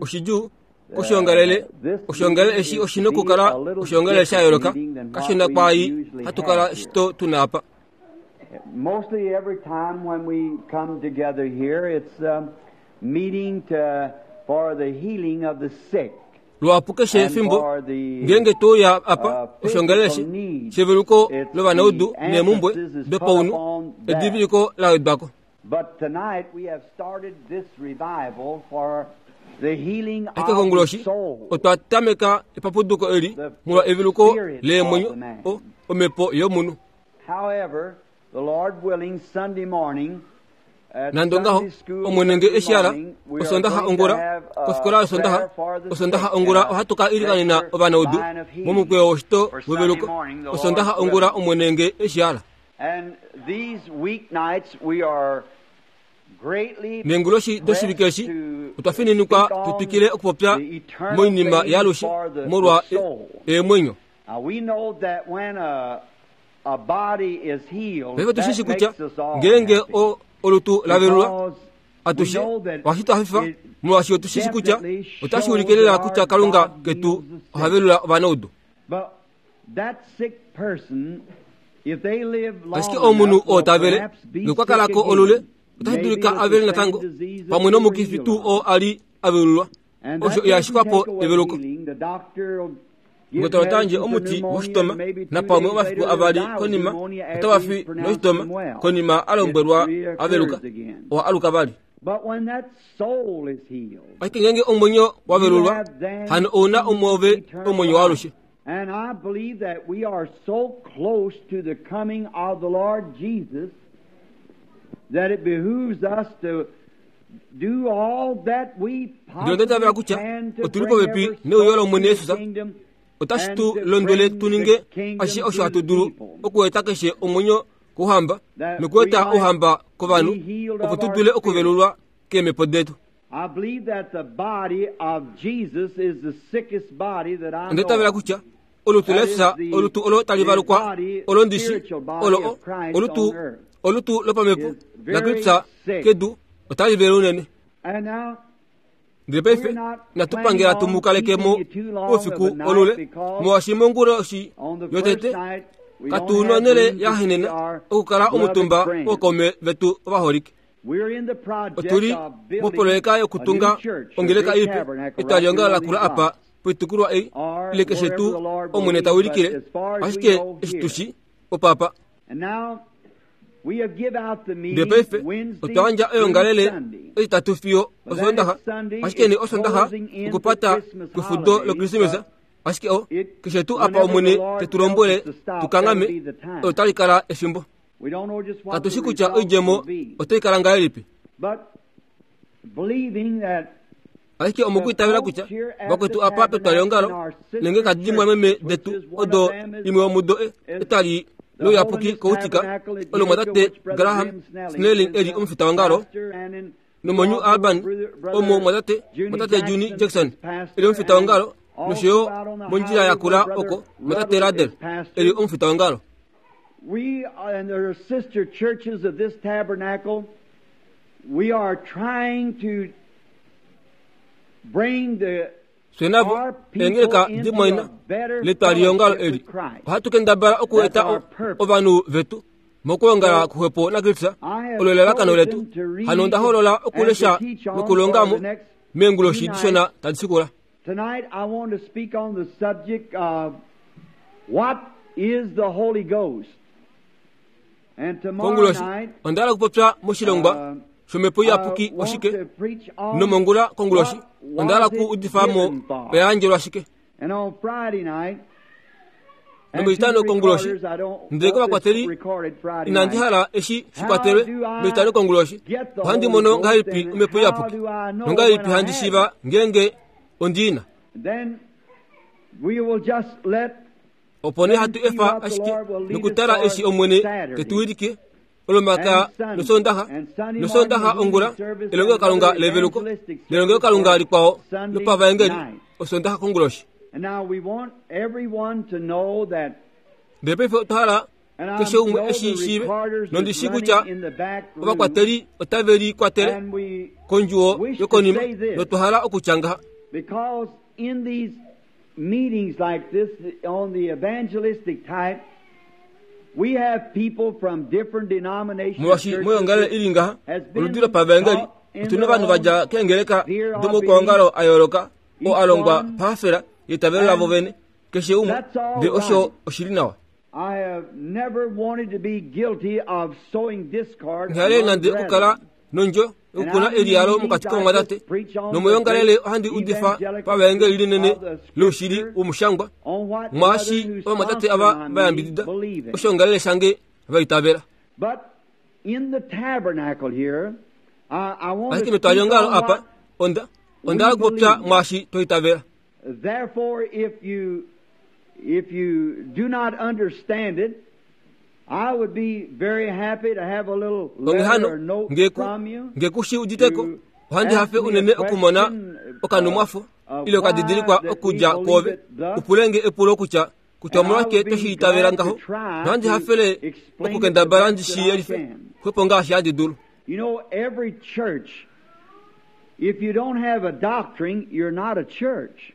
Oshidjuu koshoongalele oshoongalele eshi oshi na okukala oshoongalele sha yooloka kashona kwaai hatu kala shito tu na apa. Mostly every time when we come together here, it's a meeting to, for the healing of the sick. Luhapu keshe efimbo ngeenge to uya apa oshoongalele eshi sheveluko lovanaudu neemhumbwe dopaunhu, ediviliko la wedwa ko. But tonight we have started this revival for the healing Ashike of the konguloshi soul. otwa tameka epapuduko eli molwa eveluko leemwenyo, o, omhepo yomunhu. However, the Lord willing, Sunday morning, at Nande ongaho, Sunday school Omwene nge Sunday eshi ala, morning, we are Osondaxa going to ongula, have a kofikola yOsondaxa, prayer for the Osondaxa sick ongula and a ohatu ka ilikanena lecture ovanaudu line of healing. momukweyo woshito For Sunday weveluko. morning, the Lord Osondaxa ongula willing. Omwene nge eshi ala. And these weeknights we are greatly Neenguloshi doshivike eshi pressed to otwa fininikwa speak tu on twikile okupopya the eternal moinima things yaalushe for the, molwa the soul. eemwenyo. Now we know that when a body is healed, Paife otu shi that shi kutya makes us all ngeenge happy. o- olutu la velulwa Because we atushe know that ohashi tu hafifa it molwaashi otu shi shi kutya definitely otashi shows ulike lela that our kutya Kalunga God ketu heals the oha sick. velula ovanaudu. But that sick person, if they live long Ashike omunhu enough, oo will ta vele perhaps be nokwa sick kala ko olule again, otashi maybe dulika with a the vele same natango disease that pamwe they were nomukifi healed tuu of. oo a li a velulwa. And Osho that ihashi doesn't kwapo take away eveluko. healing. The doctor will give Ndokotola ota yandje medicine for omuti pneumonia, woshitoma, and maybe 2 napamwe days omafiku later they'll avali die with konima pneumonia otava after he's fi pronounced noshitoma them well. konima a It lombwelwa a veluka, reoccurs again. oha aluka vali. But when that soul is healed, Ashike ngeenge omwenyo wa you velulwa, have then hano ou na omwoove eternal omwenyo life. waalushe. And I believe that we are so close to the coming of the Lord Jesus that it behooves us to do all that we Ndele onda itavela possibly kutya can to otu li bring popepi every neuyo soul to lOmwene the Jesus. kingdom Otashi and tu to londwele bring tu the ninge ashishe kingdom osho to hatu the dulu people, okueta keshe omwenyo kouhamba that we nokueta might ouhamba kovanhu be healed opo of tu our dule spirit. okuvelulwa keemhepo detu. I believe that the body of Jesus is the sickest body that I Onda know itavela of. kutya olutu That is laJesus the, olutu olo tali the valukwa body, olo ndishi spiritual body olo of Christ olutu on earth olutu lopamhepo is la very Kristus sick. kedu otali vele unene. And now Ndele we're paife not inatu planning pangela tu on mu kaleke keeping mo you too long of oufiku a night olule because molwaashi monguloshi on the first yotete night we katu don't na have onhele room ya to see henena our okukala beloved omutumba friends. wookaume vetu ovaholike. We're in the project Otuli of building mopoloyeka a new yokutunga church, a ongeleka big ipe tabernacle right etwaliyongalo here on lakula these apa lots poitukulwa ei or ile keshe wherever tuu the Lord will Omwene lead, ta but wilikile as far as we ashike know eshi here. tu shi opapa. And now we have give out the Ndele meeting paife Wednesday otwa yandja through oyoongalele Sunday. Etitatu fiyo But then Osoondaxa, it's Sunday, ashike nee it's Osoondaxa closing in for okupata Christmas kwefudo holidays, loKrismesa, but ashike o it keshe tuu apa whenever the Omwene te Lord tu tells lombwele us to tu stop, that'll kanghame, be the time. otali kala efimbo. We don't know just what Katu the shi kutya results oidjemo will be. otai kala ngahelipi. But believing that Ashike the omokwiitavela folks kutya here at the vakwetu apa tabernacle in petwaliyongalo our nenge sister kadi church, dimwameme which detu is one of odo them is imwe yomudo is etali the louyapuki Holiness koutika Tabernacle at olo Utica, mwatate which Brother Graham Graham Snelling Snelling is eli the omufita wongalo pastor, and in nomonyu New Alban Albany, Brother omo mwatate Junie mwatate Junie Jackson Jackson is pastor, eli omufita and wongalo nosho yo also out on the mondjila highway where yakula Brother oko mwatate Ruddell Radel is pastor. eli omufita wongalo. We and there are sister churches of this tabernacle. We are trying to bring the Fye navo our people eengeleka into dimwaina a better letwaliyongalo fellowship eli with Christ. ohatu kendabala That's okueta our purpose. ovanhu vetu mokuongala So kuxwepo naKristus I have olo elalakano letu. chosen to read Hano onda hoolola and to okulesha teach on for nokulongamo the next few meenguloshi dishona nights. tadi shikula. Tonight I want to speak on the subject of what is the Holy Ghost. And tomorrow Konguloshi night onda hala okupopya moshilongwa shomhepo I iyapuki want oshike to preach on nomongula konguloshi what onda hala was it okuudifa mo given for. oya yandjelwa shike. And on Friday night, and to the Nomuitano konguloshi recorders, I don't ndele want this kovakwateli recorded Friday inandi night. hala eshi How shikwatelwe do I moitano konguloshi get the ohandi Holy mono Ghost ngahelipi and omhepo how iyapuki do I know nongahelipi when I handi have shiiva it? ngeenge ondiina. Then we will just let Opo nee them hatu see efa what the ashike Lord will lead us nokutala for eshi Omwene te tu Saturday wilike olomaka and Sunday. nosondaxa And Sunday morning nosondaxa the healing ongula service and elongelokalunga another leveluko evangelistic service nelongelokalunga for likwao Sunday lopavaengeli night. osondaxa konguloshi. And now we want everyone to know that Ndele paife otwa hala keshe umwe eshi shiive nondi shii kutya ovakwateli otave li kwatele kondjuwo yokonima notwa hala okutya ngaha meetings like this on the evangelistic type we have people from different denominations molwashi moyongalele ili ngaha oludi lopavaengeli otuna ovanhu vadja keengeleka domoukwaongalo a yooloka oo a longwa pahafela yeitavelo lavo vene keshe umwe ndele osho oshi li nawa Nghi nande okukala nondjo yokukuna eliyalo mokati kovamwatate nomoyongalele ohandi udifa pavaengeli linene loushili womushangwa mwaashi ovamwatate ava va yambidida oshiongalele shange va itavela. Ashike metwaliongalo apa onda onda hala okupopya mwaashi twa itavela. Therefore, if you, if you do not understand it, I would be very happy to have a little Onghee letter hano, or note nge ku, from you nge ku shi udite ko, to ohandi ask hafe me a unene okumona question okanhumwafo of ile why okadidilikwa that we okudja believe kwoove, it thus, u pule nge epulo kutya kutya and I omolwashike would twe shi be itavela glad to ngaho, try nohandi to hafele explain it the okukendabala ndi best shi that I yelife can. xwepo ngaashi handi dulu. You know, every church, if you don't have a doctrine, you're not a church.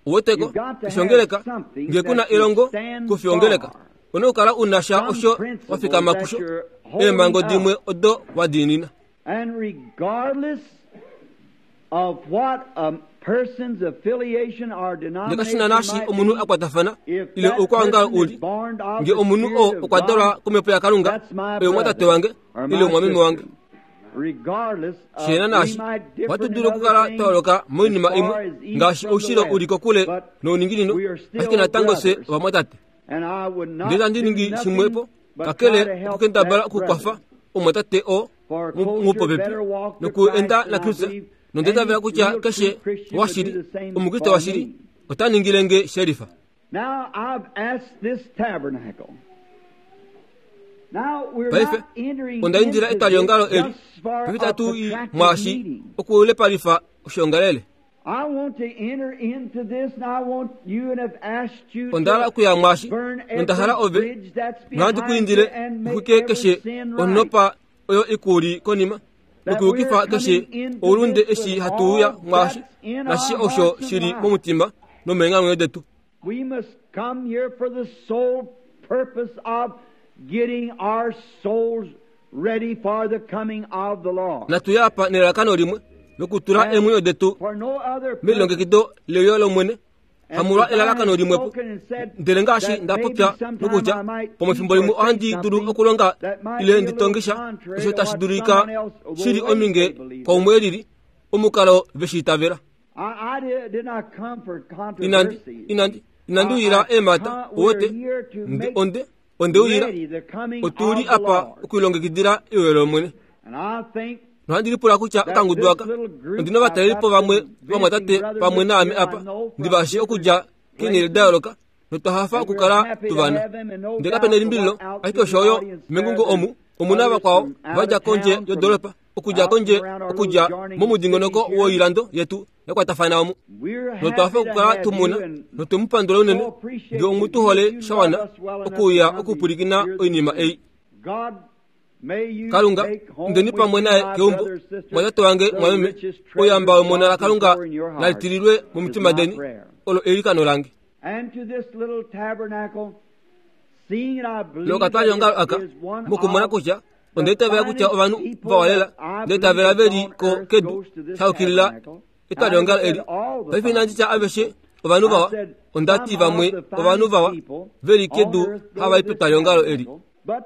Uweteko, You've got to keshe ongeleka, have something nge ku na that you elongo, stand kufi ongeleka. for. Una okukala u na sha Some osho wa principle fikama that kusho, you're holding eemhango up. dimwe odo wa diinina. And regardless of what a person's affiliation or Ndele kashi na denomination naashi might omunhu be, a kwatafana if ile that oukwaongalo person u is li, born of nge the omunhu oo Spirit of okwa dalwa God, komhepo yaKalunga, that's my oye omwatate brother wange or ile my omwameme sister. wange. Regardless of, Shena we naashi, might differ ohatu in dulu other okukala twa things yooloka as moinima far imwe as east ngaashi from the oushilo u li west, kokule but nouninginino, we are ashike still natango fye brothers. ovamwatate. And I would not Ndele itandi do ningi nothing shimwepo but try kakele to help okukendabala that okukwafa brother. omwatate oo For a closer, mupopepi better walk to nokuenda Christ, and I naKristus believe nonda itavela any kutya real keshe true Christian would do washili the same omukriste for washili me. ota ningile nge shelifa. Now I've asked this tabernacle. Now we're Paife not entering onda indila into etwaliongalo this eli just for paife a itatu i protracted mwaashi meeting. okulepalifa oshiongalele. I want to enter into this and I want you and have asked you Onda hala to okuya mwaashi burn nonda hala every ove bridge that's nohandi ku behind indile you and make uxwike every keshe sin right. onopa oyo ikuli konima That nokuyukifa we're keshe coming into oulunde this eshi with hatu uya all mwaashi that's in nashishe our osho hearts and shili lives. momutima nomeenghamwenyo detu. We must come here for the sole purpose of getting our souls ready for the coming of the Lord. Natu ya apa nelalakano limwe lokutula And eemwenyo detu for no other purpose. melilongekido leuyo lOmwene, And hamolwa as I elalakano have limwepo. spoken and said Ndele ngaashi that nda maybe popya sometime nokutya I might pomafimbo teach limwe or say ohandi dulu something okulonga that might ile be a ndi little tonge sha contrary osho to tashi what dulika someone else will shili think ominge they believe. kwaumwe elili omukalo ve shi itavela. I, I did, did not come for Inandi controversies. inandi inandi I, uyila I eemhata come, we're uwete here to nde make onde onde uyila ready the coming otu li of the apa Lord. okulilongekidila euyo lOmwene. And I think Nohandi lipula kutya that okangudu this aka little group, ondi na I've ovatalelipo got vamwe some visiting vamwatate brothers pamwe with naame here I apa know ndi from vashi different okudja keenhele da places, yooloka notwa hafa and we're okukala happy tu to vana. have them, and no Ndele kape doubt na elimbililo the one out ashike to the osho yo audience there, mengungo there's omu omu na others vakwao from out va dja of kondje town, from yodoropa okudja out kondje from around our little okudja adjoining cities momudingonoko here. woilando yetu ya kwatafana omu. We're Notwa hafa happy to okukala have tu you muna and notwe mu pandula unene so appreciate nge omu you tu hole if you sha love wana us well enough to okuuya come to okupwilikina hear the oinima truth. ei. God, may you Kalunga, take home indeni with pamwe you, naye my keumbo, brother, sister, mwatate wange the mwameme, richest oyamba treasure wemona God la can Kalunga pour in your la heart litililwe is momitima my deni, prayer. olo eilikano lange. And to this little tabernacle, seeing that I believe Loka that twaliongalo it aka is one mokumona of kutya the onda itavela kutya finest ovanhu people vawalela that I nda itavela believe ve li on ko earth kedu goes to this sha yukilila tabernacle. And I etwaliongalo never eli. said all the Paife inandi finest tya aveshe people. ovanhu I vawa, said onda ti some of vamwe the ovanhu finest vawa people ve li on kedu earth go hava to i this petwaliongalo eli. tabernacle. But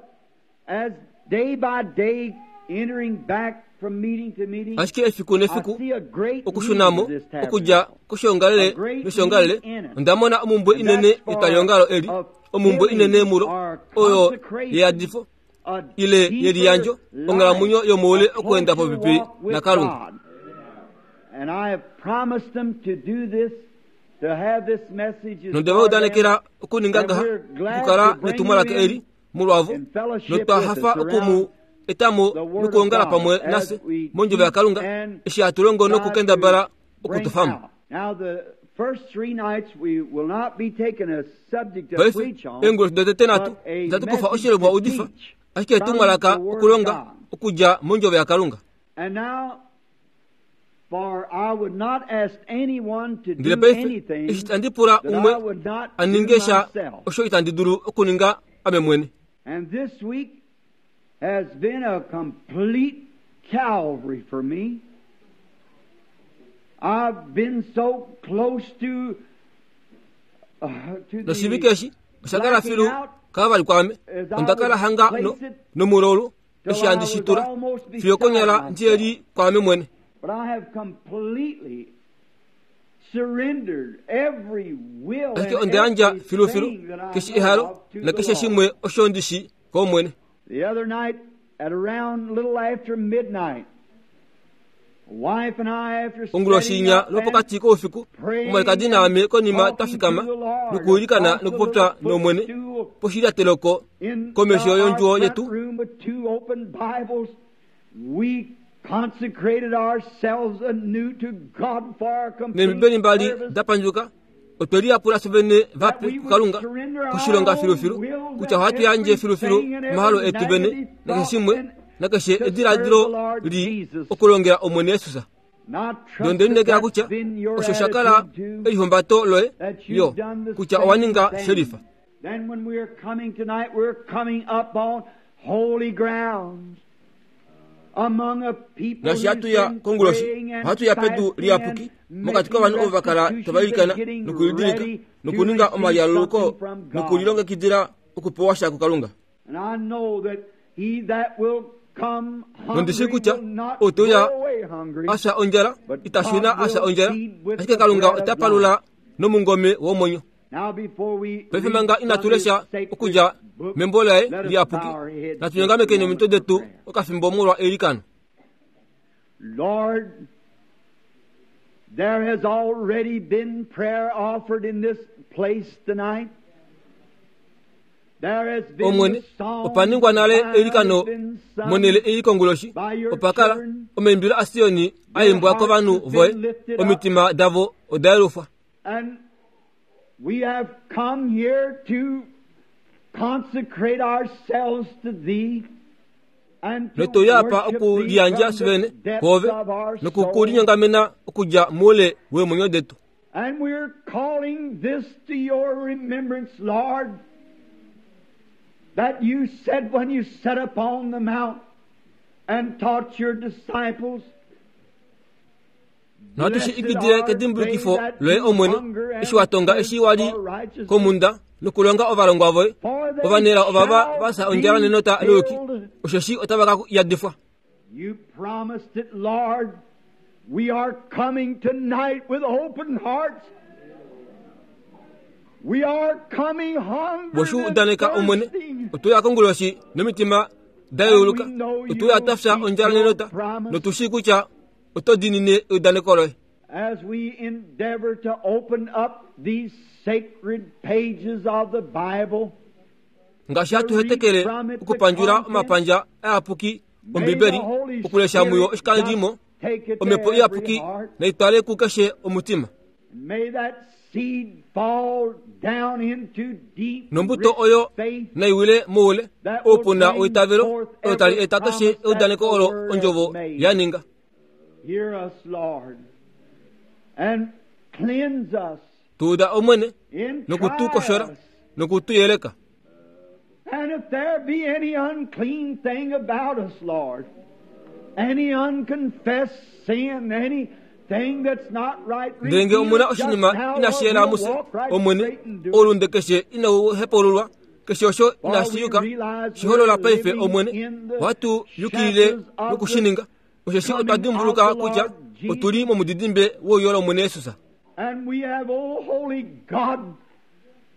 as day by day, entering back from meeting to meeting, Ashike efiku I nefiku see a great need okushunamo of this okudja tabernacle, a koshiongalele great need noshiongalele in it. onda mona omumbwe And inene that's for yetwaliongalo eli a omumbwe inene filling mulo or oyo consecration, yeyadifo a ile deeper yeliyandjo life, onghalamwenyo yomoule a okuenda closer popepi walk with naKalunga. God. And I have promised them to do this, to have this message is Nonde va for them, udanekela okuninga and ngaha we're glad okukala to bring you netumwalaka eli in molwavo in fellowship notwa with us hafa okumu around etamo the Word of nokuongala God pamwe as nafye we mondjovo teach yaKalunga and eshi hatu longo try nokukendabala to bring okutofamo. out. Now the Paife, eenguloshi dotete nhatu, itatu kufa oshilongwa udifa, ashike etumwalaka okulonga okudja mondjovo yaKalunga. Ndele paife, eshi itandi pula umwe a ninge sha osho itandi dulu okuninga ame mwene. Has been a complete Calvary for me. I've been so close to Noshivike eshi osha kala filu kavali kwaame. Onda kala hanga no, nomulolu eshi handi shi tula fiyo konyala ndi li kwaame mwene. But I have completely surrendered every will Ashike and onda yandja filufilu everything that I keshe know ehalo of to the nakeshe Lord. shimwe osho ndi shi kOmwene. The other night, at around little after midnight, wife and I, after Onguloshi setting inya up and lwopokati koufiku, omwalikadi naame konima twa fikama nokuilikana praying nokupopya and talking nOmwene to the Lord poshilyateloko in komesho our yondjuwo front yetu, room with two open Bibles, we consecrated ourselves anew to God for our complete neembibeli mbali service, da pandjuka, otwe liyapula fye vene that vape we would kuKalunga surrender our koshilonga own filufilu, will, kutya ohatu yandje filufilu everything and omahalo every etu vene negative nakeshe thought shimwe and nakeshe to serve ediladilo the Lord li Jesus. okulongela Omwene Jesus. Not Ndele trust onde that lineekela that's kutya been your osho sha kala attitude too, elihumbato loye that yo you've done the kutya owa same ninga thing. shelifa. Then when we are coming tonight, we're coming up on holy grounds among a people Naashi who's hatu ya been konguloshi, praying and ohatu ya pedu fasting liyapuki and mokati making kovanhu ovo va kala restitutions tava ilikana and getting nokulidilika ready to nokuninga receive omalyaluluko something from God. nokulilongekidila okupewa sha kuKalunga. And I know that he that will come Nondi shii hungry kutya will not ou te uya go away hungry, a fya ondjala but ita shuna God a fya will ondjala, feed with ashike the Kalunga bread ota of palula life. nomungome womwenyo. Now before we Paife read manga from inatu his lesha sacred okudja book, membo laye let us liyapuki, bow our heads natu just a nyongamekeni omitwe moment for detu prayer. okafimbo molwa eilikano. Lord, there has already been prayer offered in this place tonight. There has been Omwene, the song opa ningwa nale of Zion eilikano has been sung monhele ei konguloshi, by your opa kala children. omaimbilo aSioni a Their imbwa hearts kovanhu have voye, been lifted up. omitima davo oda yelufwa. And we have come here to consecrate ourselves to Thee and to Notu ya apa worship Thee okuliyandja from the fye vene depths kwoove of our soul. nokukulinyongamena okudja moule weemwenyo detu. And we're calling this to your remembrance, Lord, that you said when you sat upon the mount and taught your disciples, Nohatu shi Blessed ikidile are kedimbulukifo they that loye do Omwene, hunger and eshi wa tonga eshi wa li thirst for righteousness, komhunda nokulonga ovalongwa voye, for they ovanelao ovava shall va fya ondjala be nenota louyuki, filled. osheshi otava ka yadifwa. You promised it, Lord. We are coming tonight with open hearts. We are coming hungry Bwe shi and udaneka Omwene, thirsting. otu ya konguloshi nomitima da yeuluka, otu ya twa fya ondjala nenota, notu shii kutya oto diinine eudaneko loye. As we endeavor to open up these sacred pages of the Bible, Ngaashi hatu hetekele okupandjula omapandja ayapuki may Ombibeli, the Holy okulesha muyo Spirit oshikandimo, just take it to omhepo every iyapuki heart. naitwale kukeshe omutima. May that seed fall down into deep, Nombuto rich oyo faith naiwile moule that will oupuna bring weitavelo forth olo tali every eta keshe promise that eudaneko the olo Word ondjovo has made. ya ninga. Hear us, Lord, and cleanse us Tuuda Omwene and noku tu try koshora us. noku tu yeleka. And if there be any unclean thing about us, Lord, any unconfessed sin, anything that's not right, Ndele ngee reveal omuna it just oshinima now, inashi or yela we'll mufye, walk right Omwene, straight and do it. oulunde keshe inau hepululwa, keshe osho For inashi we yuka, realize shi holola we're paife living Omwene, in the ohatu yukilile shadows of nokushininga, osheshi the otwa coming of dimbuluka the kutya Lord Jesus. otuli momudidimbe wouyo lOmwene Jesus. And we have, O holy God,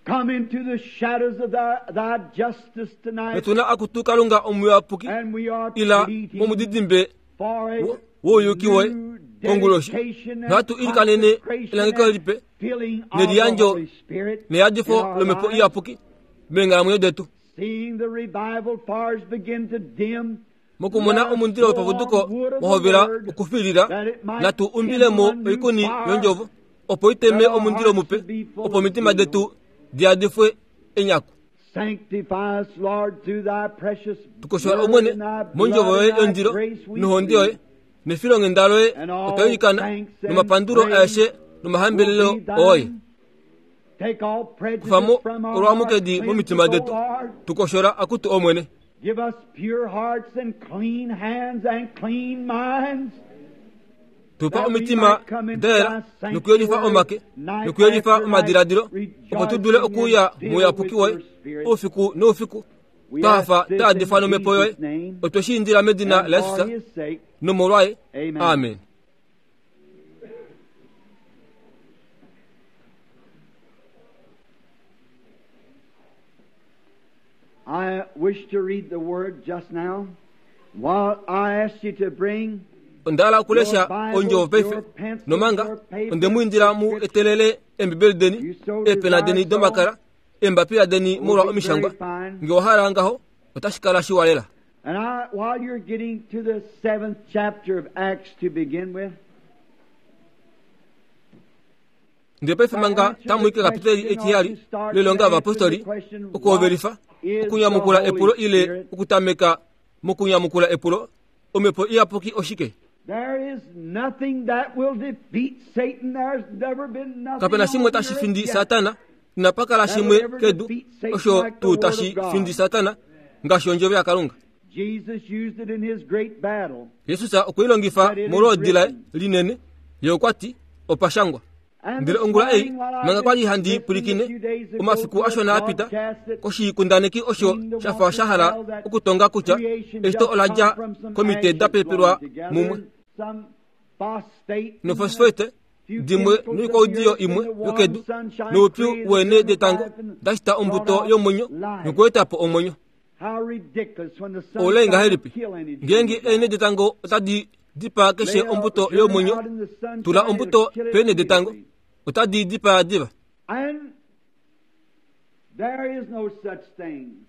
come into the shadows of thy justice tonight, Notuna akutu Kalunga omuyapuki, and we are ila pleading momudidimbe for a wouyuki woye new konguloshi. dedication and Nohatu ilikanene consecration elangeko and lipe filling of the neliyandjo Holy Spirit in neyadifo our lomhepo lives. iyapuki meenghalamwenyo detu. Seeing the revival fires begin to dim, Mokumona let us omundilo throw wepapuduko on wood of wa the hovela word okufilila, that it might natu kindle umbilemo a new oikuni fire yondjovo, Opo i teme omundilo mupe, opo omitima detu di yadifwe enyaku. Tukoshola Omwene mondjovo yoye yondilo nohonde yoye nefilonghenda loye otwa ilikana nomapandulo aeshe nomahambelelo oye. Kufa mo olwamukedi momitima detu, tukoshola akutu Omwene. Tupa omitima da yela nokuyelifa omake nokuyelifa omadiladilo opo tu dule okuuya mouyapuki woye oufiku noufiku twa hafa twa yadifwa nomhepo yoye. Otwe shi indila medina laJesus nomolwaye. Amen. I wish to read the word just now. While I ask you to bring Onda hala okulesha ondjovo paife, nomanga onde mu indila mu etelele Eembibeli deni, eepena deni domakala, eembapila deni molwa omishangwa. Nge owa hala ngaho, otashi kala shiwa lela. And I, while you're getting to the seventh chapter of Acts to begin with, Ndele paife manga tamu i kekapiteli etiheyali loilonga yovapostoli, okuhovelifa okunyamukula epulo ile okutameka mokunyamukula epulo, Omhepo Iyapuki oshike? Kape na shimwe tashi findi Satana, inapa kala shimwe kedu osho tuu tashi findi Satana ngaashi ondjovo yaKalunga. Jesus okwe i longifa molwoodi laye linene. Ye okwa ti, Opa shangwa. Ndele ongula ei, manga kwa li handi pwilikine, omafiku ashona a pita, koshikundaneki osho sha fa sha hala okutonga kutya eshito ola dja komite da pepelwa mumwe nofosfate dimwe noikwaudiyo imwe yokedu noupyu weenhe detango da shita ombuto yomwenyo nokueta po omwenyo. Oulai ngahelipi ngeenge eenhe detango otadi dipaa keshe ombuto yomwenyo? Tula ombuto peenhe detango, otadi dipaa diva.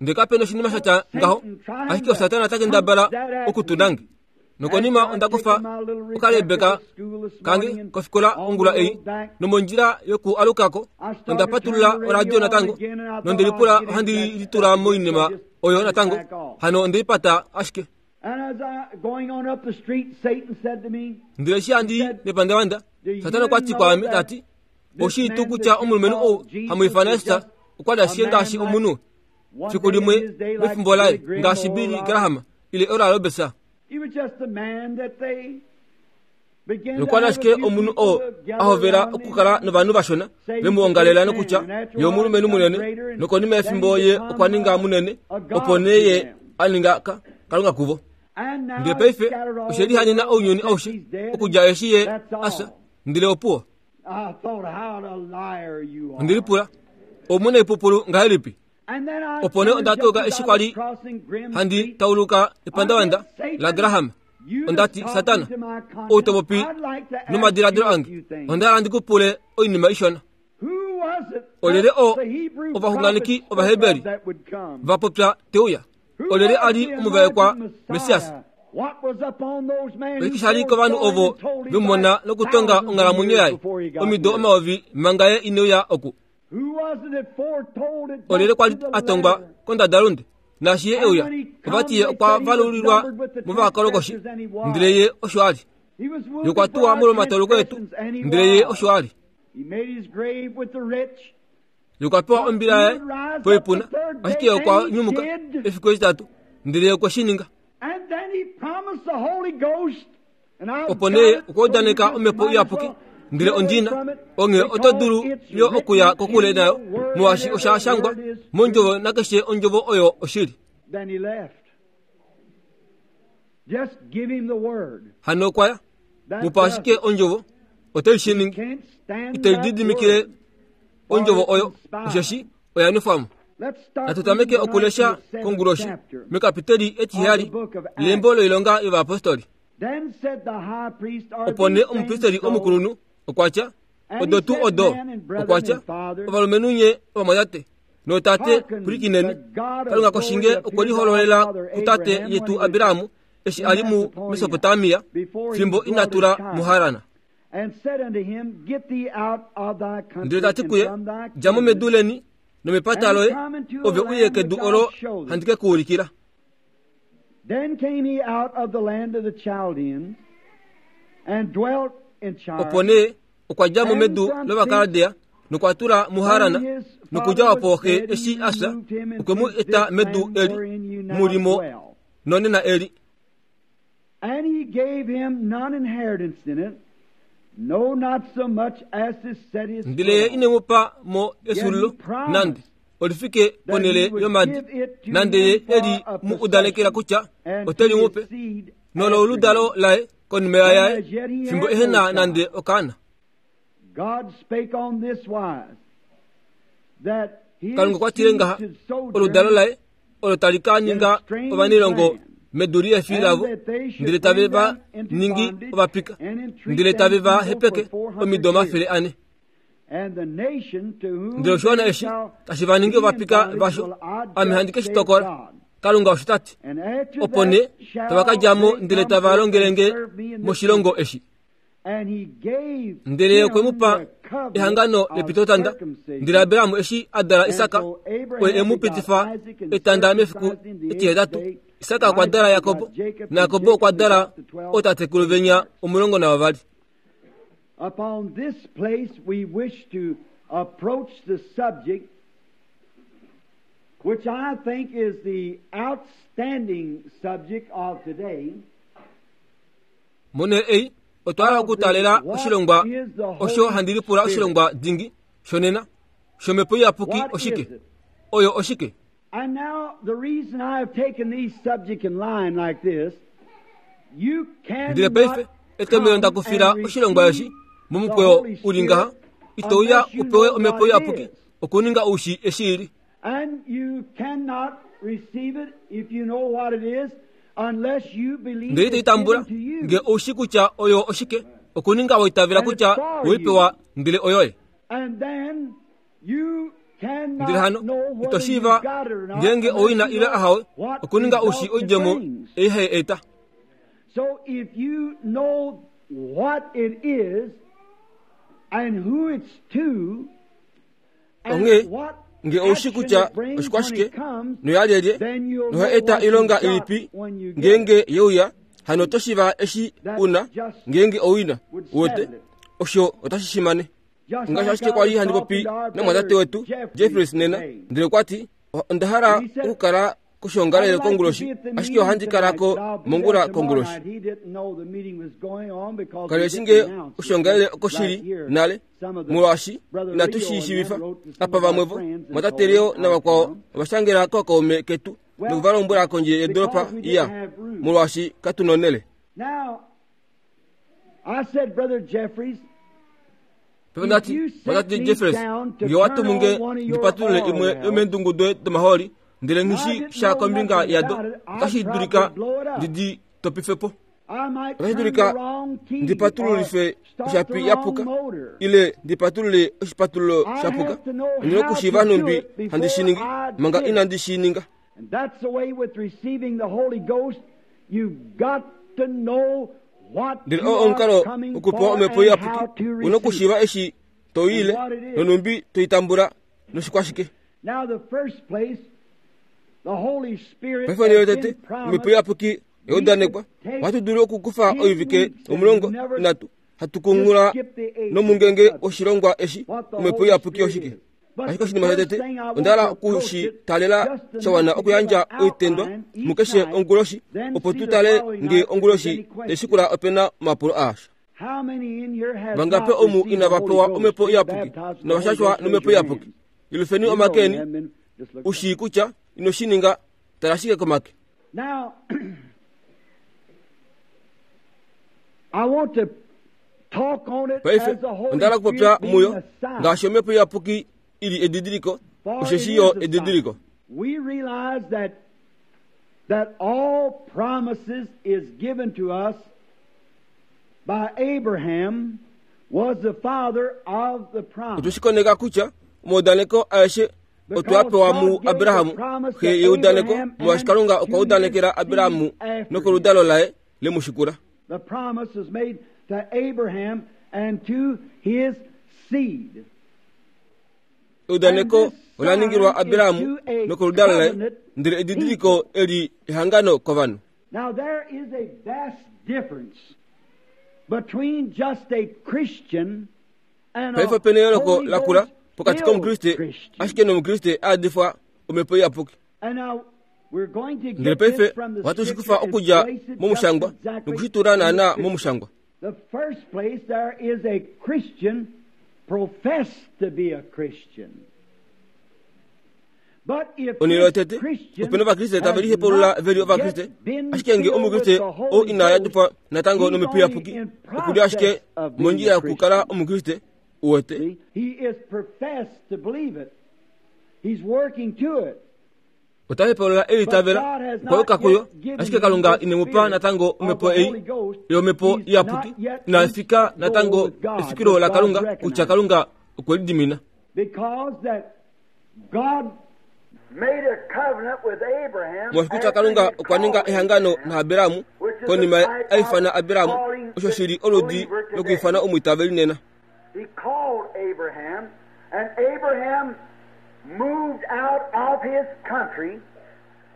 Ndele kape noshinima sha tya ngaho, ashike Satana ota kendabala oku tu nange. Nokonima onda kufa okalebeka kange kofikola ongula ei, nomondjila yoku aluka ko, onda patulula oradio natango, nonde lipula ohandi litula moinima oyo natango, hano onde lipata ashike. Ndele eshi handi i mepandavanda, Satana okwa ti kwaame, ta ti, Oshii tuu kutya omulumenhu ou hamu ifana Jesus okwa li ashike ngaashi omunhu fiku limwe mefimbo laye, ngaashi Billy Graham ile Oral Roberts? Nokwa li ashike omunhu oo a hovela okukala novanhu vashona ve mu ongalela nokutya ye omulumenhu munene, nokonima yefimbo ye okwa ninga munene, opo nee ye a ninga kalunga kuvo. Ndele paife oshe lihanena ounyuni aushe okudja eshi ye a fya, ndele opuwo. Onde lipula, Omunaipupulu ngahelipi? Opo nee onda toka eshi kwa li handi tauluka epandavanda laGraham. Onda ti, Satana, ou to popi nomadiladilo ange, onda hala ndi ku pule oinima ishona. Olyelye oo ovaxunganeki Ovaheberi va popya te uya? Olyelye a li omuvaekwa Messias? Oshike sha li kovanhu ovo ve mu mona nokutonga onghalamwenyo yaye omido omayovi manga ye ine uya oku? Olyelye kwa li a tongwa kondadalunde naashi ye e uya? Ova ti ye okwa valulilwa movakolokoshi, ndele ye osho a li. Ye okwa tuwa molwomatauluko etu, ndele ye osho a li. Ye okwa pewa ombila yaye poipuna, ashike ye okwa nyumuka efiku etitatu, ndele ye okwe shi ninga. Opo nee okwa udaneka Omhepo Iyapuki, ndele ondi na, onghee oto dulu yo okuya kokule nayo, molwaashi osha shangwa mOndjovo nakeshe Ondjovo oyo oshili. Hano okwa ya. Mu pa ashike Ondjovo, otai shi ningi. Ite lididimikile Ondjovo oyo, osheshi oya nwefwa mo. Natu tameke okulesha konguloshi mekapiteli etiheyali lembo loilonga yovayapostoli. Opo nee omupristeli omukulunhu okwa tya, Odo tuu odo? Okwa tya, Ovalumenhu nye ovamwatate nootate, pwilikineni. Kalunga koshinge okwe lihololela kutate yetu Abraham eshi a li muMesopotamia fimbo ina tula muHaran. Ndele ta ti kuye, Dja mo medu leni nomepata loye, ove u ye kedu olo handi ke ku ulikila. Opo nee okwa dja mo medu lOvakaldea nokwa tula muHaran, nokudja opo xe eshi a fya, okwe mu eta medu eli mu li mo nonena eli. And he gave him none inheritance in it, no, not so much as to set his Ndele ye foot on. ine mu pa mo efyuululo nande oli fike ponhele yomadi, nande ye e li mu udanekela kutya ote li mu pe, nololudalo laye konima yaye, fimbo ehe na nande okaana. God spake on this wise, that his Kalunga okwa tile seed ngaha, should sojourn oludalo laye olo tali ka ninga ovanailongo medu liefi lavo, ndele tave va ningi ovapika, ndele tave va hepeke omido 400. Ndele oshiwana eshi tashi va ningi ovapika vasho, ame handi ke shi tokola. Kalunga osho ta ti. Opo nee tava ka dja mo ndele tava longele nge moshilongo eshi. Ndele ye okwe mu pa ehangano lepitotanda. Ndele Abraham eshi a dala Isak, oye e mu pitifa etanda mefiku etihetatu. Isak okwa dala Jakob, naJakob okwa dala ootatekulu venya 12. Upon this place we wish to approach the subject which I think is the outstanding subject of today. Monhele ei otwa hala okutaalela oshilongwa osho handi lipula oshilongwa dingi shonena shOmhepo Iyapuki oshike? Oyo oshike? And now the reason I have taken these subject in line like this, you Ndele paife etomhelo nda kufila oshilongwa eshi momukweyo u li ngaha, ito uya u pewe Omhepo Iyapuki okuninga oushi eshi i li. And you cannot receive it if you know what it is, unless you believe Ndele ito i it's tambula given to you. nge oushi kutya oyo oshike, okuninga wa itavela kutya we i pewa ndele oyoye. And then you cannot Ndele hano know ito whether shiiva you've got it or not ngeenge unless owina you ile know ahawe, what okuninga oushi result it oidjemo brings. ei hai eta. So if you know what it is and who it's to, Onghee, nge ou shi kutya oshikwashike noyalyelye noha eta oilonga ilipi ngeenge ye uya, hano oto shiiva eshi u na ngeenge ou i na. Uwete? Osho otashi shimane. Ngaashi ashike kwa li handi popi namumwatate wetu Jeffries nena, ndele okwa ti, Onda hala okukala koshoongalele konguloshi, ashike ohandi kala ko mongula konguloshi. Kali eshi nge oshoongalele oko shi li nale, molwaashi inatu shi shiivifa. Apa vamwe vo, mwatate Leo navakwao ova shangela kookaume ketu noku va lombwela kondje yedoolopa iya, molwaashi katu nonhele. Paife onda ti, Mwatate Jeffries, nge owa tumu nge ndi patulule imwe yomeendungu doye domahooli, ndele nghi shi sha kombinga yado, otashi dulika ndi di topife po. Otashi dulika ndi patululife oshapi ya puka, ile ndi patulule oshipatululo sha puka. Ondi na okushiiva nhumbi handi shi ningi manga inandi shi ninga. Ndele oo omukalo wokupewa Omhepo Iyapuki, u na okushiiva eshi to i ile, nonhumbi to i tambula, noshikwashike. Paife onhele yotete, Omhepo Iyapuki oya udanekwa. Ohatu dulu okukufa oivike 13 hatu kunghula nomungenge woshilongwa eshi, Omhepo Iyapuki oshike. Ashike oshinima shotete, onda hala oku shi taalela sha wana okuyandja oitendwa mukeshe onguloshi, opo tu tale nge onguloshi tai shikula ope na omapulo aasha. Vangape omu inava pewa Omhepo Iyapuki nova shashwa nOmhepo Iyapuki? Yelufeni omake eni. U shii kutya ino shi ninga, tala ashike komake. Paife, onda hala okupopya muyo ngaashi Omhepo Iyapuki i li edidiliko, osheshi yo edidiliko. We realize that that all promises is given to us by Abraham was the father of the promise. Otwe shi koneka kutya omaudaneko aeshe otwe a pewa muAbraham, xe yeudaneko, molwaashi Kalunga okwa udanekela Abraham nokoludalo laye le mu shikula. The promise was made to Abraham and to his seed. Eudaneko ola ningilwa Abraham nokoludalo laye, ndele edidiliko eli ehangano kovanhu. Now there is a vast difference between just a Christian and Paife a opena eyooloko Holy lakula Ghost pokati filled komukriste Christian. ashike nomukriste a adifwa omhepo iyapuki. And now we're going to Ndele get paife this from the ohatu shi scripture kufa and okudja place it just momushangwa exactly nokushitula in the naanaa scripture. momushangwa. The first place there is a Christian professed to be a Christian. But if Onhele this yotete Christian opena ovakriste tave has lihepulula not ve li ovakriste yet been ashike nge filled with omukriste the oo Holy ina Ghost, yadipwa natango he's nomhepo only iyapuki in okuli ashike process of being mondjila a yokukala Christian. omukriste uwete. See? He is professed to believe it. He's working to it. Ota hepulula e But litavela God has okwa not yuka kuyo yet given ashike him Kalunga the ine mu pa spirit natango of omhepo the ei Holy Ghost. yomhepo He's iyapuki not yet ina reached fika the goal natango with God, efikilo that la God Kalunga kutya recognized. Kalunga okwe lidimina. Because that God made a covenant with Abraham Molwaashi kutya after Kalunga he had okwa ninga called ehangano Abraham, naAberamu which is the konima type a ifana of Aberamu calling osho the shili oludi believer today. lokwiifana omwiitaveli nena. He called Abraham, and Abraham moved out of his country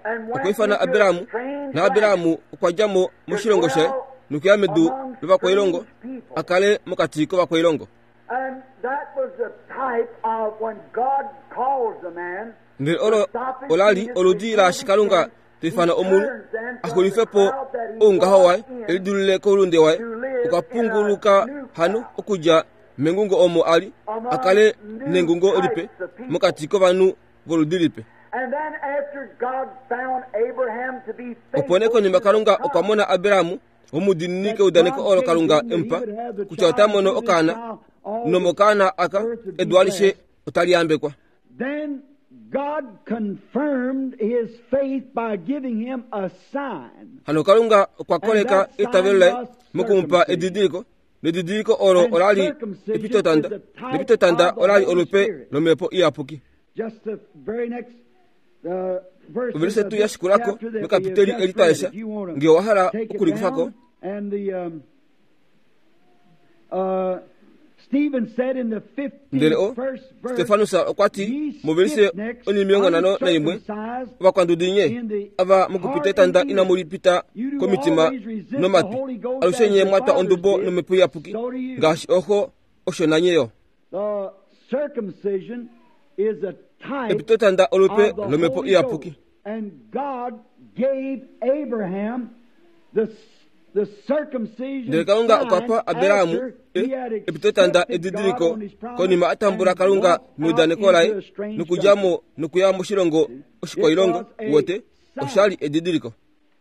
and went Okwa ifana into a Aberamu strange naAberamu land okwa dja mo to moshilongo shaye dwell nokuya medu among lovakwailongo strange people. a kale mokati kovakwailongo. And that was the type of when God calls a man Ndele to olo stop his ola li feet oludi and laashi his Kalunga sin, ta he ifana omunhu turns then a from the xulife po crowd that he oungaho was waye in elidulule koulunde waye to live okwa in a punguluka new hano crowd okudja mengungo omo a li a among kale new nengungo lipe types of people. mokati kovanhu voludi lipe. And then after God found Abraham to be Opo nee faithful konima to the Kalunga okwa promise mona Abrahamu omudiinini that keudaneko God olo gave Kalunga him e mu that pa he would have the kutya ota child mono through this okaana child, all the nomokaana aka earth would be edu alishe blessed. otali yambekwa. Then God confirmed his faith by giving him a sign. Hano Kalunga okwa And koleka that sign eitavelo laye was moku mu pa circumcision. edidiliko nedidiliko olo And ola li circumcision is epitotanda the type nepitotanda of the ola li Holy olupe Spirit. lomhepo iyapuki. Just the very next verses Ovelise of tuu ya this shikulako chapter that we have mekapiteli just eli twa read, lesha if you want nge owa hala to take it okulikufako down. And the Stephen said in the ndele o 51st verse, Stefanus okwa ti Ye movelise stiff-necked, onimilongo nhano naimwe uncircumcised ovakwandudi nye in the ava heart mokupita and etanda inamu ears, lipita you do komitima always resist the nomatwi Holy Ghost alushe as nye your mwa twa fathers ondubo did, nomhepo iyapuki so do you. ngaashi oxo osho nanye yo. The circumcision is a type Epitotanda olupe of the lomhepo Holy iyapuki. Ghost. And God gave Abraham the circumcision Ndele Kalunga okwa sign pa Abrahamu after he had epitotanda accepted God edidiliko on his promise konima a tambula and Kalunga walked out meudaneko into laye a strange nokudja country. mo nokuya moshilongo It oshikwailongo was a wote osha li sign. edidiliko.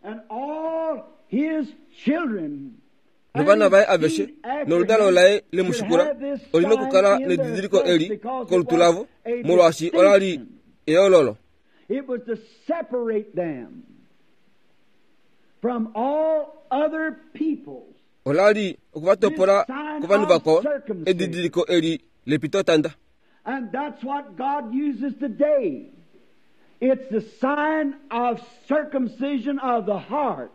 And all his children and Novana his vaye aveshe seed after noludalo him laye le mu should shikula have this olina sign okukala in their nedidiliko flesh eli because it kolutu was lavo a molwaashi ola li distinction. eyoololo. It was to separate them from all other peoples. Ola li This okuvatopola sign kovanhu of vakwao circumcision. edidiliko eli lepitotanda. And that's what God uses today. It's the sign of circumcision of the heart.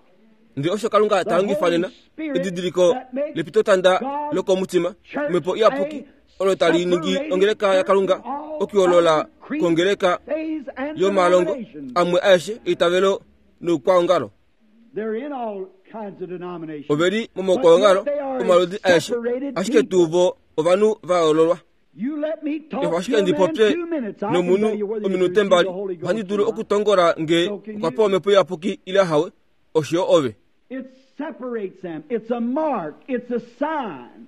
Ndele osho Kalunga The ta longifa Holy nena Spirit edidiliko that makes lepitotanda God's lokomutima church omhepo iyapuki a olo tali ningi separated ongeleka church yaKalunga from all okuyoolola other creeds, kongeleka faiths, and yomalongo denominations. amwe aeshe eitavelo noukwaongalo. They're in all kinds of denominations. Ove li But momaukwaongalo yet they are a omaludi aeshe separated ashike people. tuu vo ovanhu va yoololwa. You let me Efa talk ashike to a ndi man popye 2 minutes, I can nomunhu tell you whether he's ominute received mbali the Holy ohandi Ghost dulu or not. okutongola nge So can okwa you. pewa omhepo iyapuki ile hawe osho yo ove. It separates them. It's a mark. It's a sign.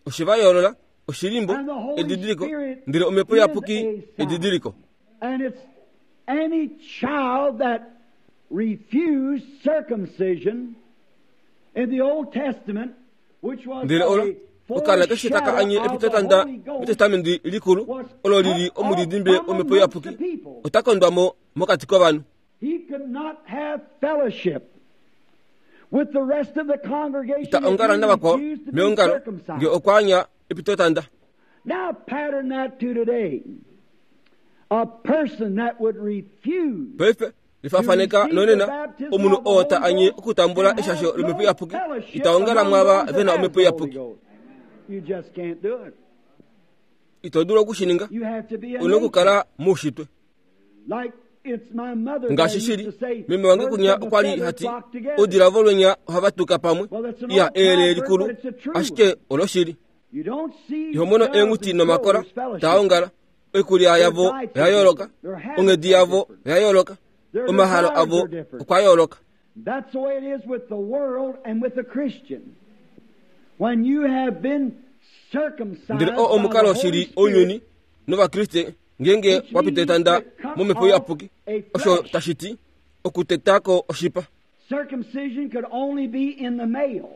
Oshe va yoolola oshilimbo And the Holy edidiliko Spirit ndele omhepo is iyapuki a sign. edidiliko. And it's any child that refused circumcision in the Old Testament, which was Ndele olo a okaana keshe taka foreshadow anye of the epitotanda Holy Ghost, metestamenti likulu was olo lili cut off omudidimbe from womhepo amongst the iyapuki people. ota kondwa mo mokati kovanhu. He could not have fellowship with the rest of the congregation Ita if ongala he navakwao refused to be meongalo nge circumcised. okwa anya epitotanda. Now pattern that to today. A person that would refuse Paife to lifafaneka receive the nonena baptism omunhu of the oo ta Holy anye Ghost okutambula and eshasho have lomhepo no iyapuki fellowship ita ongala among mwaava those ve that na has omhepo the Holy iyapuki. Ghost. Ito dulu oku shi ninga. Ou na okukala moushitwe. Ngaashi shili, meme wange kunya okwa li ha ti, Oudila volwenya ohava tuka pamwe. Iya, eyele likulu, ashike oloshili. Iho mono eenghuti nomakola taa ongala. Oikulya yavo oya yooloka, onghedi yavo oya yooloka, omahalo avo okwa yooloka. That's the way it is with the world and with the Christian. When you have been circumcised Ndele oo omukalo shili ounyuni nOvakriste ngeenge wa pita etanda momhepo iyapuki, osho tashi ti okuteta ko oshipa. Circumcision could only be in the male.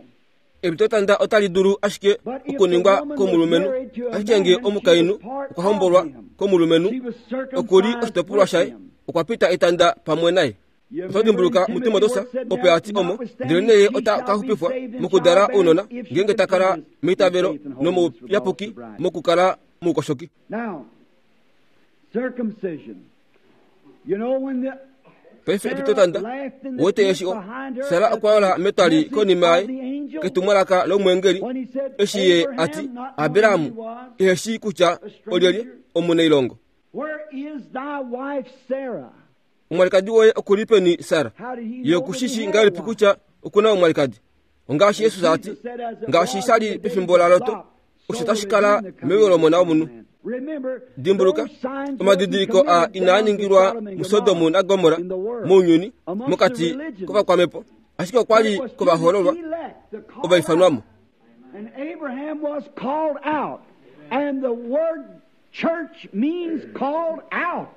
Epitotanda otali dulu ashike okuningwa komulumenhu, ashike ngee omukainhu okwa hombolwa komulumenhu, oku li oshitopolwa shaye, okwa pita etanda pamwe naye. Oto dimbuluka muTimoteus opo a ti omo, ndelenee ye ota ka xupifwa mokudala ounona, ngeenge ta kala meitavelo nomouyapuki mokukala moukoshoki. Paife epitotanda, uwete eshi o, Sara okwa yola metwali konima yaye ketumwalaka lomweengeli, eshi ye a ti, Abraham ehe shii kutya olyelye omunailongo. Omwalikadi woye oku li peni, Sara? Ye oku shi shii ngahelipi kutya oku na omwalikadi? Ongaashi Jesus a ti, ngaashi sha li pefimbo laLot, osho tashi kala meuyo lOmona wOmunhu. Dimbuluka, omadidiliko aa inaa ningilwa muSodom naGomorra, mounyuni, mokati kovakwamhepo, ashike okwa li kovahoololwa ovaifanwa mo. And Abraham was called out, and the word church means called out.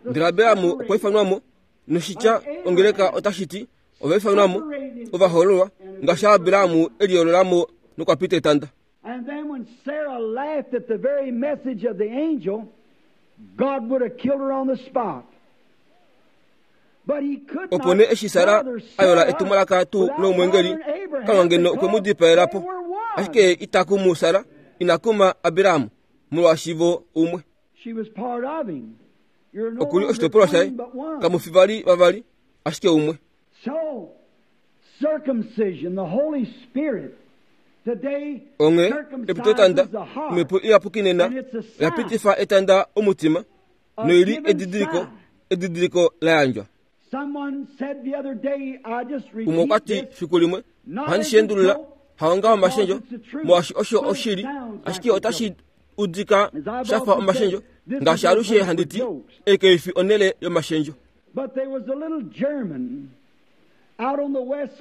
Ndele Abraham okwa ifanwa mo, noshitya ongeleka otashi ti ova ifanwa mo, ovahoololwa, ngaashi Abraham e liyoolola mo nokwa pita etanda. And then when Sarah laughed at the very message of the angel, God would have killed her on the spot. Opo nee eshi Sara a yola etumwalaka tuu lomwengeli, Kalunga ngeno okwe mu dipaela po. Ashike ye ita kumu Sara, ina kuma Abraham, molwaashi vo umwe. Oku li oshitopolwa shaye. Kamu fi vali vavali, ashike umwe. Onghee, epitotanda, Omhepo Iyapuki nena oya pitifa etanda omutima, noi li edidiliko, edidiliko la yandjwa. Umwe okwa ti fiku limwe, ohandi shi endulula, haonga omashendjo, molwaashi osho oshili, ashike otashi udika sha fa omashendjo, ngaashi alushe handi ti, ei kai fi onhele yomashendjo.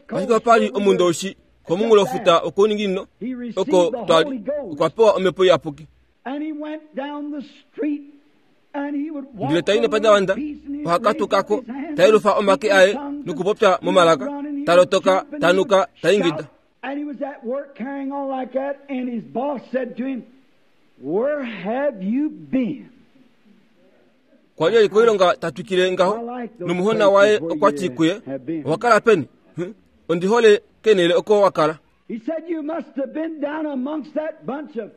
Ashike opa li omundowishi komunghulofuta wokouninginino, oko twa li, okwa pewa Omhepo Iyapuki. Ndele ta i nepandavanda, oha katuka ko, ta yelufa omake aye nokupopya momalaka, ta lotoka, ta nuka, ta ingida. Kwa li e li koilonga ta twikile ngaho, nomuhona waye okwa ti kuye, Owa kala peni? Ondi hole keenhele oko wa kala.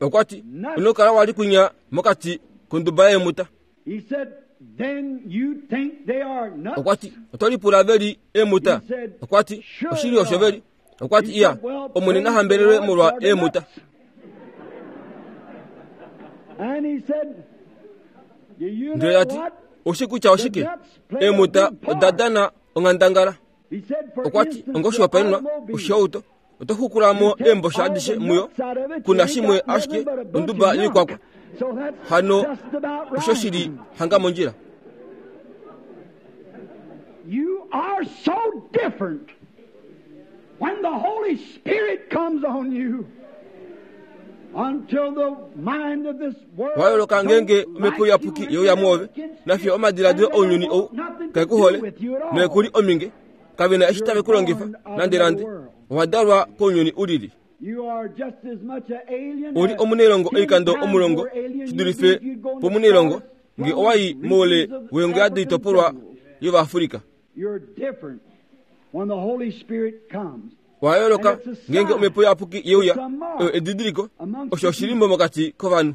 Okwa ti, Ino kala wa li kwinya mokati konduba yeemuta. Okwa ti, Oto lipula ve li eemuta? Okwa ti, Oshili osho ve li. Okwa ti, Iya, Omwene na hambelelwe molwa eemuta. Ndele ta ti, Oushi kutya oshike? Eemuta oda dana onghandangala. Okwa ti, Ongoshihopaenenwa, oshihauto, oto xukula mo eembosha adishe muyo, ku na shimwe ashike onduba yoikwakwa. Hano osho shi li hanga mondjila. You are so different when the Holy Spirit comes on you until the mind of this world Wa yooloka ngeenge omhepo iyapuki ye uya mwoove, nafiyo omadiladilo ounyuni ou kae ku hole noe ku li ominge. Kave na eshi tave ku longifa nandenande. Owa dalwa kounyuni u lili. U li omunailongo oikando omulongo shi dulife pomunailongo nge owa i moule weengwea doitopolwa yOvaafrika. Owa yooloka ngeenge Omhepo Iyapuki ye uya. Oyo edidiliko. Osho oshilimbo mokati kovanhu.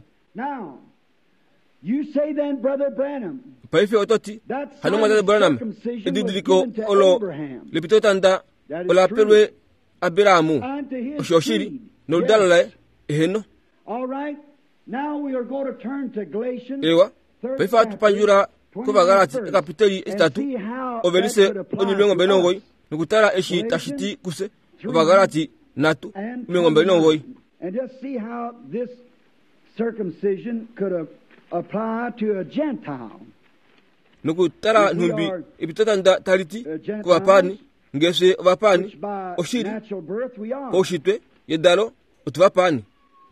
Paife oto ti, Hano Mwatate Branham, edidiliko olo lepitotanda ola pelwe Abraham. Osho oshili. Noludalo laye. Eheno. Ewa, paife ohatu pandjula kOvagalati ekapiteli etitatu, ovelise 29, nokutala eshi tashi ti kufye, Ovagalati 3, 29. Nokutala nhumbi epitotanda tali ti kovapaani, nge fye ovapaani, oshili, paushitwe, yedalo, otuvapaani.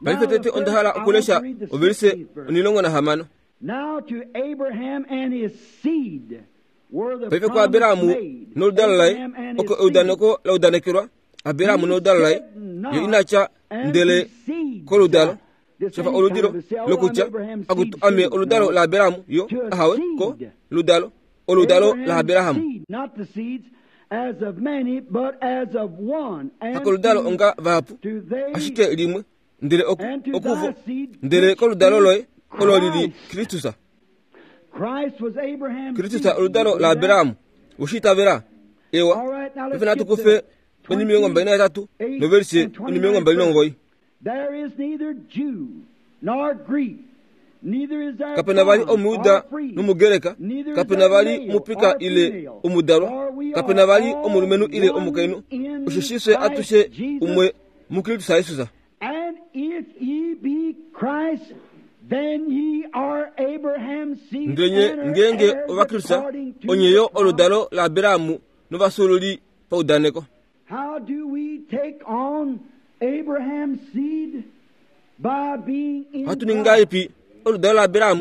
Paife tete onda hala okulesha ovelise 16. Paife kuAberahamu noludalo laye oko eudaneko la udanekelwa, Aberahamu noludalo laye, ye ina tya ndele koludalo, shafa oludilo lokutya, akutu ame oludalo laAberahamu, yo, ahawe, ko, ludalo, oludalo laAberahamu. Hakoludalo onga vahapu, ashike limwe, ndele oku, okuvo, ndele koludalo loye, olo li li Kristus. Kristus oludalo laAbraham. Oshi itavela? Ewa. Paife natu kufe 28 novelise 29. Kape na vali Omuyuda nOmugreka, kape na vali omupika ile omudalwa, kape na vali omulumenhu ile omukainhu, osheshi fye atushe umwe muKristus Jesus. Ndele nye ngeenge Ovakristus, onye yo oludalo laAbraham novafyuululi paudaneko. Ohatu ningi ngahelipi oludalo laAbraham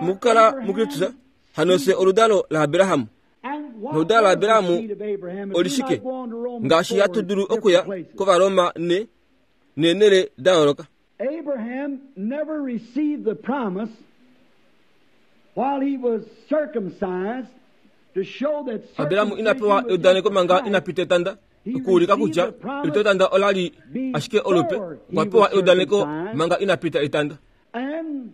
mokukala muKristus? Hano fye oludalo laAbraham. Noludalo laAbraham oli shike? Ngaashi hatu dulu okuya kOvaroma ne neenhele da yooloka. Abraham never received the promise while he was circumcised to show that Abraham ina pewa eudaneko manga ina pita etanda okuulika kutya epitotanda ola li ashike olupe. Okwa pewa eudaneko manga ina pita etanda. And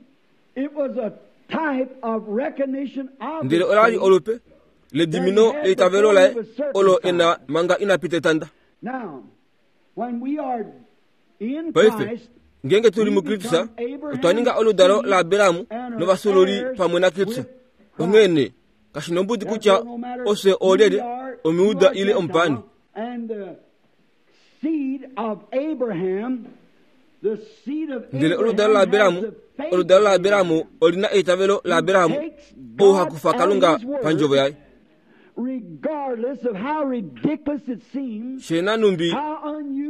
it was a type of recognition of Ndele ola li olupe ledimino leitavelo laye olo e na manga ina pita etanda. Now, when we are in Paife, Christ, ngeenge tu li muKristus, otwa ninga oludalo laAbraham novafyuululi pamwe naKristus. Onghee nee, kashi nombudi kutya ofye oolyelye, Omujuda ile Omupaani. Ndele oludalo laAbraham, oludalo laAbraham oli na eitavelo laAbraham, ou ha kufa Kalunga pandjovo yaye. She nanhumbi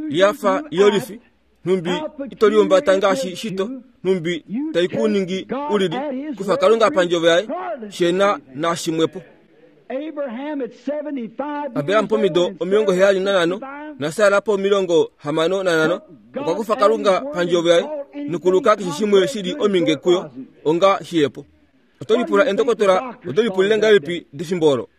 ya fa yolifi, nhumbi ito lihumbata ngaashi shito, nhumbi tai ku ningi u lili, kufa Kalunga pandjovo yaye, she na nashimwepo. Abraham pomido 75 naSara po65 okwa kufa Kalunga pandjovo yaye nokuluka keshe shimwe shi li ominge kuyo onga shiyepo. Oto lipula endokotola oto lipulile ngahelipi defimbo olo?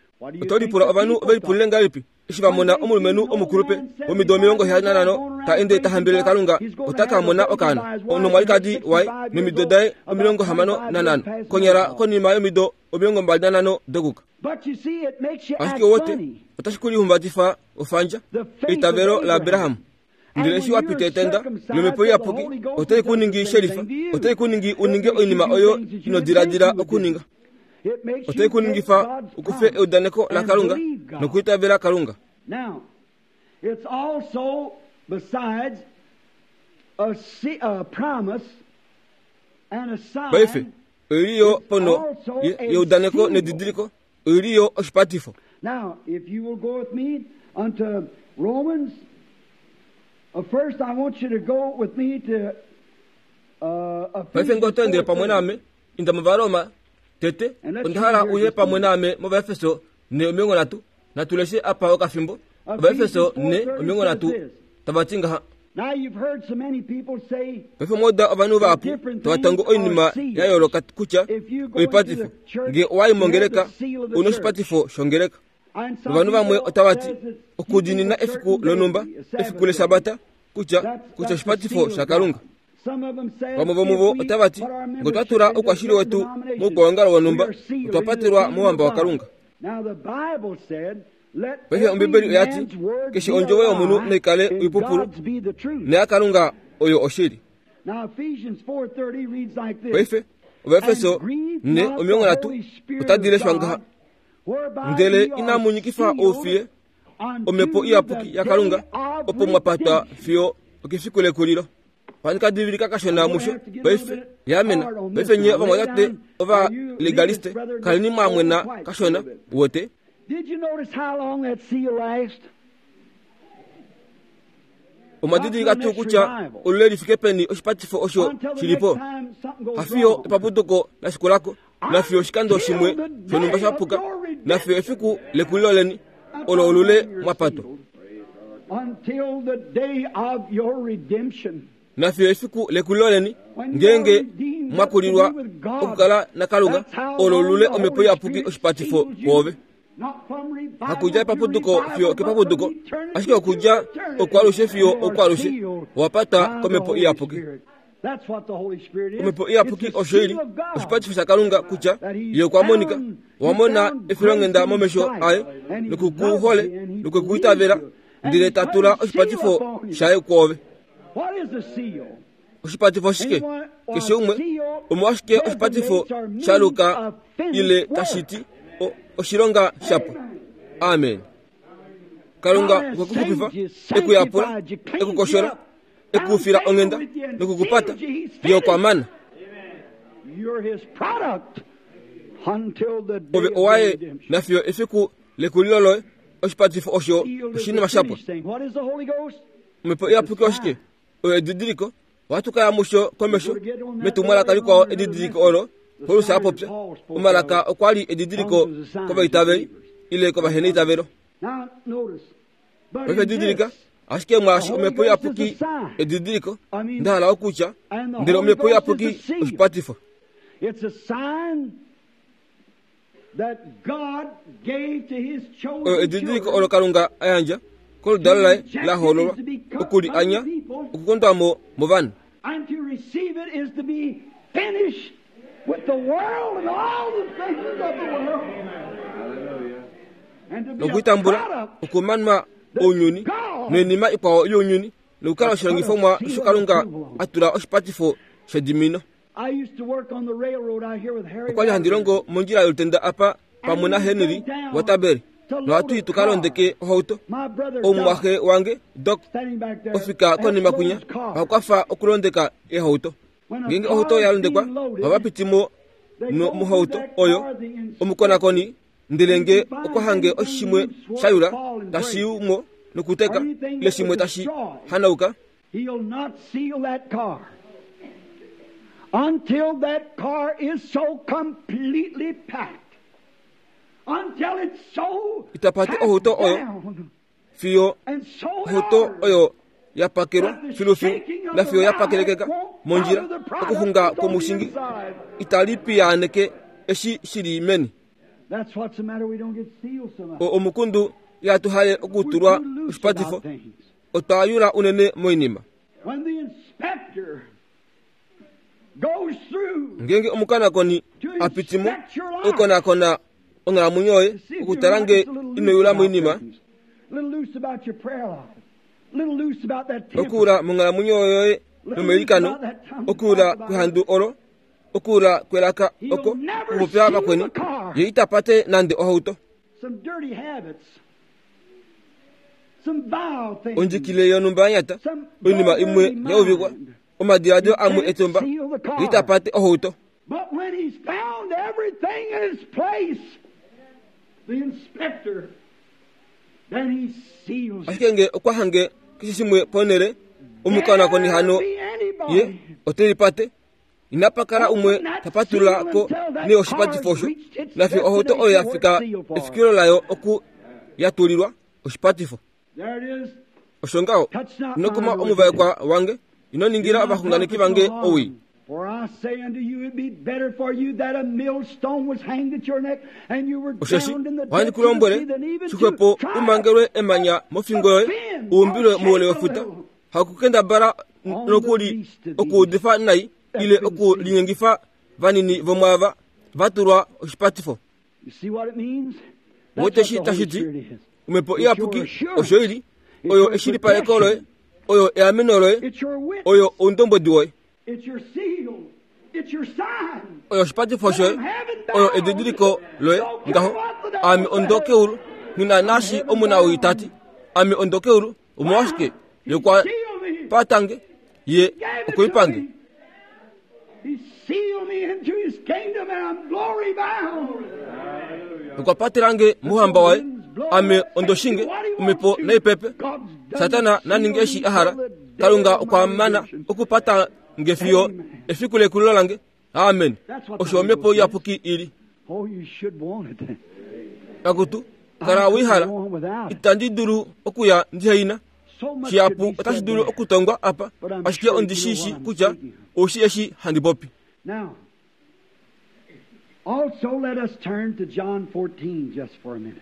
Oto lipula ovanhu ove lipulile ngahelipi eshi va mona omulumenhu omukulupe womido 75 ta ende ta hambelele Kalunga ota ka mona okaana nomwalikadi waye nomido daye 65 konyala konima yomido 25 dokuka? Ashike wote otashi ku lihumbatifa ofandja eitavelo laAbraham. Ndele eshi wa pita etenda lOmhepo Iyapuki otai ku ningi shelifa, otai ku ningi u ninge oinima oyo ino diladila okuninga. Otai ku ningifa u kufe eudaneko laKalunga nokwiitavela Kalunga. Now, it's also, besides, a, a promise and a sign. Paife, oi li yo pono yeudaneko nedidiliko, oi li yo oshipatifo. Now, if you will go with me unto Romans, first I want you to go with me to Paife ngee oto endele pamwe naame, inda mOvaroma tete. Onda hala uye pamwe naame mOvaefeso 4:30. Natu leshe apa okafimbo. Ovaefeso 4:30 tava ti ngaha. Paife omwa uda ovanhu vahapu tava tongo oinima ya yooloka kutya oipatifo. Ngee owa i mongeleka, ou na oshipatifo shongeleka. Novanhu vamwe otava ti, Okudiinina efiku lonhumba, efiku lEshabata, kutya, kutya oshipatifo shaKalunga. Vamwe vomuvo otava ti, Ngee otwa tula oukwashili wetu moukwaongalo wonhumba, otwa patelwa mouhamba waKalunga. Paife Ombibeli oya ti, Keshe ondjovo yomunhu nai kale oipupulu, noyaKalunga oyo oshili. Paife Ovaefeso 4:30 otadi leshwa ngaha: Ndele inamu nyikifa oufiye omhepo iyapuki yaKalunga, opo mwa patwa fiyo okefiku lekulilo. Ohandi ka divilika kashona musho paife. Yaamena. Paife nye ovamwatate ovalegaliste, kaleni mwa mwena kashona, wote. Omwa didilika tuu kutya olule li fike peni oshipatifo osho shi li po? Hafiyo epapuduko la shikula ko, nafiyo oshikando shimwe shonhumba sha puka, nafiyo efiku lekulilo leni, olo olule mwa patwa. Nafiyo efiku lekulilo leni, ngeenge mwa kulilwa okukala naKalunga, olo olule Omhepo Iyapuki oshipatifo kwoove. Hakudja epapuduko fiyo okepapuduko, ashike okudja okwalushe fiyo okwalushe, owa patwa kOmhepo Iyapuki. Omhepo Iyapuki osho i li oshipatifo shaKalunga kutya Ye okwa monika. Owa mona efilonghenda momesho aye noku ku hole nokwe ku itavela, ndele ta tula oshipatifo shaye kwoove. Oshipatifo oshike? Keshe umwe, omolwashike oshipatifo sha luka ile tashi ti oshilonga shapo? Amen. Kalunga okwe ku xupifa, e ku yapula, e ku koshola, e ku fila onghenda noku ku pata. Ye okwa mana. Ove owaye nafiyo efiku lekulilo loye. Oshipatifo osho oshinima shapwa. Omhepo Iyapuki oshike? Oyo edidiliko. Ohatu ka ya musho komesho metumwalaka likwao edidiliko olo Paulus a popya. Omalaka okwa li edidiliko kovaitaveli ile kovaheneitavelo. Paife didilika, ashike mwaashi Omhepo Iyapuki edidiliko, nda hala okutya, ndele Omhepo Iyapuki oshipatifo. Oyo edidiliko olo Kalunga a yandja koludalo laye la hoololwa oku li anya okukondwa mo movanhu. Nokutambula okumanwa ounyuni noinima ikwao younyuni nokukala oshilongifomwa osho Kalunga a tula oshipatifo shedimino. Okwa li handi longo mondjila yolutenda apa pamwe naHenry waTaberi nohatu i tu ka londeke ohauto. Omumwaxe wange Doc ofika konima kwinya oha kwafa okulondeka eehauto. Ngeenge ohauto ya londekwa, ohava piti mo mohauto oyo omukonakoni ndele nge okwa hange oshimwe sha yula tashi yu mo nokuteka ile shimwe tashi hanauka, He'll not seal that car until that car is so completely packed. Until it's so Ita pate packed ohauto oyo down fiyo and so in ohauto order oyo ya pakelwa that the filufilu shaking of na the fiyo ya ride pakelekeka won't mondjila bother the product okuxunga that's on the kwomushingi inside. itali piyaaneke eshi shi li meni. That's what's the matter. We don't get sealed so much. O- Omukundu ihatu hale We're okutulwa too loose oshipatifo about things. Otwa yula unene moinima. When the inspector goes through Ngeenge omukonakoni to a piti mo, inspect your life, okukonakona onghalamwenyo yoye to see if you're okutala not nge just a little ino loose yula about moinima, things, a little loose about your prayer life, a little loose about that temper, okuula monghalamwenyo yoye a little loose nomeilikano, about that tongue to okuula talk about kwehandu olo, okuula kwelaka oko He'll never okupopya seal vakweni, the car. ye ita pate nande ohauto. Some dirty habits, some vile things, Ondjikilile yonhumba ya nyata, some oinima imwe vulgarly ya uvikwa, mind. omadiladilo You amwe can't etumba, seal the ye ita car. pate ohauto. But when he's found everything in its place, the inspector, then he seals it. Ashike nge okwa hange keshe shimwe ponhele, omukonakoni There hano be ye anybody ote lipate. Inapa kala umwe ta patulula Open ko that seal until that ne oshipatifo car's osho, reached its nafiyo ohauto oyo ya destination where fika it's sealed for. efikilo layo oku ya tulilwa oshipatifo. There it is. Osho ngaho, Touch not ino mine kuma anointed. omuvaekwa wange, ino Do ningila not ovaxunganeki prophesy no vange owii. harm. For I say unto you, it'd be better for you that a millstone was hanged at your neck and you were Osheshi drowned in the ohandi depths ku of the lombwele, sea than even to shixwepo try u mangelwe emanya mofingo yoye, offend u or umbilwe moule shake a wefuta, little hakukendabala on the nokuli least of these okuudifa nai that's ile been sealed. okulinyengifa vanini vomwaava va tulwa oshipatifo. You see what it means? That's Wote what shi the tashi Holy ti, Spirit is. Omhepo It's your Iyapuki assurance. osho i li, It's oyo your eshilipaleko loye, protection. oyo eameno loye, It's your witness. oyo oundombwedi woye. Oyo oshipatifo shoye, oyo edidiliko loye ngaho. Ame ondokeulu, nghi naashi omunawii ta ti, Ame ondokeulu, omolwashike ye kwa patange, ye okwe i pange. Okwa patela nge mouhamba waye, ame ondoshinge, omhepo naipepe. Satana na ninge eshi a hala. Kalunga okwa mana okupata nge fiyo efiku lekulilo lange. Amen. Osho omhepo iyapuki i li. Akutu, kala wei hala. Itandi dulu okuya ndihe ina. Shihapu otashi dulu okutongwa apa, ashike ondi shi shi kutya ou shi eshi handi popi. Also, let us turn to John 14 just for a minute.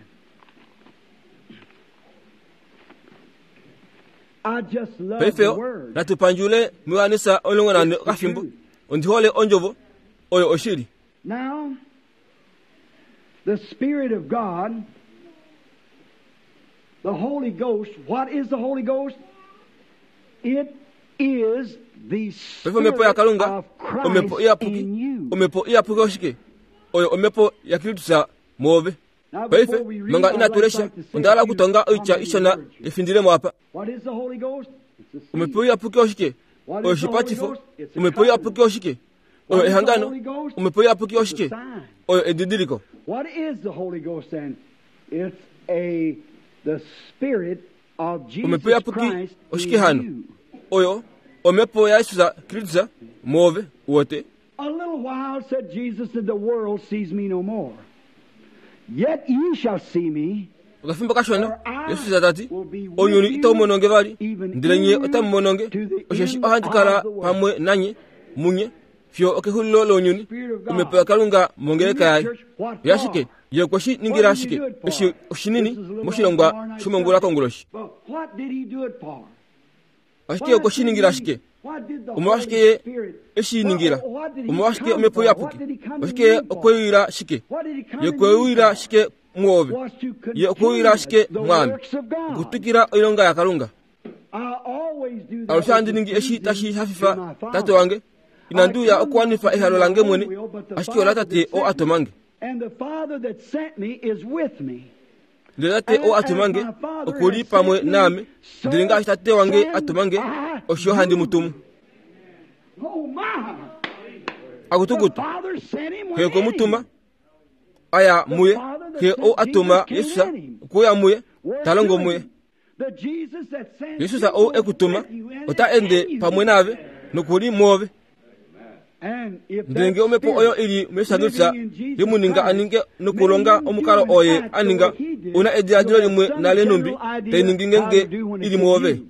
I just love Paife the word. natu pandjule muJohannes 14 okafimbo. Ondi hole ondjovo oyo oshili. Now, the Spirit of God, the Holy Ghost, what is the Holy Ghost? It is the Paife omhepo Spirit yaKalunga, of omhepo Christ iyapuki, in you. omhepo iyapuki oshike? Oyo omhepo yaKristus mwoove. Now, Paife before we read, manga I'd inatu like lesha, to say onda hala a few okutonga oitya commenting ishona words. efindilemo apa. What is the Holy Ghost? It's the Omhepo seed. iyapuki oshike? What Oyo is the Holy oshipatifo. Ghost? It's a Omhepo covenant. iyapuki oshike? Oyo What is the ehangano. Holy Ghost? Omhepo iyapuki It's a oshike? sign. Oyo edidiliko. What is the Holy Ghost then? It's a the Spirit of Omhepo Jesus iyapuki Christ oshike in hano? you. Oyo omhepo yaJesus Kristus mwoove wote. A little while, said Jesus, and the world sees me no more. Yet ye shall see me, Okafimbo kashona, for I Jesus ta ti, will be with ounyuni itau you, mono nge vali, even ndele nye in otamu mono nge, you, to the osheshi end ohandi kala of the world. pamwe nanye, munye, fiyo okexulilo lounyuni, Spirit of God. omhepo yaKalunga mongeleka In yaye. this church, what Yashike, for? ye okwe shi What ningila did he shike, do it for? eshi oshinini This is a little on moshilongwa tomorrow night's shomongula subject. konguloshi. But what did he do it for? Ashike Why okwe shi did ningila he, shike? what did the Omolwashike Holy ye Spirit, eshi ningila? what, what did he Omolwashike come omhepo for? What iyapuki? did he come to Oshike ye me for? okwe shike? What did he come Ye to okwe me uyila for? shike mwoove? Was to Ye okwe uyila continue shike the mwaame? works of God. Okutwikila oilonga yaKalunga. I always do that Alushe which handi is ningi eshi pleasing tashi to hafifa my Tate Father. wange. I Inandi uya come not okuwanifa to do ehalo my lange own mwene, will, but the ashike ola Father Tate that oo sent a me. toma nge. And the Father that sent me is with me. Ndele Tate And oo a as tuma nge my Father oku li has pamwe sent me, naame, ndele so ngaashi Tate wange a send tuma nge, I osho handi mu tumu. you. Oh my! The Akutukutu, Father sent him Xe went okwe mu in tuma, him. a ya The muye, Father that Xe oo sent a tuma Jesus came Jesus in him. okwe uya muye, We're ta longo to muye. him. The Jesus that sent Jesus you ou e goes ku tuma, with you and ota is ende in you. pamwe naave noku li mwoove. And if Ndele that ngee omhepo oyo Spirit i li muJesus living in Jesus ye mu ninga a Christ ninge made nokulonga him omukalo do and oye act a the ninga, way he did, u na ediladilo you'll have limwe some nale nhumbi general tai idea ningi how to ngeenge do when i it's li in mwoove. you.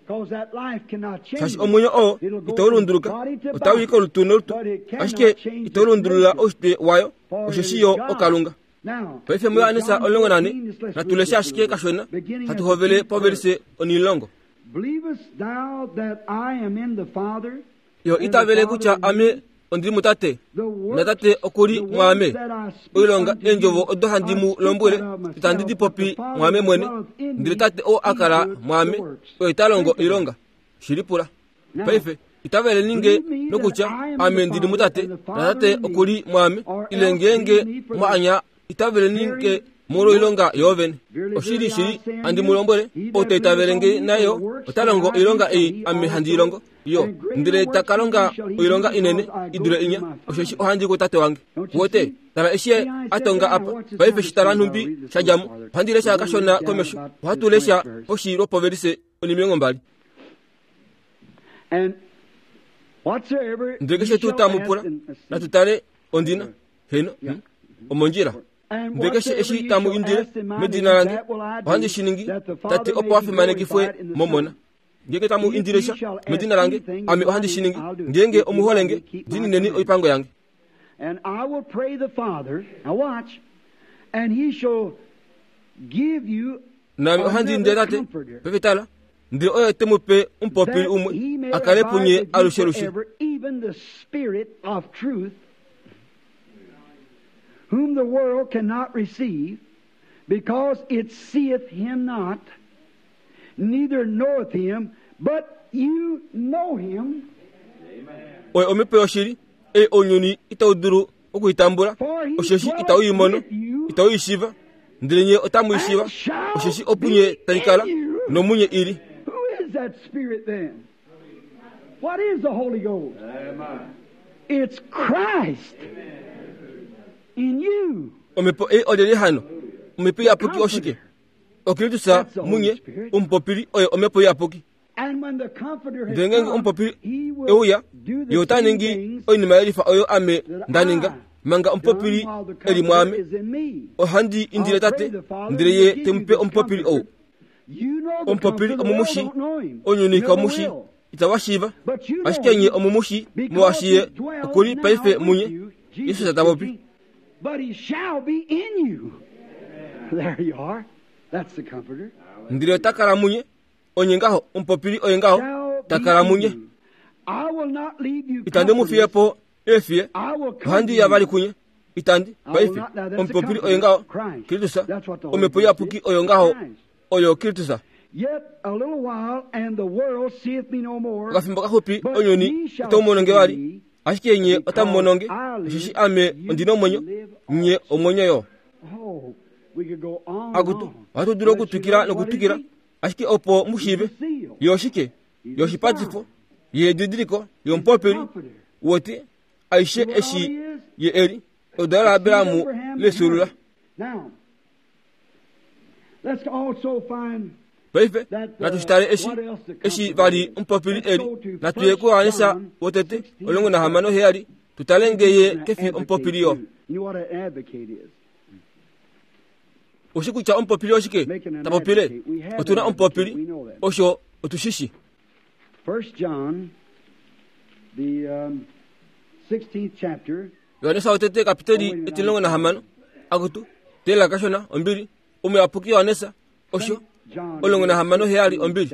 Because that life cannot Shaashi change. omwenyo oo It'll go itau from lunduluka, body to otau i body, kolutu nolutu, but it ashike cannot change itau its lundulula nature, oushitwe wayo, for it osheshi is yo God. oKalunga. Now, Paife in muJohannes John 14, 14, just let's natu read leshe just a ashike little bit. kashona, Beginning hatu at the hovele 10th verse. povelise onilongo. Believest thou that I am in the Father, Yo and the itavele Father kutya in ame me? ondili muTate, The naTate works, oku li the works mwaame. that I speak Oilonga unto eendjovo you, odo handi I mu speak lombwele, not of itandi di myself, but popi the Father mwaame that mwene, dwelleth in ndele me, Tate oo a he kala doeth the mwaame, works. oye ta longo Think of it. oilonga. Shilipula. Now, Paife, itavele ninge believe me that nokutya I am in ame the ndili Father, muTate, and the Father naTate in me, oku li mwaame, or ile else ngeenge believe me for mwa the anya itavele ninge very molwoilonga works. yoovene. Verily, Oshili verily, I shili, say unto handi mu you, lombwele, he ou that ta itavele believeth nge on me, the nayo works ota that longo I do oilonga shall ei he ame handi i also, longo. Yo, and greater ndele ta works ka than longa these shall he do, oilonga inene because I i go dule to inya, my osheshi Father. ohandi i kuTate wange. Don't you Wote, see? tala eshi ye See, I a said tonga there, now apa, watch this paife now shi tala just a minute. I'll nhumbi read this sha a little dja mo, farther. ohandi We're lesha going to kashona read down komesho, about the ohatu lesha 20th verse. poshi lwopovelise onimilongo mbali. And whatsoever Ndele ye keshe tuu shall tamu ask, pula, and let's see. natu tale ondina, heno, Yeah. omondjila. And Ndele keshe whatsoever eshi ye tamu shall indile ask in my medina name, lange, that will I ohandi do, shi ningi, that the Tate Father opo may a be fimanekifwe glorified in the momona. Son. Ngeenge tamu If indile ye sha shall ask medina lange, anything in ame my ohandi shi name, ningi. I'll do it. Ngeenge If you omu hole love nge, me, keep my diinineni commandments. oipango yange. And I will pray the Father, now watch, and he shall give you Naame ohandi indile another Tate, comforter, paife tala, ndele oye te mu pe omupopili that umwe, he may a kale abide punye with you alushelushe. forever, even the Spirit of truth, whom the world cannot receive, because it seeth him not, neither knoweth him, but you know him. Oye omhepo yoshili, ei ounyuni itau dulu oku i tambula, osheshi itau i mono, itau i shiiva. Ndele nye otamu i shiiva, osheshi opunye tai kala, nomunye i li. Who is that Spirit then? What is the Holy Ghost? It's Christ in you. Omhepo ei olyelye hano? Omhepo iyapuki oshike? Okristus munye, omupopili oye omhepo iyapuki. Ndele ngeenge omupopili e uya, ye ota ningi oinima ye lifa oyo ame nda ninga, manga omupopili e li mwaame. Ohandi indile Tate, ndele ye te mu pe omupopili ou. Omupopili omumushi, ounyuni kaumushi, itava shiiva, ashike nye omumushi, molwaashi ye oku li paife munye. Jesus ta popi. Ndele ota kala munye, onye ngaho, omupopili oye ngaho, ta kala munye. Itandi mu fiye po eefiye, ohandi ya vali kunye. Itandi, paife, omupopili oye ngaho, Kristus, Omhepo Iyapuki oyo ngaho, oyo Kristus. Okafimbo kaxupi ounyuni itau mono nge vali, ashike nye otamu mono nge, osheshi ame ondi nomwenyo, nye omwenyo yo. Akutu, ohatu dulu okutwikila nokutwikila, ashike opo mu shiive, ye oshike, ye oshipatifo, ye edidiliko, ye omupopili, woti, aishe eshi ye e li, oludalo laAbraham lefyuulula. Paife natu shi tale eshi, eshi vali omupopili e li. Natu ye kuJohannes wotete 16:7, tu tale nge ye ke fi omupopili yo. Oshi kutya omupopili oshike ta popile? Otu na omupopili, osho otu shi shi. Johannes wotete kapiteli 16, akutu, tela kashona, ombili, omuyapuki Johannes, osho, 16 7, ombili,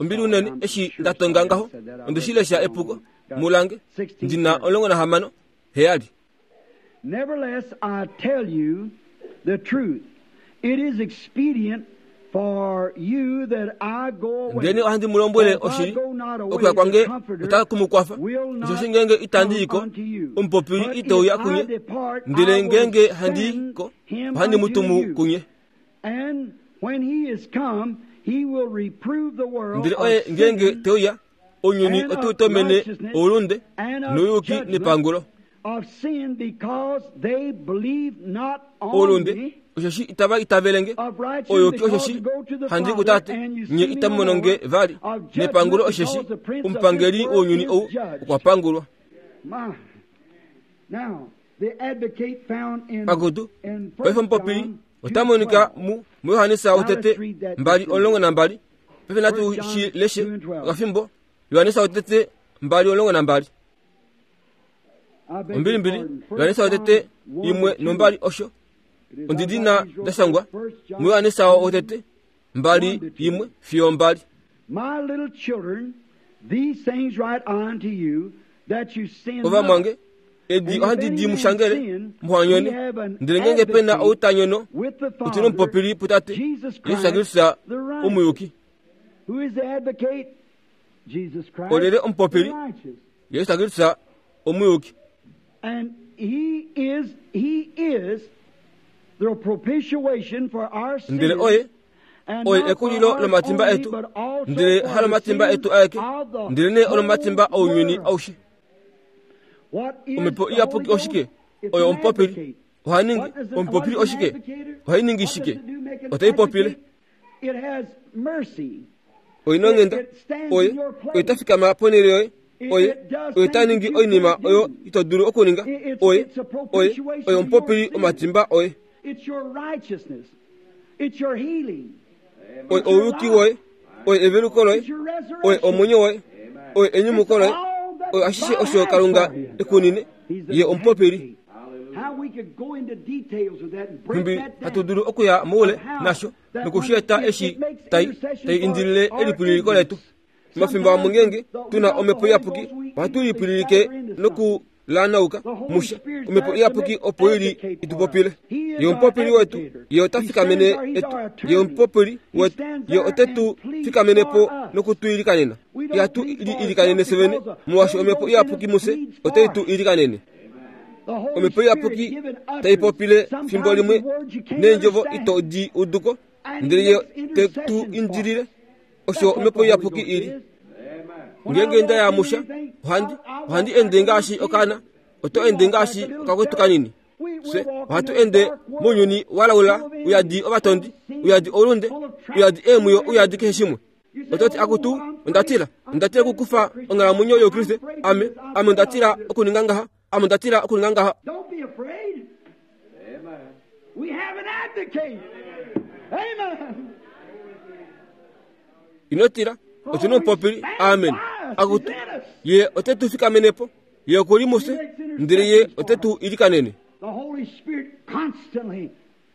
ombili unene, eshi nda tonga ngaho, onde shi lesha epuko, mulange, ndi na 16 7. Nevertheless, I tell you the truth. It is expedient for you that I go away. Ndele ohandi mu lombwele oshili, okuya kwange otaku mu kwafa. Osheshi ngeenge itandi i ko, omupopili ite uya kunye, ndele ngeenge handi i ko, ohandi mu tumu kunye. Ndele oye ngeenge te uya, ounyuni otau tomene oulunde nouyuki nepangulo. Oulunde osheshi itava itavele nge, ouyuki osheshi handi kuTate, nye itamu mono nge vali, nepangulo osheshi omupangeli wounyuni ou okwa pangulwa. Akutu, paife omupopili ota monika mu muJohannes wotete 2:12. Paife natu shi leshe okafimbo. Johannes wotete 2:12. Ombilimbili, Johannes wotete 1 no2 osho ondidina da shangwa muJohannes wotete 2 1 fiyo 2. My little children, these things write unto you, that you sin not. Ovamwange, edi ohandi di mu shangele, muhanyone, ndele ngeenge pe na ou ta nyono, otu nomupopili puTate, Jesus Kristus omuyuki. Olyelye omupopili? Jesus Kristus omuyuki. And he is, he is the propitiation for our sins. Ndele oye oye ekulilo lomatimba etu, ndele halomatimba etu aeke, ndelenee olomatimba ounyuni aushe. Omhepo iyapuki oshike? Oyo omupopili. Oha ningi omupopili oshike? Ohai ningi shike? Otai popile. Oi na onghenda. Oye, oye ta fikama ponhele yoye. Oye, oye ta ningi oinima oyo ito dulu okuninga. Oye, oye, oye omupopili omatimba oye. Oye ouyuki woye. Oye eveluko loye. Oye omwenyo woye. Oye enyumuko loye. Oye ashishe osho Kalunga e ku nine. Ye omupopili. Nhumbi hatu dulu okuya moule nasho noku shi eta eshi tai, tai indilile elipwililiko letu. Omafimbo amwe ngeenge tu na Omhepo Iyapuki, ohatu lipwililike nokulanauka musha. Omhepo Iyapuki opo i li i tu popile. Ye omupopili wetu, Ye ota fikamene etu. Ye omupopili wetu, Ye ote tu fikamene po noku tu ilikanena. Ihatu li ilikanene fye vene, molwaashi Omhepo Iyapuki mufye otai tu ilikanene. Omhepo Iyapuki tai popile fimbo limwe neendjovo ito di udu ko, ndele Ye te tu indilile. Osho Omhepo Iyapuki i li. Ngeenge nda ya musha, ohandi, ohandi ende ngaashi okaana, oto ende ngaashi okakwetu kanini. Fye ohatu ende mounyuni wa laula, uyadi ovatondi, uyadi oulunde, uyadi eemwiyo, uyadi keshe shimwe. Oto ti, Akutu, onda tila. Onda tila okukufa onghalamwenyo yOukriste. Ame, ame onda tila okuninga ngaha. Ame onda tila okuninga ngaha. Ino tila. Otu nomupopili. Amen. Akutu, Ye ote tu fikamene po. Ye oku li mufye, ndele Ye ote tu ilikanene.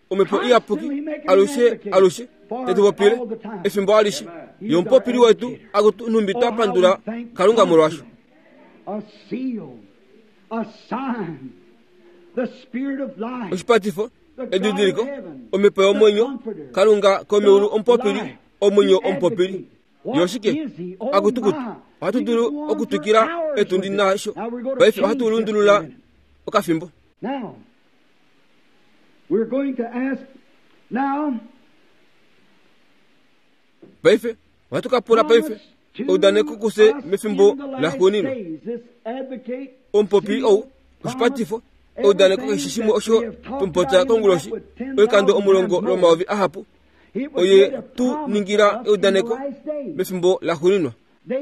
Omhepo Iyapuki alushe alushe te tu popile efimbo alishe. Ye omupopili wetu, akutu nhumbi twa pandula Kalunga molwasho. Oshipatifo, edidiliko, Omhepo yomwenyo, Kalunga komeulu omupopili, omwenyo omupopili. Ye oshike? Akutukutu. Ohatu dulu okutwikila etundi nasho. Paife ohatu lundulula okafimbo. Paife ohatu ka pula paife eudaneko kufye mefimbo laxuuninwa. Omupopi ou, oshipatifo, eudaneko keshe shimwe osho twamupopya konguloshi, oikando omulongo lwomayovi ahapu, Oye tu ningila eudaneko mefimbo laxuuninwa.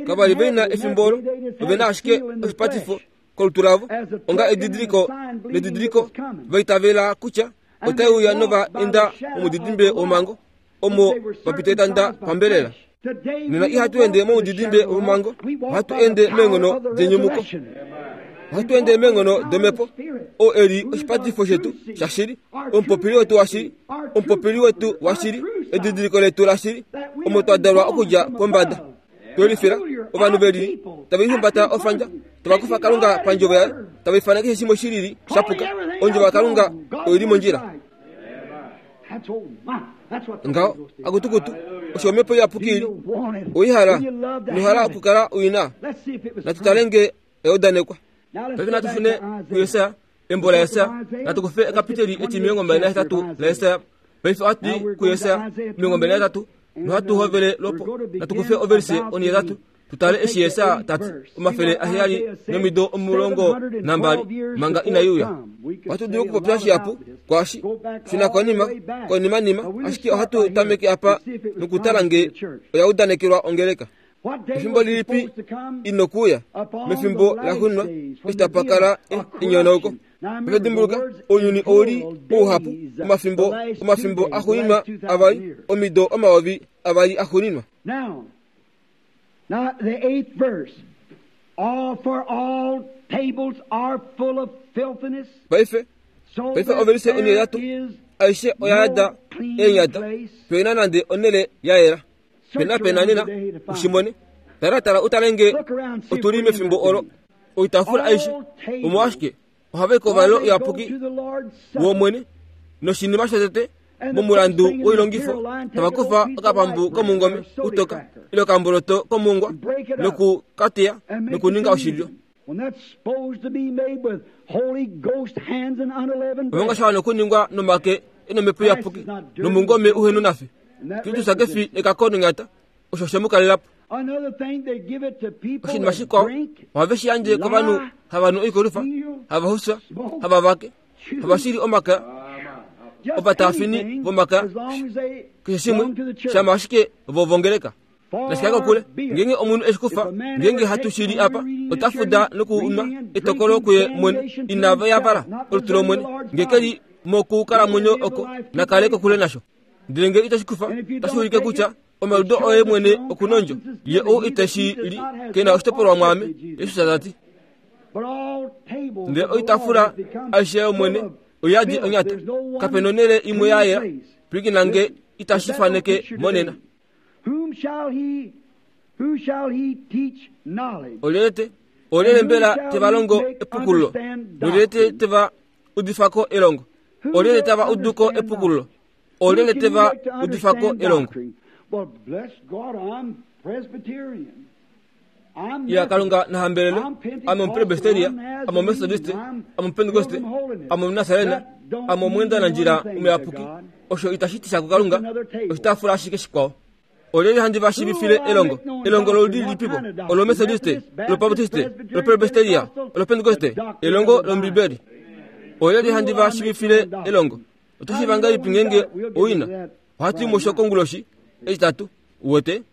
Kava li ve na efimbo olo, ove na ashike oshipatifo kolutu lavo onga edidiliko nedidiliko va itavela kutya otai uya nova enda momudidimbe womhango omo va pita etanda pambelela. Nena ihatu ende momudidimbe womhango, ohatu ende meenghono denyumuko. Ohatu ende meenghono domhepo, oo e li oshipatifo shetu shashili, omupopili wetu washili, omupopili wetu washili, edidiliko letu lashili, omo twa dalwa okudja pombada. Twelifila ovanhu ve lili tava lihumbata ofandja, tava kufa Kalunga pandjovo yaye, tava ifana keshe shimwe shi lili sha puka. Ondjovo yaKalunga oi li mondjila. Ngaho, akutukutu, osho omhepo iyapuki ili. Oi hala, nohala okukala ui na. Natu tale nge eudanekwa. Paife natu shune kuJesaja, embo laJesaja. Natu kufe ekapiteli etimilongo mbali nahetatu laJesaja. Paife ohatu i kuJesaja 28, nohatu hovele lwopo. Natu kufe ovelise onhihetatu, tu tale eshi Jesaja ta ti, 712 manga inai uya. Ohatu dulu okupopya shihapu kwaashi, shuna konima, konimanima, ashike ohatu tameke apa nokutala nge oya udanekelwa ongeleka. Efimbo lilipi i nokuuya? Mefimbo laxuuninwa, eshi tapa kala enyonauko. Paife dimbuluka, ounyuni ou li ouhapu, omafimbo, omafimbo axuuninwa avali, omido omayovi avali axuuninwa. Now, the eighth verse. All for all tables are full of filthiness. Paife, paife ovelise onheyatu aishe oya yada eenyata, pe na nande onhele ya yela. Pena pena nena, ushimone. Tala tala utale nge otu li mefimbo olo. Oitafula aishe, omolwashike ohava i kouvalelo uyapuki wOmwene, noshinima shotete momulandu woilongifo tava kufa okapambu komungome utoka ile okamboloto komungwa noku ka teya nokuninga oshilyo. Omanga sha wana okuningwa nomake e nomhepo iyapuki nomungome uhe nonafi. Kristus ke fi ekako nonyata, osho she mu kalela po. Oshinima shikwao, ohave shi yandje kovanhu hava nu oikolwifa, hava xufya, hava vake, hava shili omakaya, ovataafini vomakaya, keshe shimwe, shama ashike vo vongeleka. Nashi kale kokule, ngeenge omunhu e shi kufa, ngeenge hatu shi li apa, ota fuda nokunwa etokolo kuye mwene, inava yavala olutu lOmwene, nge ke li mokukalamwenyo oko, na kale kokule nasho. Ndele nge ito shi kufa, otashi ulike kutya omaliudo oye mwene oku nondjo. Ye ou ite shi li, ke na oshitopolwa mwaame, Jesus ta ti. Ndele oitafula aishe yOmwene oyadi onyata. Kape nonhele imwe ya yela. Pwilikina nge itashi faneke monena. Olyelye te olyelye mbela te va longo epukululo? Nolyelye te va udifa ko elongo? Olyelye tava udu ko epukululo? Olyelye te va udifa ko elongo? Ya Kalunga na hambelelwe, ame Omupresbiteria, ame Omethodiste, ame Omupentekoste, ame Omunasarena, ame omweendanandjila omuyapuki. Osho itashi ti sha kuKalunga, oshitaafula ashike shikwao. Olyelye handi va shiivifile elongo? Elongo loludi lilipipo? Olomethodiste, olobaptiste, olopresbiteria, olopentekoste, elongo lOmbibeli. Olyelye handi va shiivifile elongo? Oto shiiva ngahelipi ngeenge owina? Ohatu i musho konguloshi Etitatu, uwete.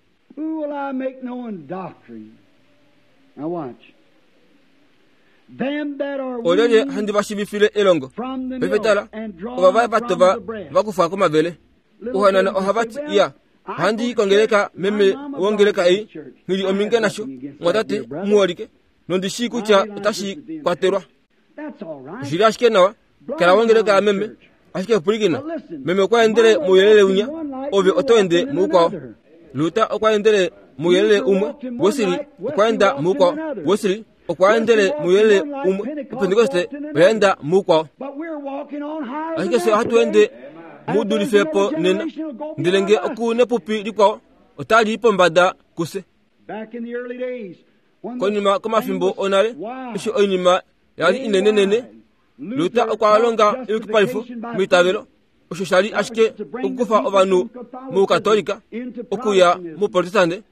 Olyelye handi va shiivifile elongo? Paife tala, ova va tova va kufwa komavele. Ohanana ohava ti, Iya, ohandi i kongeleka meme wongeleka ei, nghi li ominge nasho, mwatate muholike, nondi shii kutya otashi kwatelwa. Oshi li ashike nawa, kala wongeleka yameme, ashike pwilikina, meme okwa endele mouyelele winya, ove oto ende moukwao. Luther okwa endele mouyelele umwe, Wesley okwa enda moukwao, Wesley okwa endele mouyelele umwe, Opentekoste oya enda moukwao. Ashike fye ohatu ende mu dulife po nena, ndele nge oku nepupi likwao otali i pombada kufye. Konima komafimbo onale, eshi oinima ya li inenenene, Luther okwa longa eyukipalifo meitavelo, osho sha li ashike okukufa ovanhu mOukatolika okuya mOuprotestante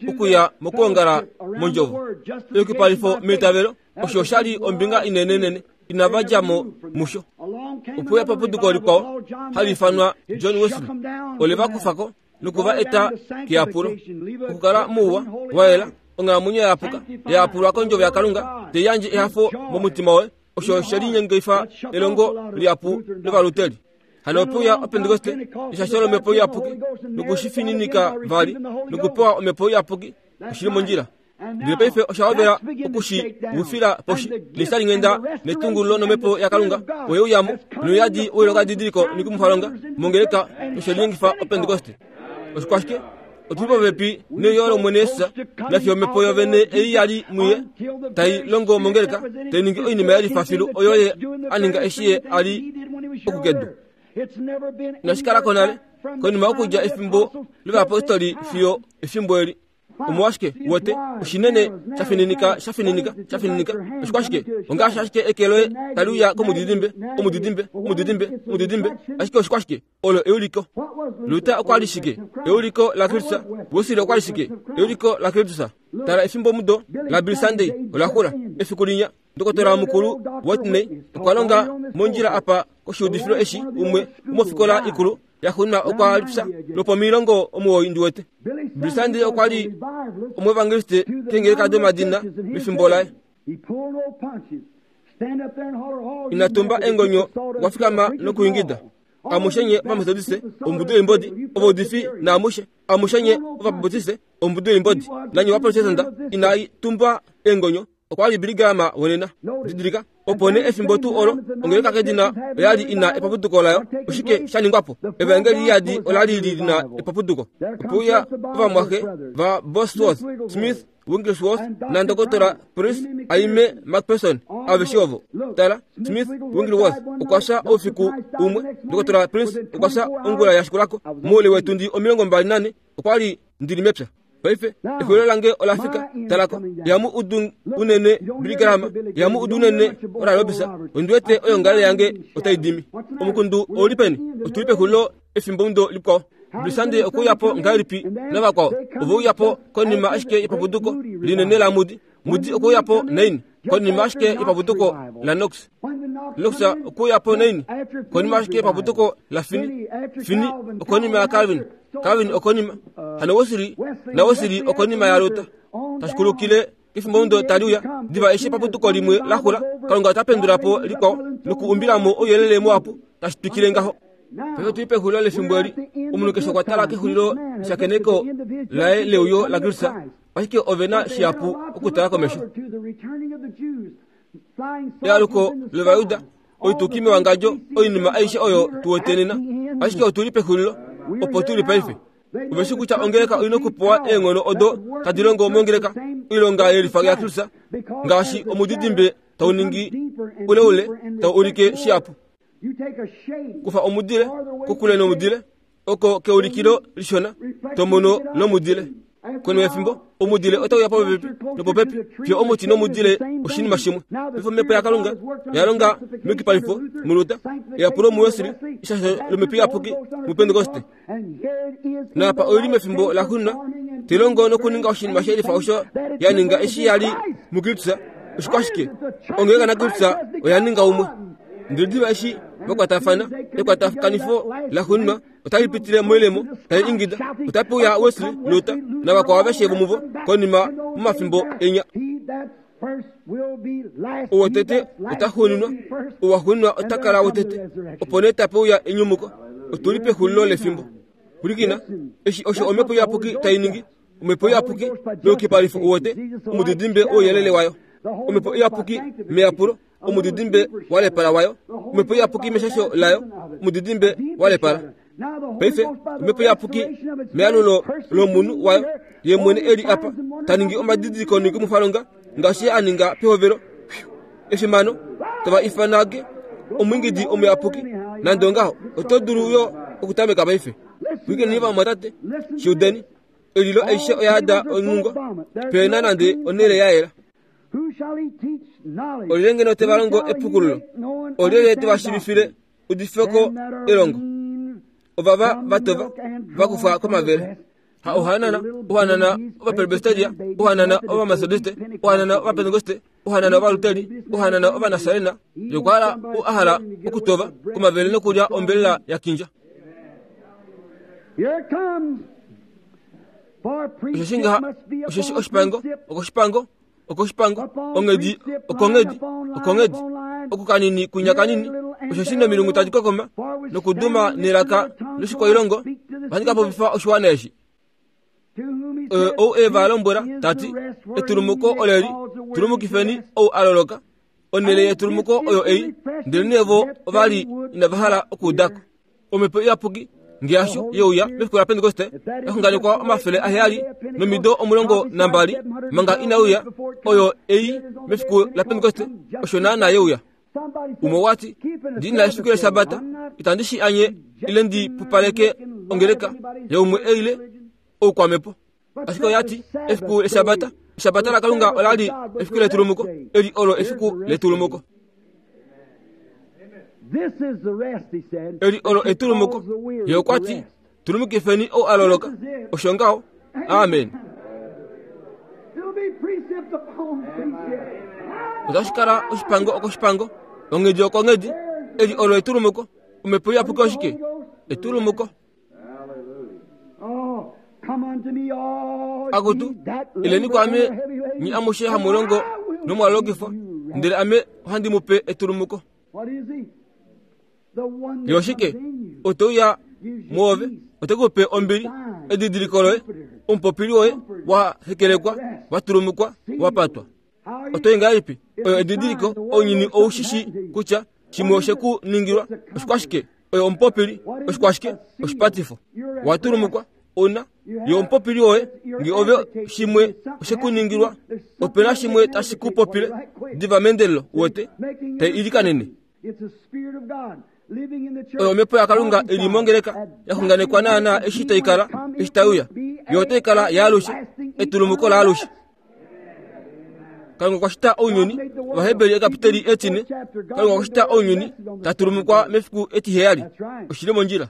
okuya mokwoongala mondjovo. Eyukipalifo meitavelo osho sha li ombinga inenenene inava dja mo musho. Ope uya paputuko likwao hali ifanwa John Wesley, ole va kufa ko noku va eta keyapulo, okukala mouwa wa yela, onghalamwenyo ya yapuka, ya yapulwa kondjovo yaKalunga, tai yandje ehafo momutima woye. Osho she linyengifa elongo lihapu lOvaluteri. Hano ope uya Opentekoste, eshasho lOmhepo Iyapuki, noku shi fininika vali, nokupewa Omhepo Iyapuki. Oshi li mondjila. Ndele paife osha hovela oku shi wifila poshi, neshalinghenda netungululo nomhepo yaKalunga oye uya mo, nouyadi woilongadidiliko noikumwifalonga mongeleka noshe linyengifa Opentekoste. Oshikwashike? Otu li popepi neuyo lOmwene Jesus, nafiyo omhepo yovene ei ya li muye tai longo mongeleka, tai ningi oinima ya lifa filu oyo ye a ninga eshi ye a li oku kedu. Inashi kala ko nale, konima yokudja efimbo lovayapostoli fiyo efimbo eli. Omolwashike, uwete, oshinene sha fininika, sha fininika, sha fininika. Oshikwashike? Ongaashi ashike eke loye tali uya komudidimbe, omudidimbe, omudidimbe, omudidimbe. Ashike oshikwashike? Olo euliko. Luther okwa li shike? Euliko laKristus. Wesley okwa li shike? Euliko laKristus. Tala efimbomudo laBill Sunday ola xula. Efiku linya, Ndokotola mukulu Watney okwa longa mondjila apa koshiudifilo eshi umwe womofikola ikulu yaxuuninwa okwa lipya lwopomilongo 90 ndi wete. Billy Sunday okwa li omuevangeliste keengeleka domadina mefimbo laye. Ina tumba eengonyo okwa fikama nokuingida. Amushe nye Ovametodiste, ombudu yoimbodi, ovaudifi naamushe, amushe nye Ovabaptiste, ombudu yoimbodi, nanye Ovaprotestanta, inai tumba eengonyo Okwa li Billy Graham wonena. Didilika, opo nee efimbo tuu olo, ongeleka kedina oya li ina epapuduko layo. Oshike sha ningwa po? Evaengeli liyadi ola li li na epapuduko. Ope uya ovamwaxe va Bosworth, Smith, Wigglesworth naNdokotola Price, Aime McPherson, aveshe ovo. Tala, Smith Wigglesworth okwa fya oufiku umwe, Ndokotola Price okwa fya ongula ya shikulako. Moule weetundi 24 okwa li ndi li mepya. Paife exulilo lange ola fika. Tala ko, ihamu udu unene Billy Graham, ihamu udu unene Oral Roberts. Ondi wete oyoongalele yange otai dimi. Omukundu ou li peni? Otu li pexulilo efimbomudo likwao. Billy Sunday okwe uya po ngahelipi navakwao? Ove uya po konima ashike yepapuduko linene laMoody. Moody okwe uya po naini? Konima ashike yepapuduko laKnox. Knox okwe uya po naini? Konima ashike yepapuduko laFinney. Finney okonima yaCalvin. Calvin okonima. Hano Wesley naWesley okonima yaLuther. Tashi kulukile kefimbomudo tali uya, diva eshi epapuduko limwe la xula, Kalunga ota pendula po likwao nokuumbila mo ouyelele muhapu, tashi twikile ngaho. Paife otu li pexulilo lefimbo eli. Omunhu keshe okwa tala kexulilo leshakeneko laye leuyo laKristus. Ashike ove na shihapu okutala komesho. Ealuko lOvajuda, oituki mewangadjo, oinima aishe oyo tu wete nena. Ashike otu li pexulilo, opo tu li paife. Ove shi kutya ongeleka oi na okupewa eenghono odo tadi longo mongeleka, oilonga yelifa yaKristus, ngaashi omudidimbe tau ningi uleule tau ulike shihapu. Kufa omudile kokule nomudile, oko keulikilo lishona to mono lomudile. Konima yefimbo, omudile otau ya popepi nopopepi fiyo omuti nomudile oshinima shimwe. Paife omhepo yaKalunga oya longa meyukipalifo muLuther, eyapulo muWesley, eshasho lomhepo iyapuki muPentekoste. Naapa oi li mefimbo laxuuninwa, tai longo nokuninga oshinima she lifa osho ya ninga eshi ya li muKristus. Oshikwashike? Ongeleka naKristus oya ninga umwe. Ndele diva eshi va kwatafana, ekwatakanifo laxuuninwa otali pitile moilemo tali ingida, Otape uya Wesley, Luther, navakwao aveshe vomuvo konima momafimbo enya. Ou wotete ota xuuninwa, ou waxuuninwa ota kala wotete, opo nee tape uya enyumuko. Otu li pexulilo lefimbo. Pwilikina, eshi osho omhepo iyapuki tai ningi. Omhepo iyapuki meyukipalifo uwete omudidimbe wouyelele wayo. Omhepo iyapuki meyapulo omudidimbe wa lepala wayo. Omhepo iyapuki meshasho layo omudidimbe wa lepala. Paife omhepo iyapuki meyalulo lomunhu wayo ye mwene e li apa ta ningi omadidiliko noikumwifalonga ngaashi ye a ninga pehovelo. Efimano tava ifanage omwiingidi omuyapuki. Nande ongaho, oto dulu yo okutameka paife. Pwiikineni vamwatate, shi udeni. Elilo aishe oya yada onghungo, pe na nande onhele ya yela. Olyelye ngeno te va longo epukululo? Olyelye te va shiivifile udifeko elongo? Ovava va tova, va kufwa komavele. Ha ohanana, ohanana Ovapresbiteria, ohanana Ovametodiste, ohanana Ovapentekoste, ohanana Ovaluteri, ohanana Ovanasarena, yokwaala ou a hala okutova komavele nokulya ombelela ya kindja. Osheshi ngaha, osheshi oshipango okoshipango, okoshipango, onghedi okonghedi, okonghedi, okukanini kwinya kanini, osheshi nomilungu tadi kokoma nokuduma nelaka loshikwailongo, ohandi ka popifa oshiwana eshi. Ou e va lombwela ta ti, Etulumuko oleli, tulumukifeni ou a loloka. Onhele yetulumuko oyo ei, ndelenee vo ova li inava hala okuuda ko. Omhepo Iyapuki nge hasho ye uya mefiku laPentekoste, ya xunganekwa 722 manga inai uya, oyo ei mefiku laPentekoste, osho naanaa ye uya. Umwe okwa ti, Ndi na efiku lEshabata, itandi shi anye ile ndi pupaleke ongeleka yaumwe ile oukwamhepo. Ashike oya ti, Efiku lEshabata, Eshabata laKalunga ola li efiku letulumuko, eli olo efiku letulumuko. Eli olo etulumuko. Ye okwa ti, Tulumukifeni ou a loloka. Osho ngaho. Amen. Otashi kala oshipango okoshipango, onghedi okonghedi. Eli olo etulumuko. Omhepo iyapuki oshike? Etulumuko. Akutu, ileni kwaame nye amushe hamu longo nomwa lolokifwa, ndele ame ohandi mu pe etulumuko. Ye oshike? Ote uya mwoove, ote ku pe ombili, edidiliko loye, omupopili woye wa hekelekwa, wa tulumukwa, wa patwa. Oto i ngahelipi? Oyo edidiliko, ounyuni ou shi shii kutya shimwe oshe ku ningilwa. Oshikwashike? Oyo omupopili. Oshikwashike? Oshipatifo. Wa tulumukwa, una yo omupopili woye. Nge ove shimwe oshe ku ningilwa, ope na shimwe tashi ku popile diva meendelelo, uwete, tai ilikanene. Oyo omhepo yaKalunga i li mongeleka ya xunganekwa naanaa eshi tai kala, eshi tai uya. Yo otai kala yaalushe, etulumuko laalushe. Kalunga okwa shita ounyuni, Ovaheberi ekapiteli etine, Kalunga okwa shita ounyuni, ta tulumukwa mefiku etiheyali. Oshi li mondjila.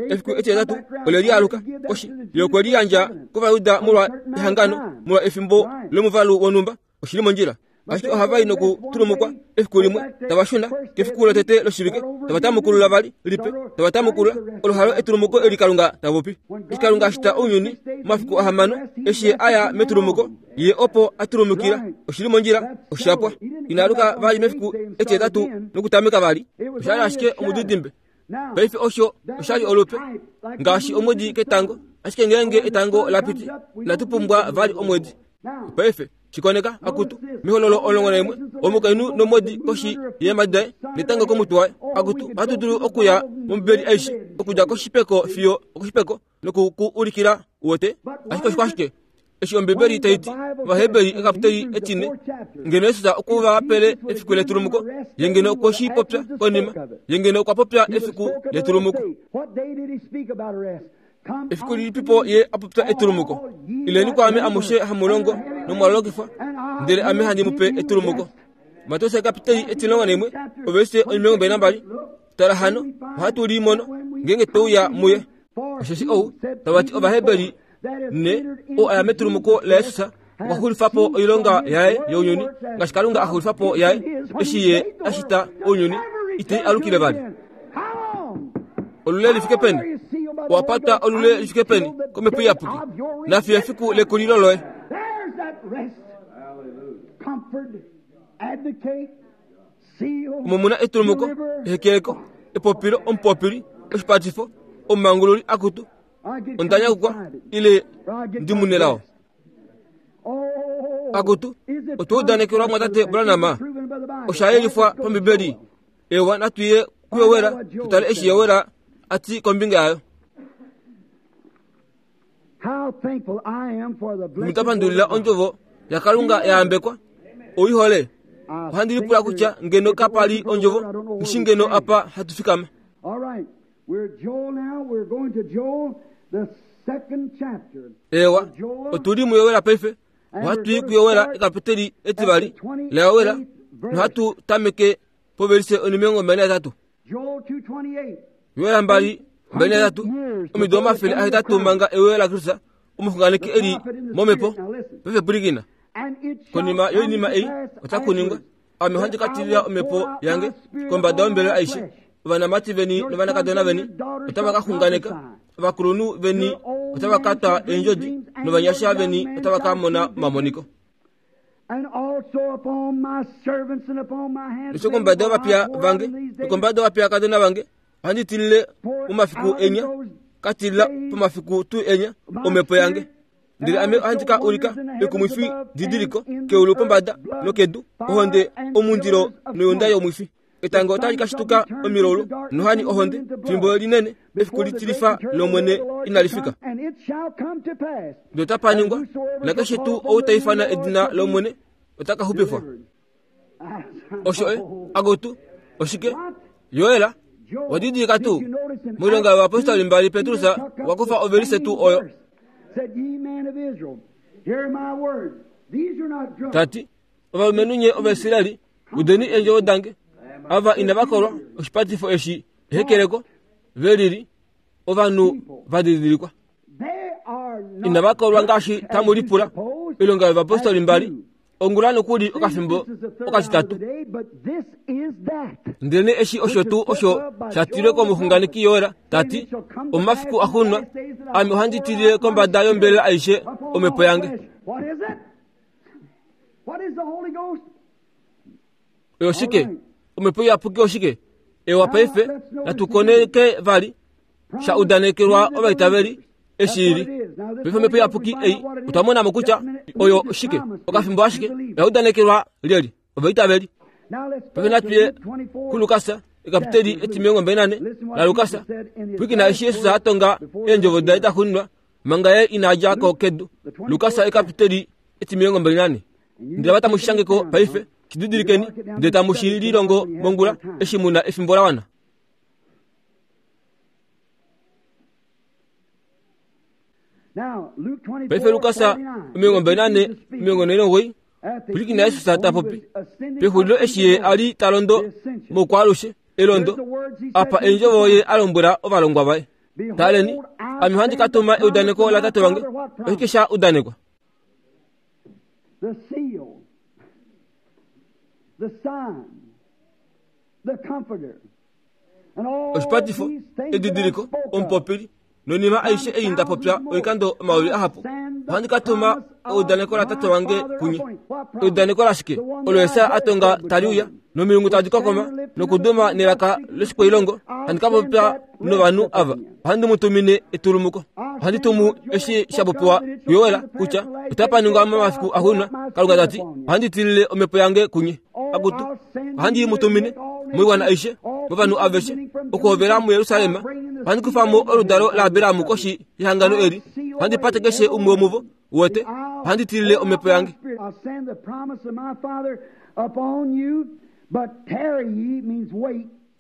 Efiku etihetatu ole lialuka koshi, ye okwe liyandja kOvajuda molwa ehangano, molwa efimbo lomuvalu wonhumba. Oshi li mondjila. Ashike ohava i nokutulumukwa efiku limwe, tava shuna kefiku lotete loshivike, tava tamukulula vali lipe, tava tamukulula. Olo halo etulumuko eli Kalunga ta popi. Eshi Kalunga a shita ounyuni momafiku ahamano, eshi Ye a ya metulumuko, Ye opo a tulumukila. Oshi li mondjila, osha pwa. Ina aluka vali mefiku etihetatu nokutameka vali. Osha li ashike omudidimbe. Paife osho osha li olupe ngaashi omwedi ketango, ashike ngeenge etango la piti, inatu pumbwa vali omwedi. Paife shikoneka akutu mehololo 11 omukainhu nomwedi koshi yeemhadi daye netango komutwe waye. Akutu, ohatu dulu okuya mOmbibeli aishe okudja koshipeko fiyo okoshipeko noku ku ulikila, uwete. Ashike oshikwashike? Eshi Ombibeli tai ti, Ovaheberi ekapiteli etine, ngeno Jesus okwe va pele efiku letulumuko, ye ngeno okwe shi popya konima, ye ngeno okwa popya efiku letulumuko. Efiku lilipipo ye a popya etulumuko? Ileni kwaame amushe hamu longo nomwa lolokifwa, ndele ame handi mu pe etulumuko. Mateus ekapiteli 11, ovelise 22. Tala hano, ohatu li mono ngeenge twe uya muye. Osheshi ou tava ti Ovaheberi ne, ou a ya metulumuko laJesus okwa xulifa po oilonga yaye younyuni ngaashi Kalunga a xulifa po yaye eshi ye a shita ounyuni, itei alukile vali. Olule li fike peni? Owa patwa olule li fike peni komhepo iyapuki nafiyo efiku lekulilo loye? Omo mu na etulumuko, ehekeleko, epopilo, omupopili, oshipatifo, omumangululi, akutu, onda nyakukwa ile ndi munelao. Akutu, otwa udanekelwa mwatate Branham, osha yelifwa pambibeli. Ewa, natu ye kuyowela tu tale eshi Yowela a ti kombinga yayo. Nda pandulila ondjovo yaKalunga ya yambekwa. Oi hole. Ohandi lipula kutya ngeno kapa li ondjovo, ngishi ngeno apa hatu fikama. Eewa, otu li muYowela paife. Ohatu i kuYowela ekapiteli etivali laYowela nohatu tameke povelise onimilongo 23. Yoela 2 23 omido 800 manga euyo laKristus omuxunganeki e li momhepo paife pwilikina konima yoinima ei otaku ningwa ame ohandi ka tilila omhepo yange kombada yombelela aishe ovanamati veni novanakadona veni otava ka xunganeka ovakulunhu veni otava ka twa eendjodi novanyasha veni otava ka mona omamoniko Nosho kombada yovapiya vange nokombada yovapiyakadona vange ohandi tilile momafiku enya ka tilila pomafiku tuu enya omhepo yange ndele ame ohandi ka ulika ekumwifi didiliko keulu pombada nokedu ohonde omundilo noyunda yomwifi Etango otali ka shituka omilaulu nohani ohonde fimbo linene efiku litilifa lOmwene inali fika. Ndele otapa ningwa, nakeshe tuu ou ta ifana edina lOmwene ota ka xupifwa. Osho e, akutu, oshike? Joel, wa didilika tuu? Moilonga yovapostoli mbali Petrus okwa kufa ovelise tuu oyo. Ta ti, Ovalumenhu nye Ovaisraeli, udeni eendjovo dange. Ava inava kolwa oshipatifo eshi ehekeleko, ve lili ovanhu va didilikwa. Inava kolwa ngaashi tamu lipula. Oilonga yovapostoli mbali ongula nokuli okafimbo okatitatu. Ndelenee eshi osho tuu osho sha tilwe komuxunganeki Joel ta ti, Omafiku axuuninwa ame ohandi tilile kombada yombelela aishe omhepo yange. Oyo oshike? Omhepo iyapuki oshike? Ewa paife, natu koneke vali sha udanekelwa ovaitaveli eshi ili. Paife omhepo iyapuki ei otwa mona mo kutya oyo oshike, okafimbo ashike oya udanekelwa lyeli ovaitaveli. Paife natu ye kuLukas ekapiteli etimilongo mbali nane laLukas. Pwilikina eshi Jesus a tonga eendjovo daye da xuuninwa manga ye ina dja ko kedu. Lukas ekapiteli etimilongo 24. Ndele ava tamu shi shange ko paife, shi didilikeni, ndele tamu shi lilongo mongula, eshi mu na efimbo la wana. Paife Lukas 24 49 pwilikina Jesus ta popi pexulilo eshi ye a li ta londo mokwaalushe elondo apa eendjovo ye a lombwela ovalongwa vaye Taleni, ame ohandi ka tuma eudaneko latate wange. Oshike sha udanekwa? The seal, the sign, the comforter, and all Oshipatifo, these things that I edidiliko, spoke of. omupopili, noinima aishe ei nda popya oikando omayovi ahapu. Ohandi ka tuma eudaneko latate wange kunye. Eudaneko lashike? Olo Jesaja a tonga tali uya, nomilungu tadi kokoma, nokuduma nelaka loshikwailongo. Ohandi ka popya novanhu ava, ohandi mu tumine etulumuko. Ohandi tumu eshi sha popiwa kuJoel kutya otapa ningwa momafiku axuuninwa, Kalunga ta ti, ohandi tilile omhepo yange kunye. Akutu, ohandi i mu tumine moiwana aishe, movanhu aveshe, okuhovela muJerusalem. Ohandi kufa mo oludalo laAbraham koshi yehangano eli, ohandi pate keshe umwe womuvo, uwete. Ohandi tilile omhepo yange.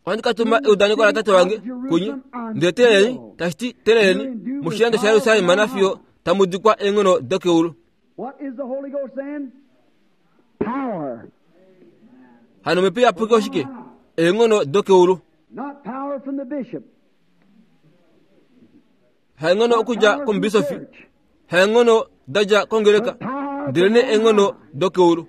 Ohandi ka tuma eudaneko laTate wange kunye. Ndele teeleleni, tashi ti, teeleleni moshilando shaJerusalem nafiyo tamu dikwa eenghono dokeulu. Hano omhepo iyapuki oshike? Eenghono dokeulu. Haenghono okudja komubisofi, haenghono da dja kongeleka, ndelenee eenghono dokeulu.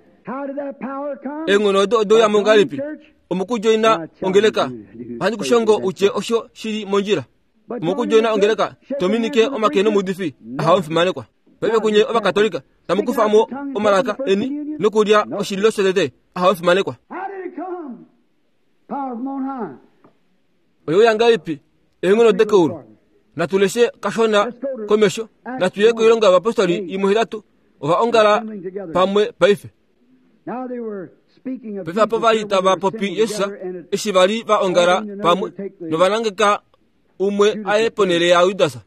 Eenghono odo ode uya mo ngahelipi? Omokudjoina ongeleka. Ohandi ku shongo u tye osho shi li mondjila. Omokudjoina ongeleka, to minike omake nomuudifi, ahawe omufimanekwa. Paife kunye Ovakatolika, tamu kufa mo omalaka eni nokulya oshililo shotete, ahawe omufimanekwa. Oye uya ngahelipi eenghono dekeulu? Natu leshe kashona komesho. Natu ye koilonga yovapostoli imwe hetatu. Ova ongala pamwe paife. Paife apo va li tava popi Jesus eshi va li va ongala pamwe nova nangeka umwe a ye ponhele yaJudas.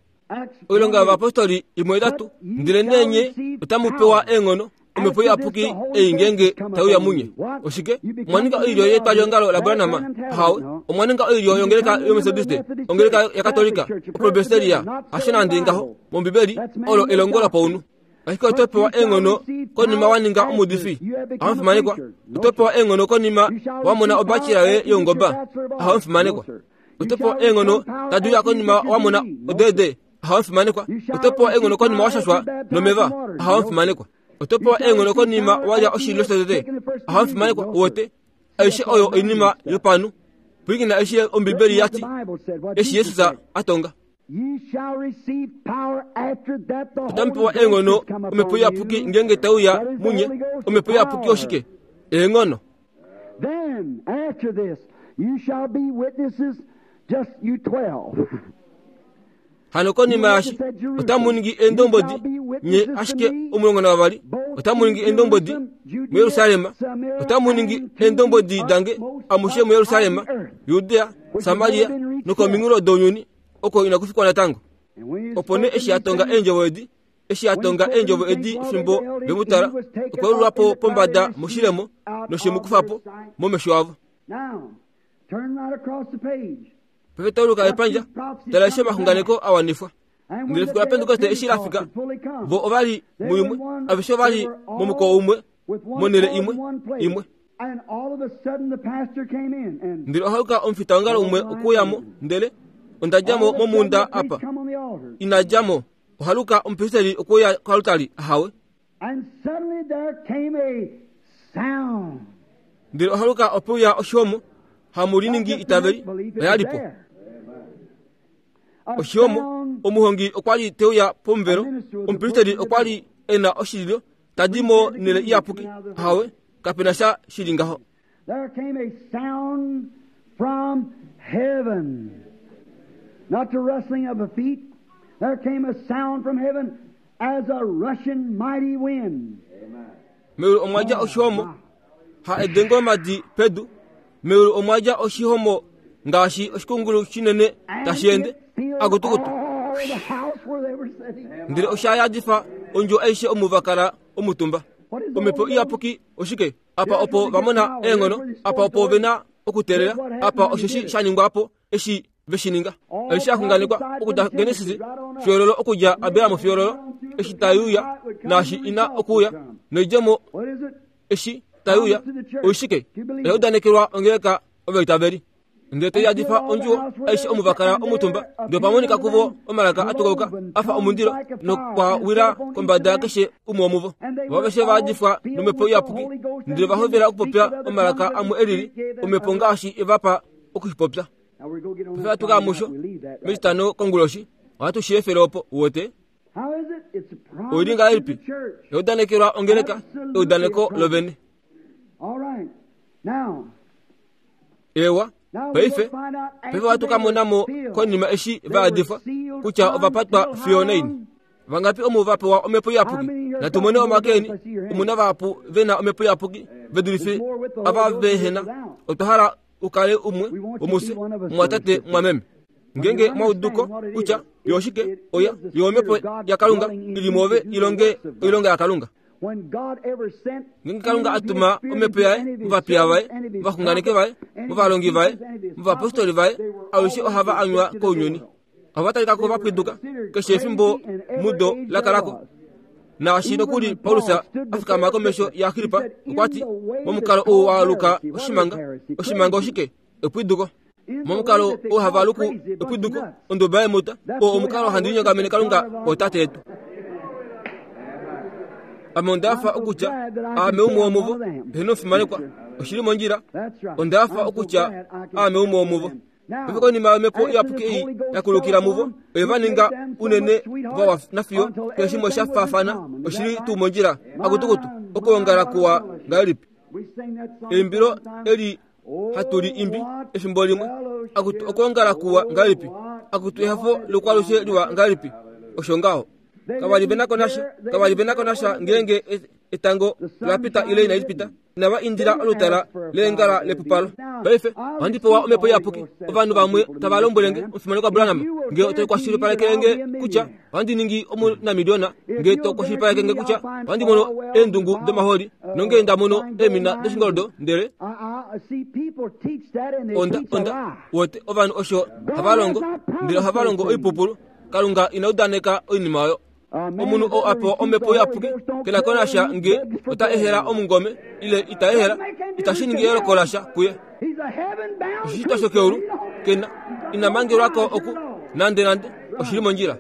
Oilonga yovapostoli imwe itatu, ndelenee nye otamu pewa eenghono, Omhepo Iyapuki ei ngeenge tai uya munye. Oshike? Omwa ninga oilyo yetwaliongalo laBranham? Ahawe. Omwa ninga oilyo yongeleka yOmethodiste, ongeleka yaKatolika, Opresbyteria? Hasho nande ngaho. MOmbibeli, olo elongo lopaunhu. Ashike oto pewa eenghono konima wa ninga omuudifi. Ahamufimanekwa. Oto pewa eenghono konima wa mona obachelor yoye youngoba. Ahamufimanekwa. Oto pewa eenghono tadi uya konima wa mona odeede. Ahamufimanekwa. Oto pewa eenghono konima wa shashwa nomeva. Ahamufimanekwa. Oto pewa eenghono konima wa lya oshililo shotete. Ahamufimanekwa. Uwete? Aishe oyo oinima yopanhu. Pwilikina eshi Ombibeli ya ti, eshi Jesus a tonga. Otamu pewa eenghono Omhepo Iyapuki ngeenge tai uya munye. Omhepo Iyapuki oshike? Eenghono. Hano konima yaashi otamu ningi eendombwedi nye ashike 12, otamu ningi eendombwedi muJerusalem, otamu ningi eendombwedi dange amushe muJerusalem, Judea, Samaria nokominghulo dounyuni oko inaku fikwa natango. Opo nee eshi a tonga eendjovo edi, eshi a tonga eendjovo edi fimbo ve mu tala, okwa yulwa po pombada moshilemo noshe mu kufa po momesho avo. Paife tauluka epandja, tala eshi omaxunganeko a wanifwa. Ndele efiku laPentekoste eshi la fika, vo ova li muimwe, aveshe ova li momukoo umwe, monhele imwe, imwe. Ndele ohaluka omufitaongalo umwe okuuya mo, ndele onda dja mo momunda apa. Ina dja mo. Ohaluka omupristeli okuuya koaltari, ahawe. Ndele ohaluka ope uya oshihomo, hamu liningi itaveli, oya li po. Oshihomo, omuhongi okwa li te uya pomuvelo, omupristeli okwa li e na oshililo, ta di mo nele iyapuki. Ahawe, kape na sha shi li ngaho. There came a sound from heaven. Not the rustling of a feet. There came a sound from heaven as a rushing mighty wind. Meulu omwa dja oshihomo, ha edengo lomadi pedu. Meulu omwa dja oshihomo ngaashi oshikungulu shinene tashi ende, akutukutu. Ndele osha yadifa ondjo aishe omu va kala omutumba. Omhepo Iyapuki oshike? Apa opo va mona eenghono, apa opo ve na okuteelela, apa osheshi sha ningwa po eshi ve shi ninga. Eshi sha xunganekwa okudja Genesis fiololo okudja Abraham fiololo, eshi tai uya naashi ina okuuya, noidjemo eshi tai uya, oishike? Oya udanekelwa ongeleka ovaitaveli. Ndele te yadifa ondjuwo aishe omu va kala omutumba, ndele opa monika kuvo omalaka a tukauka a fa omundilo, nokwa wila kombada yakeshe umwe womuvo. Vo aveshe va yadifwa nOmhepo Iyapuki, ndele va hovela okupopya omalaka amwe e lili, Omhepo ngaashi e va pa oku shi popya. Paife ohatu ka ya musho mEtitano konguloshi, ohatu shi efele opo, uwete. Oi li ngahelipi? Eudanekelwa ongeleka, eudaneko lovene. Ewa, paife, paife ohatu ka mona mo konima eshi va yadifwa kutya ova patwa fiyo naini. Vangapi omu va pewa omhepo iyapuki? Natu mone omake eni. Omu na vahapu ve na omhepo iyapuki ve dulife ava ve he na. Otwa hala u kale umwe womufye, mumwatate, mumwameme. Ngeenge mwa udu ko kutya. Yo oshike? Oya, yo omhepo yaKalunga i li mwoove i longe oilonga yaKalunga. Ngeenge Kalunga a tuma omhepo yaye movapiya vaye, movaxunganeki vaye, movalongi vaye, movapostoli vaye, alushe ohava anywa kounyuni. Ohava talika ko va pwiduka keshe efimbo mudo la kala ko. Naashi nokuli Paulus a fikama komesho yaAgrippa, okwa ti, Momukalo ou wa aluka oshimanga. Oshimanga oshike? Epwiduko. Momukalo ou hava aluku epwiduko, onduba yemuta, oo omukalo handi linyongamene Kalunga ootate yetu. Ame onda hafa okutya aame umwe womuvo, heeno omufimanekwa, oshi li mondjila. Onda hafa okutya aame umwe womuvo. Paife konima yomhepo iyapuki ei ya kulukila muvo, oye va ninga unene vawa nafiyo keshe shimwe sha faafana. Oshi li tuu mondjila? Akutukutu, okwoongala kuwa ngahelipi! Eimbilo eli hatu li imbi efimbo limwe, akutu okwoongala kuwa ngahelipi! Akutu ehafo lokwalushe liwa ngahelipi! Osho ngaho. Kava li ve na ko nasha, kava li ve na ko nasha ngeenge etango la pita ile inali pita. Inava indila olutala leengala lepupalo. Paife, ohandi pewa Omhepo Iyapuki. Ovanhu vamwe tava lombwele nge, Omufimanekwa Branham, nge oto kwashilipalekele nge kutya ohandi ningi omunamiliona, nge to kwashilipaleke nge kutya ohandi mono eendungu domahooli, nonge nda mono eemina doshingoldo, ndele onda, onda, wote, ovanhu osho hava longo, ndele ohava longo oipupulu. Kalunga ina udaneka oinima oyo. Omunhu oo a pewa omhepo iyapuki ke na ko nasha nge ota ehela omungome ile ita ehela, itashi ningi eyooloko lasha kuye. Oshishitwa shokeulu ke na ina mangelwa ko oku nande nande oshi li mondjila.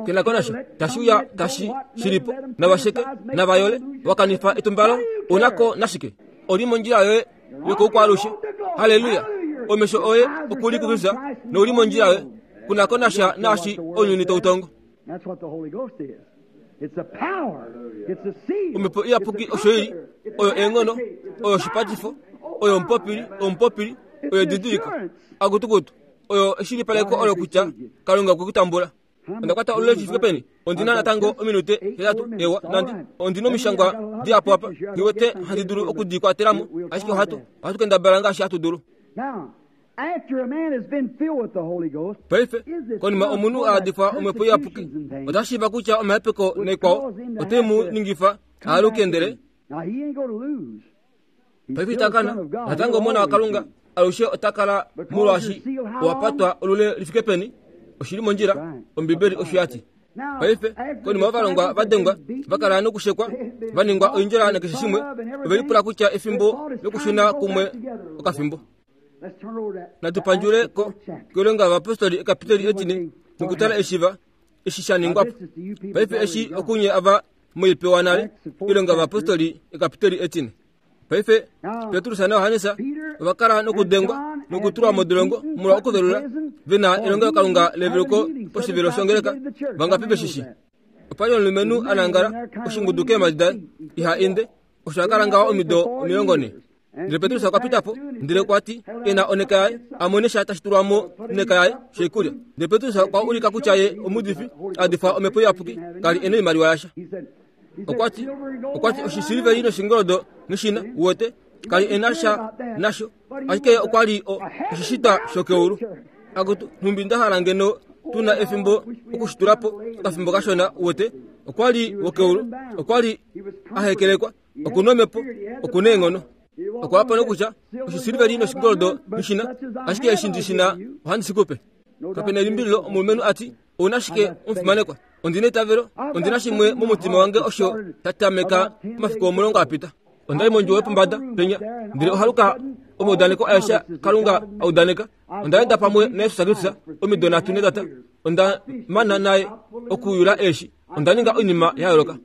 Ke na ko nasha tashi uya tashi shi li po, nava sheke, nava yole, wa kanifa etumbalo, ou na ko nashike? Oli mondjila yoye yokoukwaalushe. Halleluya! Omesho oye oku li kuKristus nou li mondjila yoye. Ku na ko nasha naashi ounyuni tau tongo. Omhepo Iyapuki osho i li, oyo eenghono, oyo oshipatifo, oyo omupopili, omupopili, oyo edidiliko, akutukutu, oyo eshilipaleko olo kutya Kalunga okwe ku tambula. Onda kwata olule shi fike peni? Ondi na natango ominute hetatu. Ewa, nandi. Ondi na omishangwa dihapu apa, nghi wete handi dulu oku di kwatela mo, ashike ohatu, ohatu kendabala ngaashi hatu dulu. Paife, konima omunhu a yadifwa Omhepo Iyapuki, ota shiiva kutya omahepeko naikwao otai mu ningifa a aluke ndele Paife ita kana natango Omona waKalunga alushe ota kala molwaashi owa patwa olule li fike peni. Oshi li mondjila, Ombibeli osho ya ti. Paife, konima ovalongwa va dengwa, va kala nokushekwa, va ningwa oindjola nakeshe shimwe, ove lipula kutya efimbo lokushuna kumwe okafimbo. Natu pandjule ko koilonga yovapostoli ekapiteli etine nokutala eshi va eshi sha ningwa po. Paife eshi okunye ava moipewa nale, Oilonga yOvapostoli ekapiteli etine. Paife Petrus naJohannes ova kala nokudengwa nokutulwa modolongo molwa okuvelula ve na elongelokalunga leveluko poshivelo shongeleka. Vangapi ve shi shii? Opa li omulumenhu a nangala oshingudu keemhadi daye, iha ende, osho a kala ngaho omido 40. Ndele Petrus okwa pita po, ndele okwa ti e na oneka yaye, a mone sha tashi tulwa mo neka yaye shoikulya. Ndele Petrus okwa ulika kutya ye omuudifi a difwa Omhepo Iyapuki, ka li e na oimaliwa yasha. Okwa ti, okwa ti oshisiliveli noshingoldo noshina, uwete, ka li e na sha nasho, ashike ye okwa li o, oshishitwa shokeulu. Akutu, nhumbi nda hala ngeno tu na efimbo oku shi tula po okafimbo kashona, uwete. Okwa li wokeulu, okwa li a hekelekwa. Oku na omhepo, oku na eenghono. Okwa wapa nokutya, oshisiliveli noshingoldo nghi na, ashike eshi ndi shi na ohandi shi ku pe. Kape na elimbililo omulumenhu a ti, Ou na shike, omufimanekwa? Ondi na eitavelo. Ondi na shimwe momutima wange osho sha tameka omafiku 10 a pita. Onda li mondjuwo yopombada penya, ndele ohaluka omaudaneko aeshe Kalunga a udaneka. Onda enda pamwe naJesus Kristus omido nhatu netata. Onda mana naye okuyula eeshi. Onda ninga oinima ya yooloka.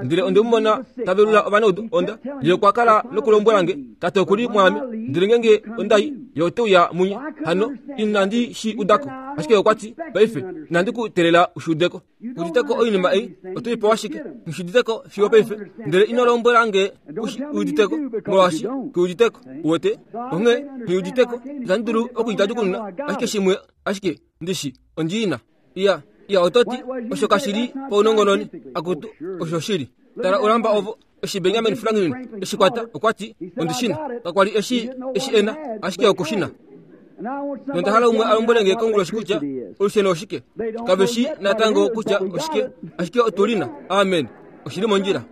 Ndele onde mu mona ta velula ovanaudu. Onda ye okwa kala nokulombwela nge, Tate oku li mwaame, ndele ngeenge onda i, ye ote uya munye. Hano inandi shi uda ko. Ashike okwa ti, Paife, inandi ku teelela u shi ude ko. Ku udite ko oinima ei, oto i pewa shike? Nghi shi udite ko fiyo paife. Ndele ino lombwela nge u shi udite ko, molwaashi ku udite ko. Uwete? Onghee, nghi udite ko. Itandi dulu oku i tatukununa, ashike shimwe ashike ndi shi, ondi i na. Iya, iya oto ti, osho kashi li paunongononi. Akutu, osho shili. Tala olamba ovo, eshi Benjamin Franklin eshi kwata, okwa ti, Ondi shi na. Kakwa li eshi, eshi e na, ashike oku shi na. Nonda hala umwe a lombwele nge konguloshi kutya olusheno oshike. Kave shi natango kutya oshike, ashike otu li na. Amen. Oshi li mondjila.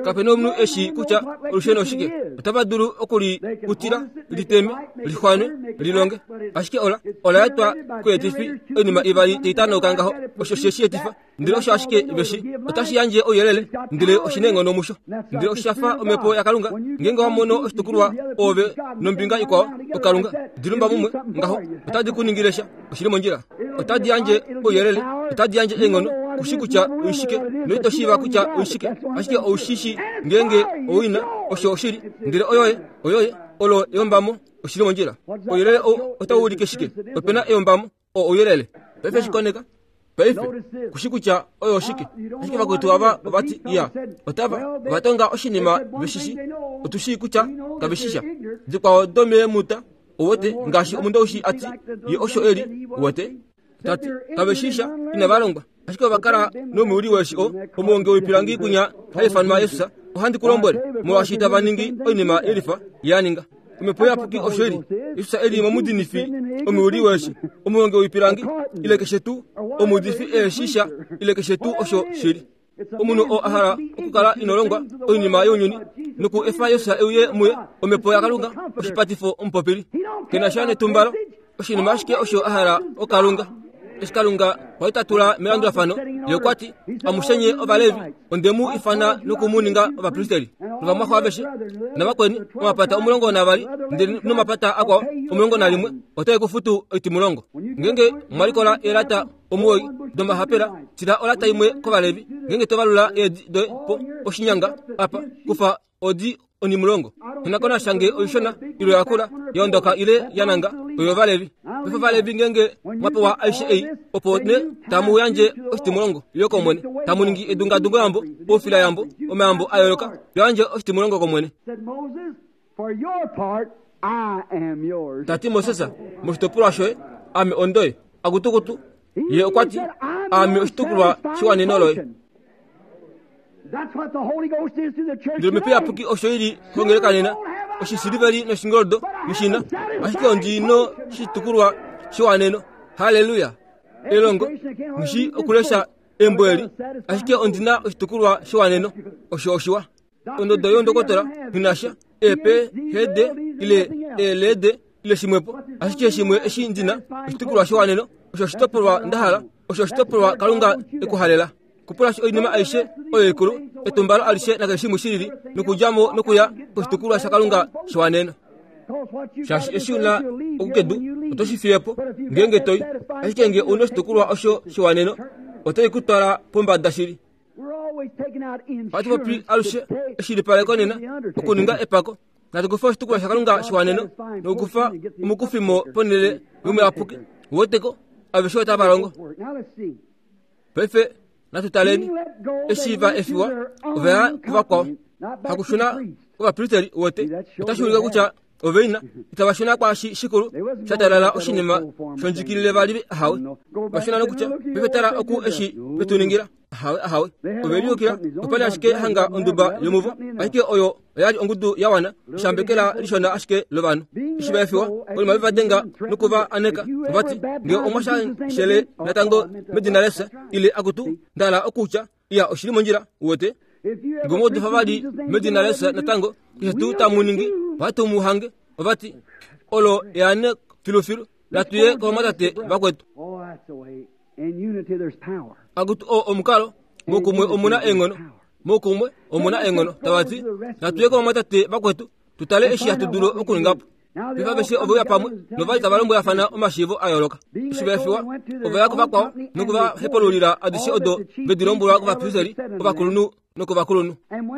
Kape na omunhu e shii kutya olusheno oshike. Otava dulu oku li kutila, li teme, li xwane, li longe. Ashike ola, ola etwa koyeetifi, oinima ivali tai tanauka ngaho. Osho she shi etifa. Ndele osho ashike ve shi, otashi yandje ouyelele, ndele oshi neenghono musho. Ndele osha fa omhepo yaKalunga, ngeenge wa mono oshitukulwa oove nombinga ikwao, oKalunga, di lumba mumwe ngaho, otadi ku ningile sha. Oshi li mondjila. Otadi yandje ouyelele, otadi yandje eenghono, ku shi kutya oishike, noito shiiva kutya oishike, ashike ou shi shii ngeenge ou i na, osho oshili. Ndele oyoye, oyoye, olo eyombamo, oshi li mondjila. Ouyelele ou otau ulike shike? Ope na eyombamo. O ouyelele. Paife shi koneka. Paife, ku shi kutya oyo oshike. Ashike vakwetu ava ova ti, iya, otava, ova tonga oshinima ve shi shi. Otu shii kutya kave shi sha. Dikwao domeemuta, uwete, ngaashi omundoushi a ti, ye osho e li, uwete. Ta ti, kave shi sha, inava longwa. Ashike ova kala nomuuli weeshi o, omuhongi woipilangi kwinya ha ifanwa Jesus, ohandi ku lombwele, molwaashi tava ningi oinima yelifa ye a ninga. Omhepo Iyapuki osho i li. Jesus e li momudinifi, omuuli weeshi, omuhongi woipilangi, ile keshe tuu, omuudifi eeshi sha, ile keshe tuu osho shi li. Omunhu oo a hala okukala ino longwa oinima younyuni noku efa Jesus e uye muye, Omhepo yaKalunga, oshipatifo omupopili. Ke na sha netumbalo, oshinima ashike osho a hala oKalunga. Eshi Kalunga kwa li ta tula melandulafano, ye okwa ti, Amushe nye Ovalevi, onde mu ifana noku mu ninga ovapristeli, novamwaxo aveshe navakweni, omapata 12 ndele nomapata akwao 11 otae ku futu oitimulongo. Ngeenge mwa likola eelata 9 domahapela, tila olata imwe kOvalevi. Ngeenge to valula eedi doye po poshinyanga apa, kufa odi onimulongo. Onakona shange oishona ile yakula, ya ondoka ile ya nanga, oyOvalevi. Paife Ovalevi ngeenge mwa pewa aishe ei, opo nee tamu yandje oshitimulongo yo kOmwene, tamu ningi edungadungoyambo, oufilayambo, omayambo a yooloka, yandje oshitimulongo kOmwene. Ta ti Moses, moshitopolwa shoye, ame ondoye. Akutukutu, ye okwa ti, ame oshitukulwa shewaneno loye. Ndele Omhepo Iyapuki osho i li kongeleka nena, oshisiliveli noshingoldo noshina, ashike ondi noshitukulwa shewaneno. Halleluya! Elongo, nghi okulesha embo eli, ashike ondi na oshitukulwa shewaneno. Osho oshiwa. Ondodo youndokotola nghi na sha, eephd ile eeled ile shimwepo, ashike shimwe eshi ndi na, oshitukulwa shewaneno, osho oshitopolwa nda hala, osho oshitopolwa Kalunga e ku halela. Kupulashi oinima aishe oyo ikulu, etumbalo alishe nakeshe shimwe shi lili, nokudja mo nokuya koshitukulwa shaKalunga shewaneno. Shaashi eshi u na okukedu, oto shi fiye po, ngeenge to i. Ashike nge u na oshitukulwa osho shewaneno, otai ku twala pombada shili. Ohatu popi alushe eshilipaleko nena, okuninga epako. Natu kufe oshitukulwa shaKalunga shewaneno nokukufa omukufimo ponhele yomuyapuki. Uweteko, aveshe otava longo. Paife natu taleni eshi va efiwa ove ya kuvakwao hakushuna kovapristeri wote otashi ulike kutya ove ina itava shuna kwaashi shikulu sha talala oshinima shondjikilile vali ahawe va shuna nokutya paife tala oku eshi vetu ningila ahawe ahawe ove liyukila opali ashike hanga onduba yomuvo ashike oyo oya li ongudu ya wana eshambekela lishona ashike lovanhu. Eshi va efiwa, konima ve va denga noku va aneka, ova ti, Nge omwa shashele natango medina laJesus, ile akutu, nda hala okutya, iya, oshi li mondjila, uwete. Nge omwa udifa vali medina laJesus natango, keshe tuu tamu ningi, ohatu mu hange. Ova ti, Olo eane filufilu, natu ye kovamwatate vakwetu. Akutu, oo omukalo, moukumwe omu na eenghono. Moukumwe omu na eenghono. Tava ti, Natu ye kovamwatate vakwetu, tu tale eshi hatu dulu okuninga po. Paife aveshe ove uya pamwe, nova li tava lombwelafana omashiivo a yooloka. Eshi va efiwa, ova ya kuvakwao noku va hepululila adishe odo ve di lombwelwa kovapristeri ovakulunhu nokovakulunhu.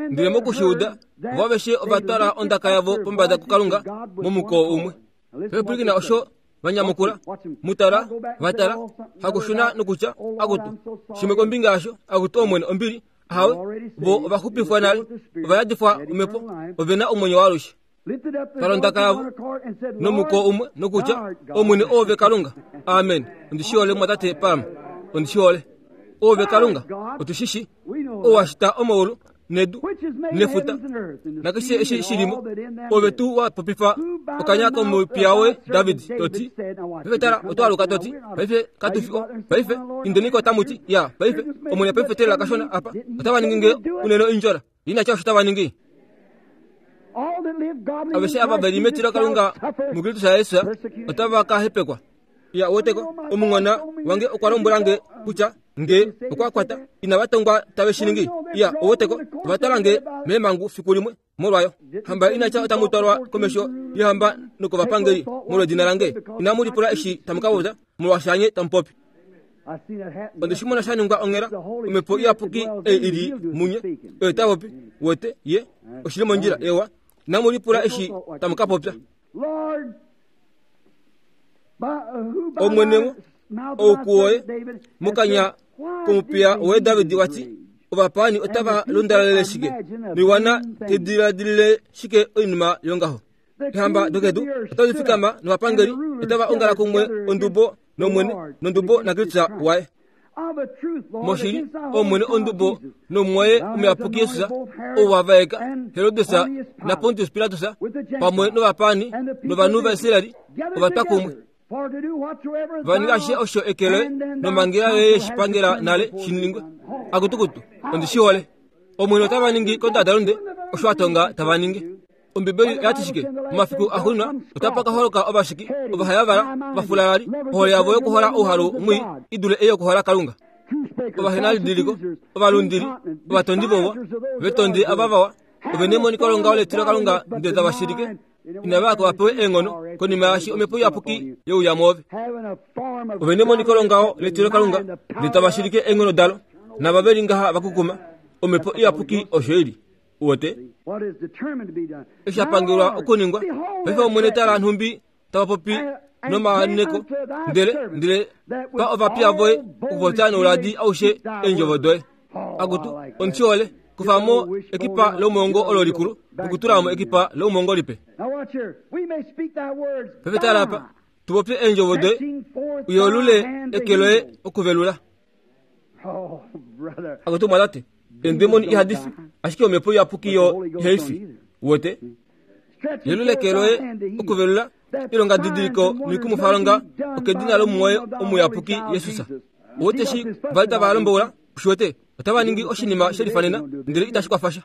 Ndele moku shi uda, vo aveshe ova twala ondaka yavo pombada kuKalunga momukoo umwe. Paife pwilikina osho va nyamukula, Mu tala, va tala, hakushuna nokutya, Akutu, shimwe kombinga yasho, akutu Omwene, ombili, ahawe, vo ova xupifwa nale, ova yadifwa Omhepo, ove na omwenyo waalushe. Tala ondaka yavo nomukoo umwe nokutya, Omwene, Oove Kalunga. Amen. Ondi shi hole, mumwatate Palm. Ondi shi hole. Oove Kalunga. Otu shi shi. Ou wa shita omaulu. nedu nefuta nakeshe eshi shilimo, ove tuu wa popifa okanya komupiya woye David to ti, Paife tala, oto aluka to ti, Paife katu fi o, paife indeniko tamu ti, ya, paife, Omwene paife telela kashona apa, otava ningi nge unene oindjola. Ina tya osho tava ningi. Aveshe ava ve li metilo Kalunga muKristus Jesus otava ka hepekwa. Ya weteko, omunghona wange okwa lombwela nge kutya nge okwa kwata inava tongwa tave shi ningi. Ya oweteko, ova twala nge meemhangu fiku limwe molwayo. Hamba ina tya otamu twalwa komesho yohamba nokovapangeli molwedina lange. Inamu lipula eshi tamu ka popya, molwaashi hanye tamu popi. Onde shi mona sha ningwa onghela, omhepo iyapuki ei i li munye, oyo ta popi, wete, ye, oshi li mondjila, ewa. Inamu lipula eshi tamu ka popya. Omwene ou kuwoye, mokanya komupiya woye David wa ti, Ovapaani otava lundalalele shike, noiwana tai diladilile shike oinima yongaho? Eehamba dokedu otadi fikama novapangeli otava ongala kumwe ondubo nOmwene nondubo naKristus waye. Moshili, Omwene ondubo nomumwaye omuyapuki Jesus, ou wa vaeka Herodes naPontius Pilatus pamwe novapaani novanhu vaIsrael ova twa kumwe. Va ninga ashishe osho eke loye nomhangela yoye ye shi pangela nale shi ningwe. Akutukutu, ondi shi hole. Omwene otava ningi kondadalunde osho a tonga tava ningi. Ombibeli oya ti shike? Momafiku axuuninwa otapa ka holoka ovashiki, ovahayavala, ovafulalali, ohole yavo yokuhola ouhalu mwii i dule ei yokuhola Kalunga, ovahenalidiliko, ovalundili, ovatondi vouwa, vetondi ava vawa, ove nemoniko longaho letilokalunga ndele tava shilike, inava ya ko va pewe eenghono konima yaashi omhepo iyapuki ye uya mwoove. Ove nemoniko longaho letilokalunga ndele tava shilike eenghono dalo, nava ve li ngaha va kukuma, omhepo iyapuki osho i li. Uwete? Eshi sha pangelwa okuningwa. Paife Omwene tala nhumbi tava popi nomaaneko, ndele, ndele pa ovapiya voye okupopya nouladi aushe eendjovo doye. Akutu, ondi hole. Kufa mo ekipa lomongo olo likulu nokutula mo ekipa lomongo lipe. Paife tala apa, tu popye eendjovo doye, u yelule eke loye okuvelula. Akutu mwatate, eendemoni ihadi fi, ashike omhepo iyapuki yo ihai fi. Uwete? Yelula eke loye okuvelula, ilonga didiliko noikumwifalonga okedina lomumwoye omuyapuki Jesus. Uwete eshi va li tava lomboula? Ushi wete? Otava ningi oshinima she lifanena, ndele itashi kwafa sha.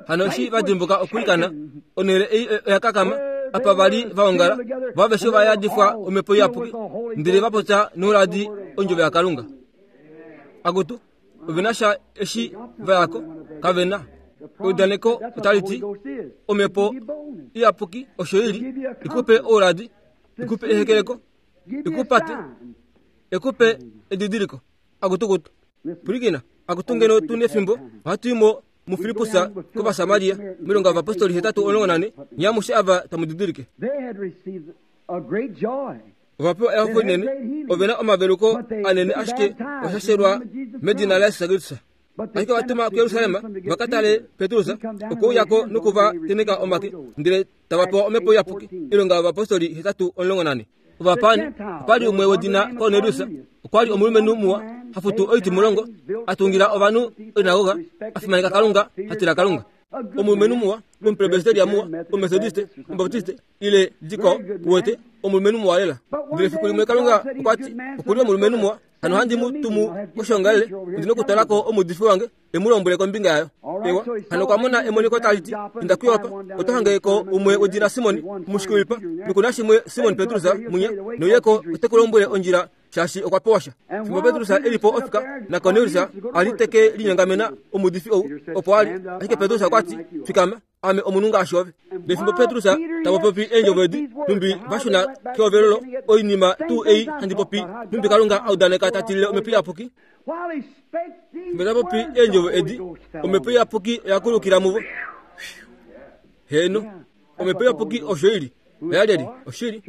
Hano eshi va dimbuka okwiikana, onhele ei oya kakama, apa va li va ongala, vo aveshe ova yadifwa Omhepo Iyapuki, ndele va popya nouladi ondjovo yaKalunga. Akutu, ove na sha eshi va ya ko? Kave na. Eudaneko otali ti, Omhepo Iyapuki osho i li, i ku pe ouladi, i ku pe ehekeleko, i ku pate, i ku pe edidiliko. Akutukutu. Pwilikina, akutu ngeno tu nefimbo, ohatu i mo muFilippus kOvasamaria, Oilonga yOvapostoli 8:14, nye amushe ava tamu didilike. Ova pewa ehafo linene, ove na omaveluko anene ashike osha shelwa medina laJesus Kristus. Ashike ova tuma kuJerusalem va ka tale Petrus, okwe uya ko noku va tenheka omake, ndele tava pewa Omhepo Iyapuki. Oilonga yOvapostoli 8:14. Ovapaani, opa li umwe wedina Kornelius, okwa li omulumenhu muwa, ha futu oitimulongo, a tungila ovanhu oinagoga, a fimaneka Kalunga, ha tila Kalunga. Omulumenhu muwa, omupresbiteria muwa, omumetodiste, omubaptiste, ile dikwao, uwete, omulumenhu muwa lela. Ndele fiku limwe Kalunga okwa ti, Oku li omulumenhu muwa, hano handi mu tumu koshoongalele, ondi nokutala ko omuudifi wange, e mu lombwele kombinga yayo. Ewa, hano okwa mona emoniko tali ti, Inda kuJoppa, oto hange ko umwe wedina Simon, omushiki woipa, noku na shimwe Simon Petrus munya, nouye ko ote ku lombwele ondjila shaashi okwa pewa sha. Fimbo Petrus e li po ofika, naKornelius a li te ke linyongamena omuudifi ou, opo a li. Ashike Petrus okwa ti, Fikama, Ame omunhu ngaashi ove. Nefimbo Petrus ta popi eendjovo edi, nhumbi va shuna kehovelelo, oinima tuu ei handi popi, nhumbi Kalunga a udaneka ta tilile Omhepo Iyapuki. Fimbo ta popi eendjovo edi, Omhepo Iyapuki oya kulukila muvo. Heeno, Omhepo Iyapuki osho i li. Oya lyelye? Oshili.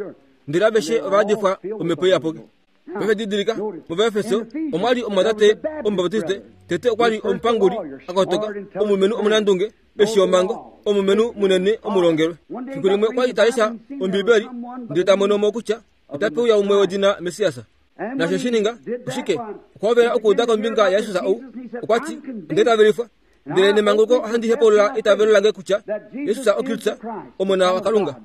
Ndele aveshe ova yadifwa Omhepo Iyapuki. Paife didilika, mOvaefeso omwa li omumwatate Omubaptiste, tete okwa li omupanguli a kotoka, omulumenhu omunandunge, eshi omhango, omulumenhu munene omulongelwe. Fiku limwe okwa li ta lesha Ombibeli ndele ta mono mo kutya otape uya umwe wedina Messias. Naasho shi ninga oshike? Okwa hovela okuuda kombinga yaJesus ou. Okwa ti, Onda itavelifwa, ndele nemanguluko ohandi hepaulula eitavelo lange kutya Jesus oKristus, Omona waKalunga.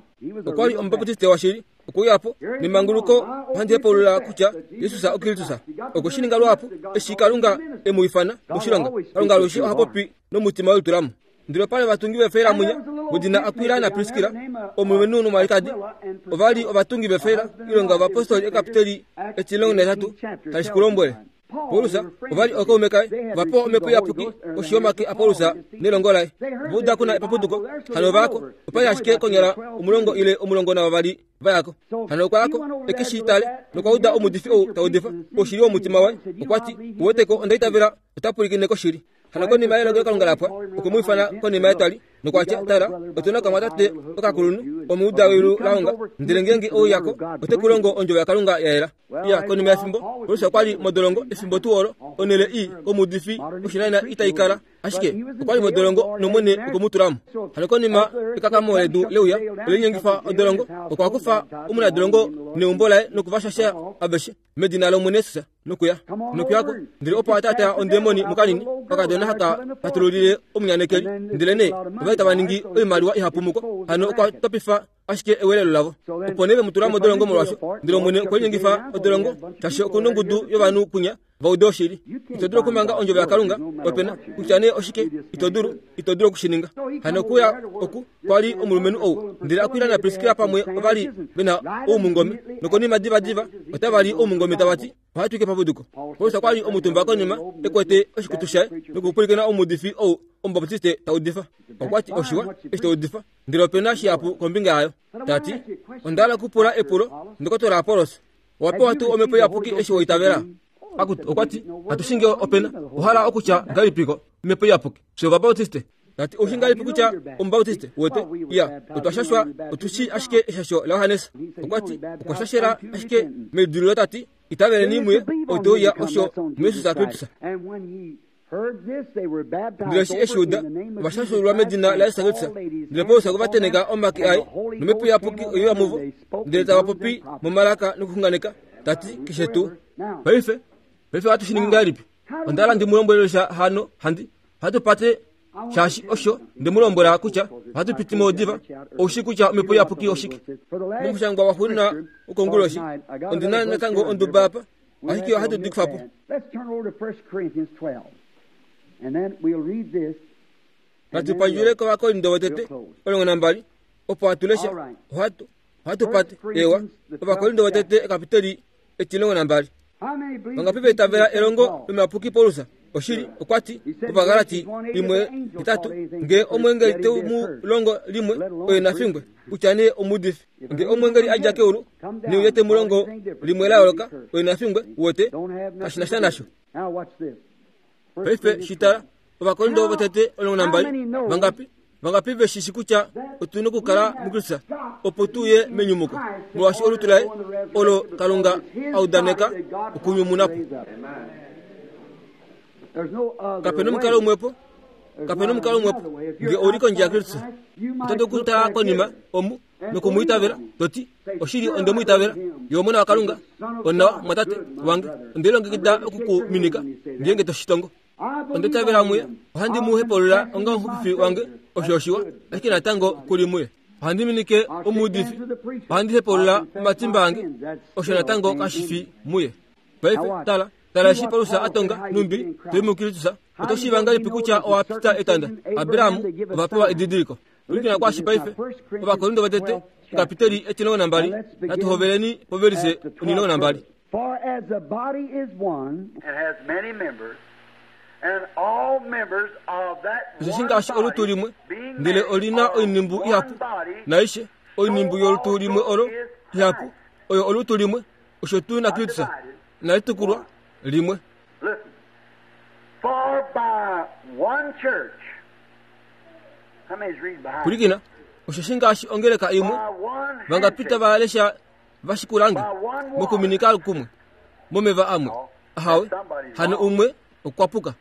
Okwa li Omubaptiste washili. Okwe uya po nemanguluko ohandi hepaulula kutya Jesus oKristus. Okwe shi ninga luhapu eshi Kalunga e mu ifana moshilonga. Kalunga alushe oha popi nomutima welitulamo. Ndele opa li ovatungi veefeila munya wedina Akwila naPriskila, omulumenhu nomwalikadi. Ova li ovatungi veefeila. Oilonga yOvapostoli ekapiteli etimulongo nahetatu tali shi ku lombwele. Paulus ova li ookaume kaye, ova pewa omhepo iyapuki koshi yomake aPaulus nelongo laye. Ova uda ku na epapuduko, hano ova ya ko. Opa li ashike konyala omulongo ile 12 va ya ko. Hano okwa ya ko e ke shi tale nokwa uda omuudifi ou ta udifa oshili womutima waye. Okwa ti, Uwete ko, onda itavela ota pwilikine koshili. Hano konima yelongelokalunga la pwa, okwe mu ifana konima yetwali nokwa tya, Tala, otu na okamwatate okakulunhu, omuuda weyulu la honga, ndele ngeenge ou ya ko, ote ku longo ondjovo yaKalunga ya yela. Ya, konima yefimbo, Paulus okwa li modolongo efimbo tuu olo, onhele ii komuudifi oshinanena itai kala. Ashike okwa li modolongo nOmwene okwe mu tula mo. Hano konima ekakamo ledu leuya, ole linyengifa odolongo, okwa kufa omunadolongo neumbo laye noku va shasha aveshe medina lOmwene Jesus. Nokuya nokuyako ndele opo a taataa ondemoni mukanini okakadona haka patululile omunyanekeli ndele nee ova li tava ningi oimaliwa ihapu muko hano okwa topifa ashike ewelelo lavo opo nee ve mu tula modolongo molwasho ndele omwene okwe linyengifa odolongo shaashi oku nongudu yovanhu kwinya va ude oshili ito dulu okumanga ondjovo yakalunga opena kutya nee oshike ito dulu ito dulu oku shi ninga hano okuya oku kwa li omulumenhu ou ndele Akwila naPriskila pamwe ova li ve na oumungome nokonima divadiva otava li oumungome tava ti ohatu ike papuduko Paulus okwa li omutumba konima e kwete oshikutu shaye nokupwilikina omuudifi ou Omubaptiste ta udifa. Okwa ti oshiwa eshi ta udifa, ndele ope na shihapu kombinga yayo. Ta ti, Onda hala okupula epulo, Ndokotola Apollos, owa pewa tuu omhepo iyapuki eshi wa itavela? Akutu, okwa ti, katu shi ngee ope na. Owa hala okutya ngahelipi omhepo iyapuki? Fye Ovabautiste. Ta ti, Oushi ngahelipi kutya Omubautiste? Uwete? Iya, otwa shashwa, otu shii ashike eshasho laJohannes. Okwa ti, Okwa shashela ashike meidililo ta ti, Itaveleni muye, ou te uya osho muJesus Kristus. Ndele eshi e shi uda, ova shashululwa medina laJesus Kristus. Ndele Paulus okwe va tenheka omake aye, nomhepo iyapuki oye uya muvo, ndele tava popi momalaka nokuxunganeka, ta ti, Keshe tuu. Paife, paife ohatu shi ningi ngahelipi? Onda hala ndi mu lombwele sha hano, handi, ohatu pate shaashi osho nde mu lombwela kutya ohatu piti mo diva. Ou shii kutya omhepo iyapuki oshike? Momushangwa waxuuninwa wokonguloshi, ondi na natango onduba apa, ashike ohatu di kufa po. Natu pandjule kOvakorinto votete 12, opo hatu lesha. Ohatu, ohatu pate, ewa, Ovakorinto votete ekapiteli 12. Vangapi va itavela elongo lomuyapuki Paulus? Oshili, okwa ti, Ovagalati 1:8, Nge omweengeli te mu longo limwe, oye na fingwe, kutya nee omuudifi. Nge omweengeli a dja keulu, neuye te mu longo limwe la yooloka, oye na fingwe, uwete, kashi na sha nasho. Paife shi tala, Ovakorinto votete 12, vangapi, vangapi ve shi shi kutya otu nokukala muKristus opo tu ye menyumuko, molwaashi olutu laye olo Kalunga a udaneka okunyumuna po. Kape nomukalo umwepo, kape nomukalo umwepo. Nge ou li kondje yaKristus, oto dulu okutala konima omu noku mu itavela, to ti, Oshili onde mu itavela, ye Omona waKalunga, onawa, mwatate wange, onde lilongekida oku ku minika ngeenge to shi tongo. Onda itavela muye, ohandi mu hepaulula onga omuxupifi wange, osho oshiwa, ashike natango ku li muye. Ohandi minike omuudifi, ohandi hepaulula omatimba ange, osho natango kashi fi muye. Paife, tala, tala eshi Paulus a tonga, Numbi, to i muKristus, oto shiiva ngahelipi kutya owa pita etanda? Abraham ova pewa edidiliko. Pwilikina kwaashi paife, Ovakorinto votete, ekapiteli etimulongo nambali, natu hoveleni povelise 12. For as the body is one, and has many members, and all members of that Osheshi one ngaashi olutu body, limwe, being ndele many, oli na are oinhimbu one ihapu, body, naaishe oinhimbu so yolutu limwe also olo is ihapu, Christ. oyo olutu limwe, osho tuu naKristus Undivided, inali tukulwa limwe. Listen. For by one church, how many's reading behind? Pwilikina, osheshi ngaashi ongeleka imwe, By one vangapita handshake, va lesha va shikulange by one water. mokuminika kumwe momeva amwe ahawe hano umwe okwa puka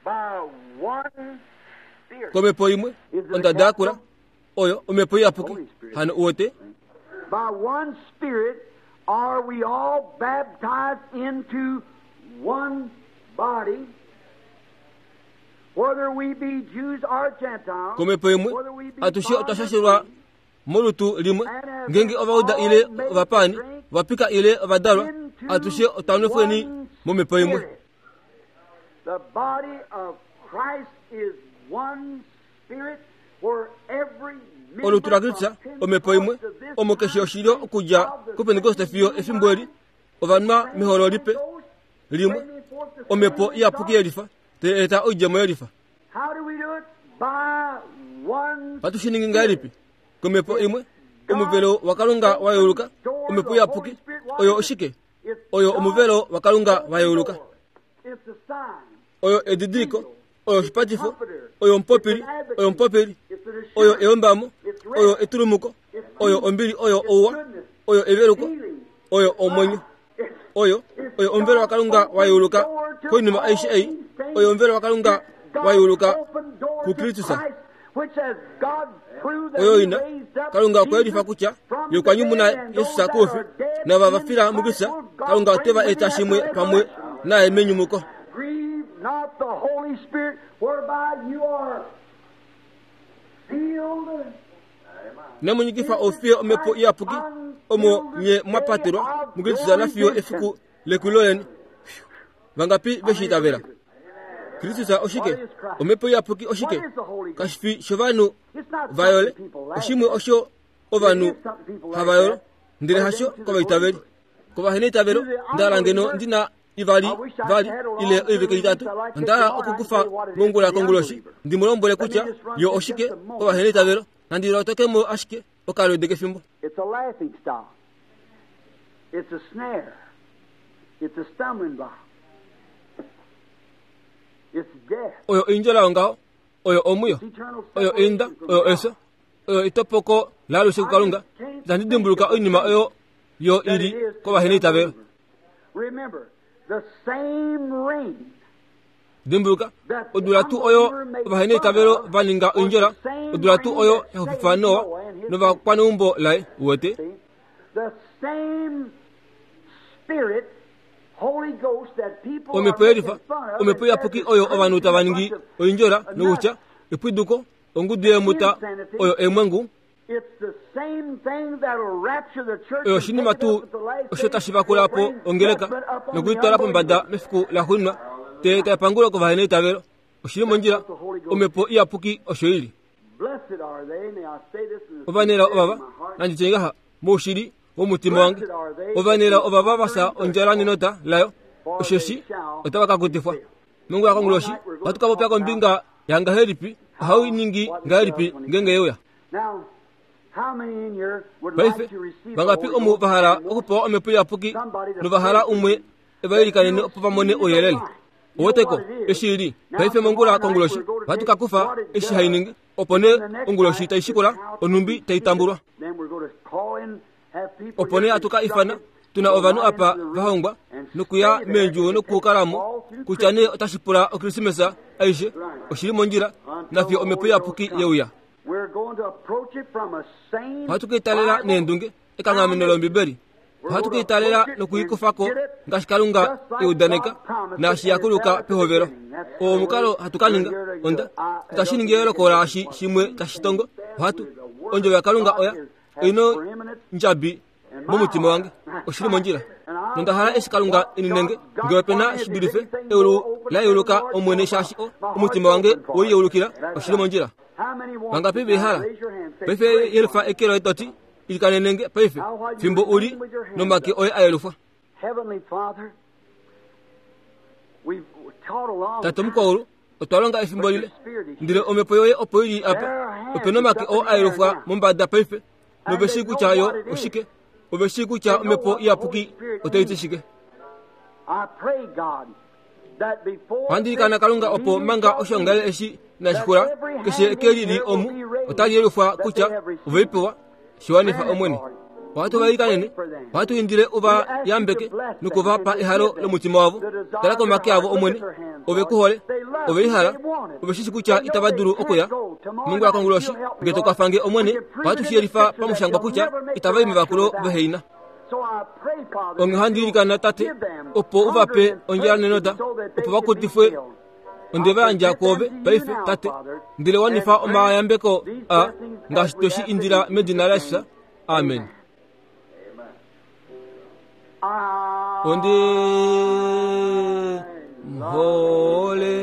By one spirit. komhepo imwe ondada yakula oyo omhepo iyapuki hano uwete By one spirit, Are we all baptized into one body? Whether we be Jews or Gentiles, komhepo imwe whether we be atushe bond otwa or shashelwa free, molutu limwe ngenge ovauda ile ovapani ovapika ile ovadalwa atushe otwa nwefweni momhepo imwe Spirit. The body of Christ is one spirit where every member olutu la Kristus from omhepo imwe Pentecost to this omo keshe time oshilyo okudja of the kupentekoste fiyo same efimbo eli ovanwa meholo lipe limwe bringing forth the omhepo same iyapuki result. yelifa tai eta oidjemo yelifa How do we do it? By one ohatu shi ningi ngahelipi komhepo imwe omuvelo wakalunga wa yeuluka omhepo iyapuki oyo oshike oyo omuvelo wakalunga wa yeuluka It's a sign. oyo edidiliko oyo oshipatifo oyo omupopili oyo omupopili It's an oyo assurance. eyombamo oyo etulumuko oyo ombili oyo ouwa oyo eveluko oyo omwenyo oyo oyo omuvelo wakalunga wa yeuluka koinima aishe ei oyo omuvelo wakalunga wa yeuluka kuKristus. Oyo ina kalunga okwa yelifa kutya ye okwa nyumuna yesus koufi nava va fila muKristus kalunga ote va eta shimwe pamwe naye menyumuko Grieve not the Holy Spirit, whereby you are sealed. namunyikifa ofiye omhepo iyapuki omo nye mwapatelwa muKristus nafiyo efiku lekulo leni vangapi veshiitavela Kristus oshike omhepo iyapuki oshike kashifi shovanhu It's not vayole something people laugh oshimwe at. osho ovanhu havayolo ndele hasho kovaitaveli kovaheneitavelo ndahala ngeno ndina ivali vali ile oiveke itatu ondahala okukufa mongula konguloshi ndimulombwele kutya yo oshike kovaheneitavelo nandi lotokemo ashike okalwede kefimbo It's a laughing stock. It's a snare. It's a stumbling block. It's death. oyo oindjola yongaho oyo omwiyo It's eternal oyo inda separation from oyo God. eso oyo itopoko laalushe kukalunga itandi dimbuluka oinima oyo yo ili kovaheneitavelo Remember, the same rain dimbuluka odula tuu oyo ovaheneitavelo va ninga oindjola odula tuu oyo yaxupifa noa novakwaneumbo laye uwete See? The same spirit, Holy Ghost that people are omhepo yelifa making fun of omhepo and iyapuki says oyo is ovanhu tava ningi crazy bunch of oindjola nokutya epwiduko ongudu yeemuta oyo eemwengu It's the same thing that'll rapture the church oyo and oshinima take it tuu up at the last osho day tashi vakula po will bring ongeleka judgment up on the nokuyitwala pombada unbelievers. mefiku laxuuninwa te taipangulwa kovaheneitavelo oshili mondjila omhepo iyapuki osho ili Blessed are they, may I say this in the ovanelao sincerity ovava of my heart. nanditye ngaha moushili womutima wange ovanelao ovava vasa ondjala nenota layo osheshi otava ka kutifwa mongula konguloshi ohatu ka popya kombinga yangahelipi ohau ningi ngahelipi ngenge yeuya Now, how many in here would paife like to receive the vangapi Holy omu Ghost vahala and want okupewa omhepo iyapuki novahala umwe evailikanene opo vamone ouyelele oweteko eshi ili paife mongula konguloshi ohatu ka kufa eshi hai ningi opo nee onguloshi taishikula onhumbi taitambulwa Then we're going to call in, have people opo nee here hatu ka ifana instructed, tuna go ovanhu right apa into the room vahongwa and nokuya stay there meendjuwo and nokukalamo all through kutya nee otashi pula okrismesa aishe oshili mondjila until nafiyo the omhepo Holy Ghost iyapuki comes. yeuya We're going to approach it from a sane ohatu kiitalela Bible neendunge ekanghameno lombibeli ohatu kiitalela nokuikufako ngaashi kalunga eudaneka naashi yakuluka pehovelo oo omukalo hatu ka ninga onda itashi ningi eyooloko laashi shimwe tashi tongo ohatu ondjovo yakalunga oya oina ndjabi momutima wange oshili mondjila nonda hala eshi kalunga eninenge ngee opena shidulife eulu la yeuluka omwene shaashi o omutima wange woiyeulukila oshili mondjila How many want vangapi it? vehala Raise your hand. Say, paife "Pray yelufa for me." eke loye toti ilikanenenge paife fimbo uli nomake oye a yelufwa Heavenly Father, we've taught a long tate time. mukwaulu otwa longa efimbo lile ndele omhepo yoye opo ili apa opena omake oo a yelufwa mombada paife nove shii kutya yo oshike ove shii kutya omhepo iyapuki otai ti shike I pray, God, that before ohandi ilikana kalunga opo manga oshoongalele eshi inashikula keshe eke lili omu otali yelufwa kutya oveipewa shiwanifa omwene ohatu va ilikanene ohatu indile uva yambeke nokuvapa ehalo lomutima wavo tala komake avo omwene ove ku hole ove lihala ove shishi kutya itava dulu okuya mongula konguloshi nge tokwafange omwene ohatu shi yelifa pamushangwa kutya itava i mevakulo veheina. Onghee ohandi ilikana, Tate, opo u va pe ondjala nenota, opo va kutifwe. Onde va yandja kwoove paife, Tate, ndele wanifa omayambeko a ngaashi twe shi indila medina laJesus. Amen. Ondi hole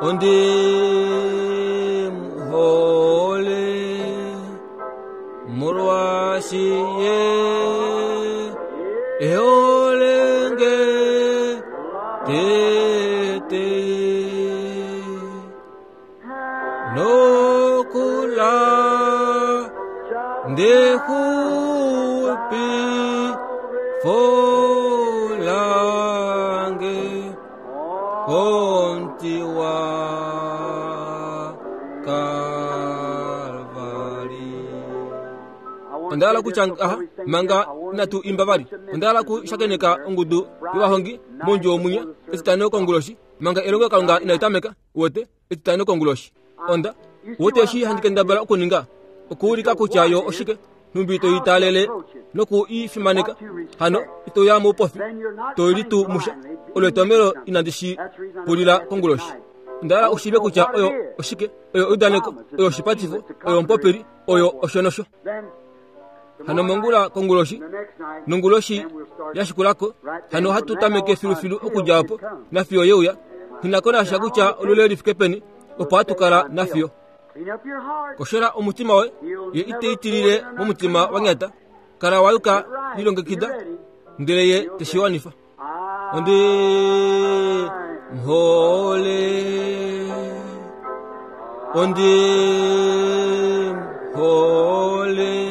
ondi hole molwaashi ye eholenge tete nokula ndexupi folange komuti wa Kalvari. Onda hala okutya ngaha manga inatu imba vali. Onda hala okushakeneka ongudu yovahongi mondjuwo mwinya Etitano konguloshi manga elongelokalunga inali tameka. Uwete? Etitano konguloshi. Onda wete eshi handi kendabala okuninga? Okuulika kutya yo oshike, nhumbi to i taalele noku i fimaneka. Hano ito ya moupofi, to litu musha. Olo etomhelo inandi shi pulila konguloshi. Onda hala u shiive kutya oyo oshike, oyo eudaneko, oyo oshipatifo, oyo omupopili, oyo osho nosho. Hano mongula konguloshi, nonguloshi ya shikulako, hano ohatu tameke filufilu okudja opo, nafiyo ye uya. Nghi ko nasha kutya olule li fike peni, opo hatu kala nafiyo. Koshola omutima woye, ye ite i tilile momutima wa nyata. Kala wa yuka, lilongekida, ndele ye te shi wanifa. Ondi muhole, ondi muhole.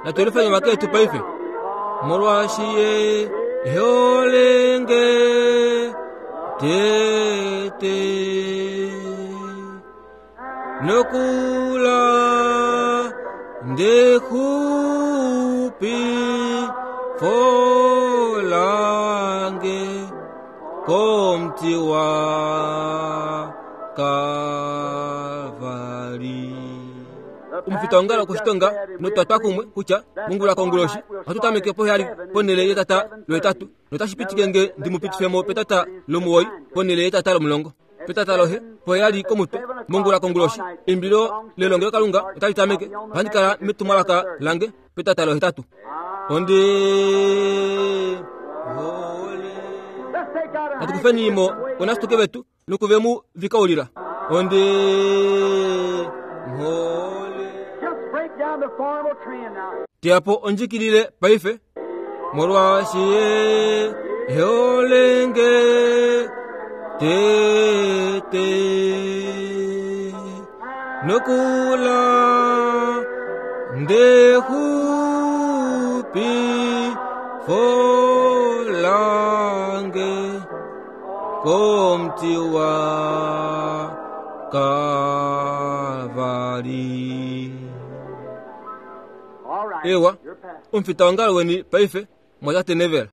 Natu yelufeni omake etu paife, molwaashi ye e hole nge tete nokula ndexupi folange komuti wa Kalvari. Omufitaongalo okoshitonga notwa twa kumwe kutya mongula konguloshi ohatu tameke poheyali ponhele yetata lohetatu notashi pitike nge ndi mu pitife mo petata lomuwoi ponhele yetata lomulongo. Petata lohe poheyali komutwe mongula konguloshi eimbilo lelongelokalunga otali tameke. Ohandi kala metumwalaka lange petata lohetatu. Ondi hole. Natu kufeni mo onasituke vetu nokuve mu vikaulila. Ondi hole. Teya po ondjikilile paife. Molwaashi ye e hole nge tete nokula ndexupi folange komuti wa Kalvari. Ewa, omufitaongalo weni paife, mwatate Neville.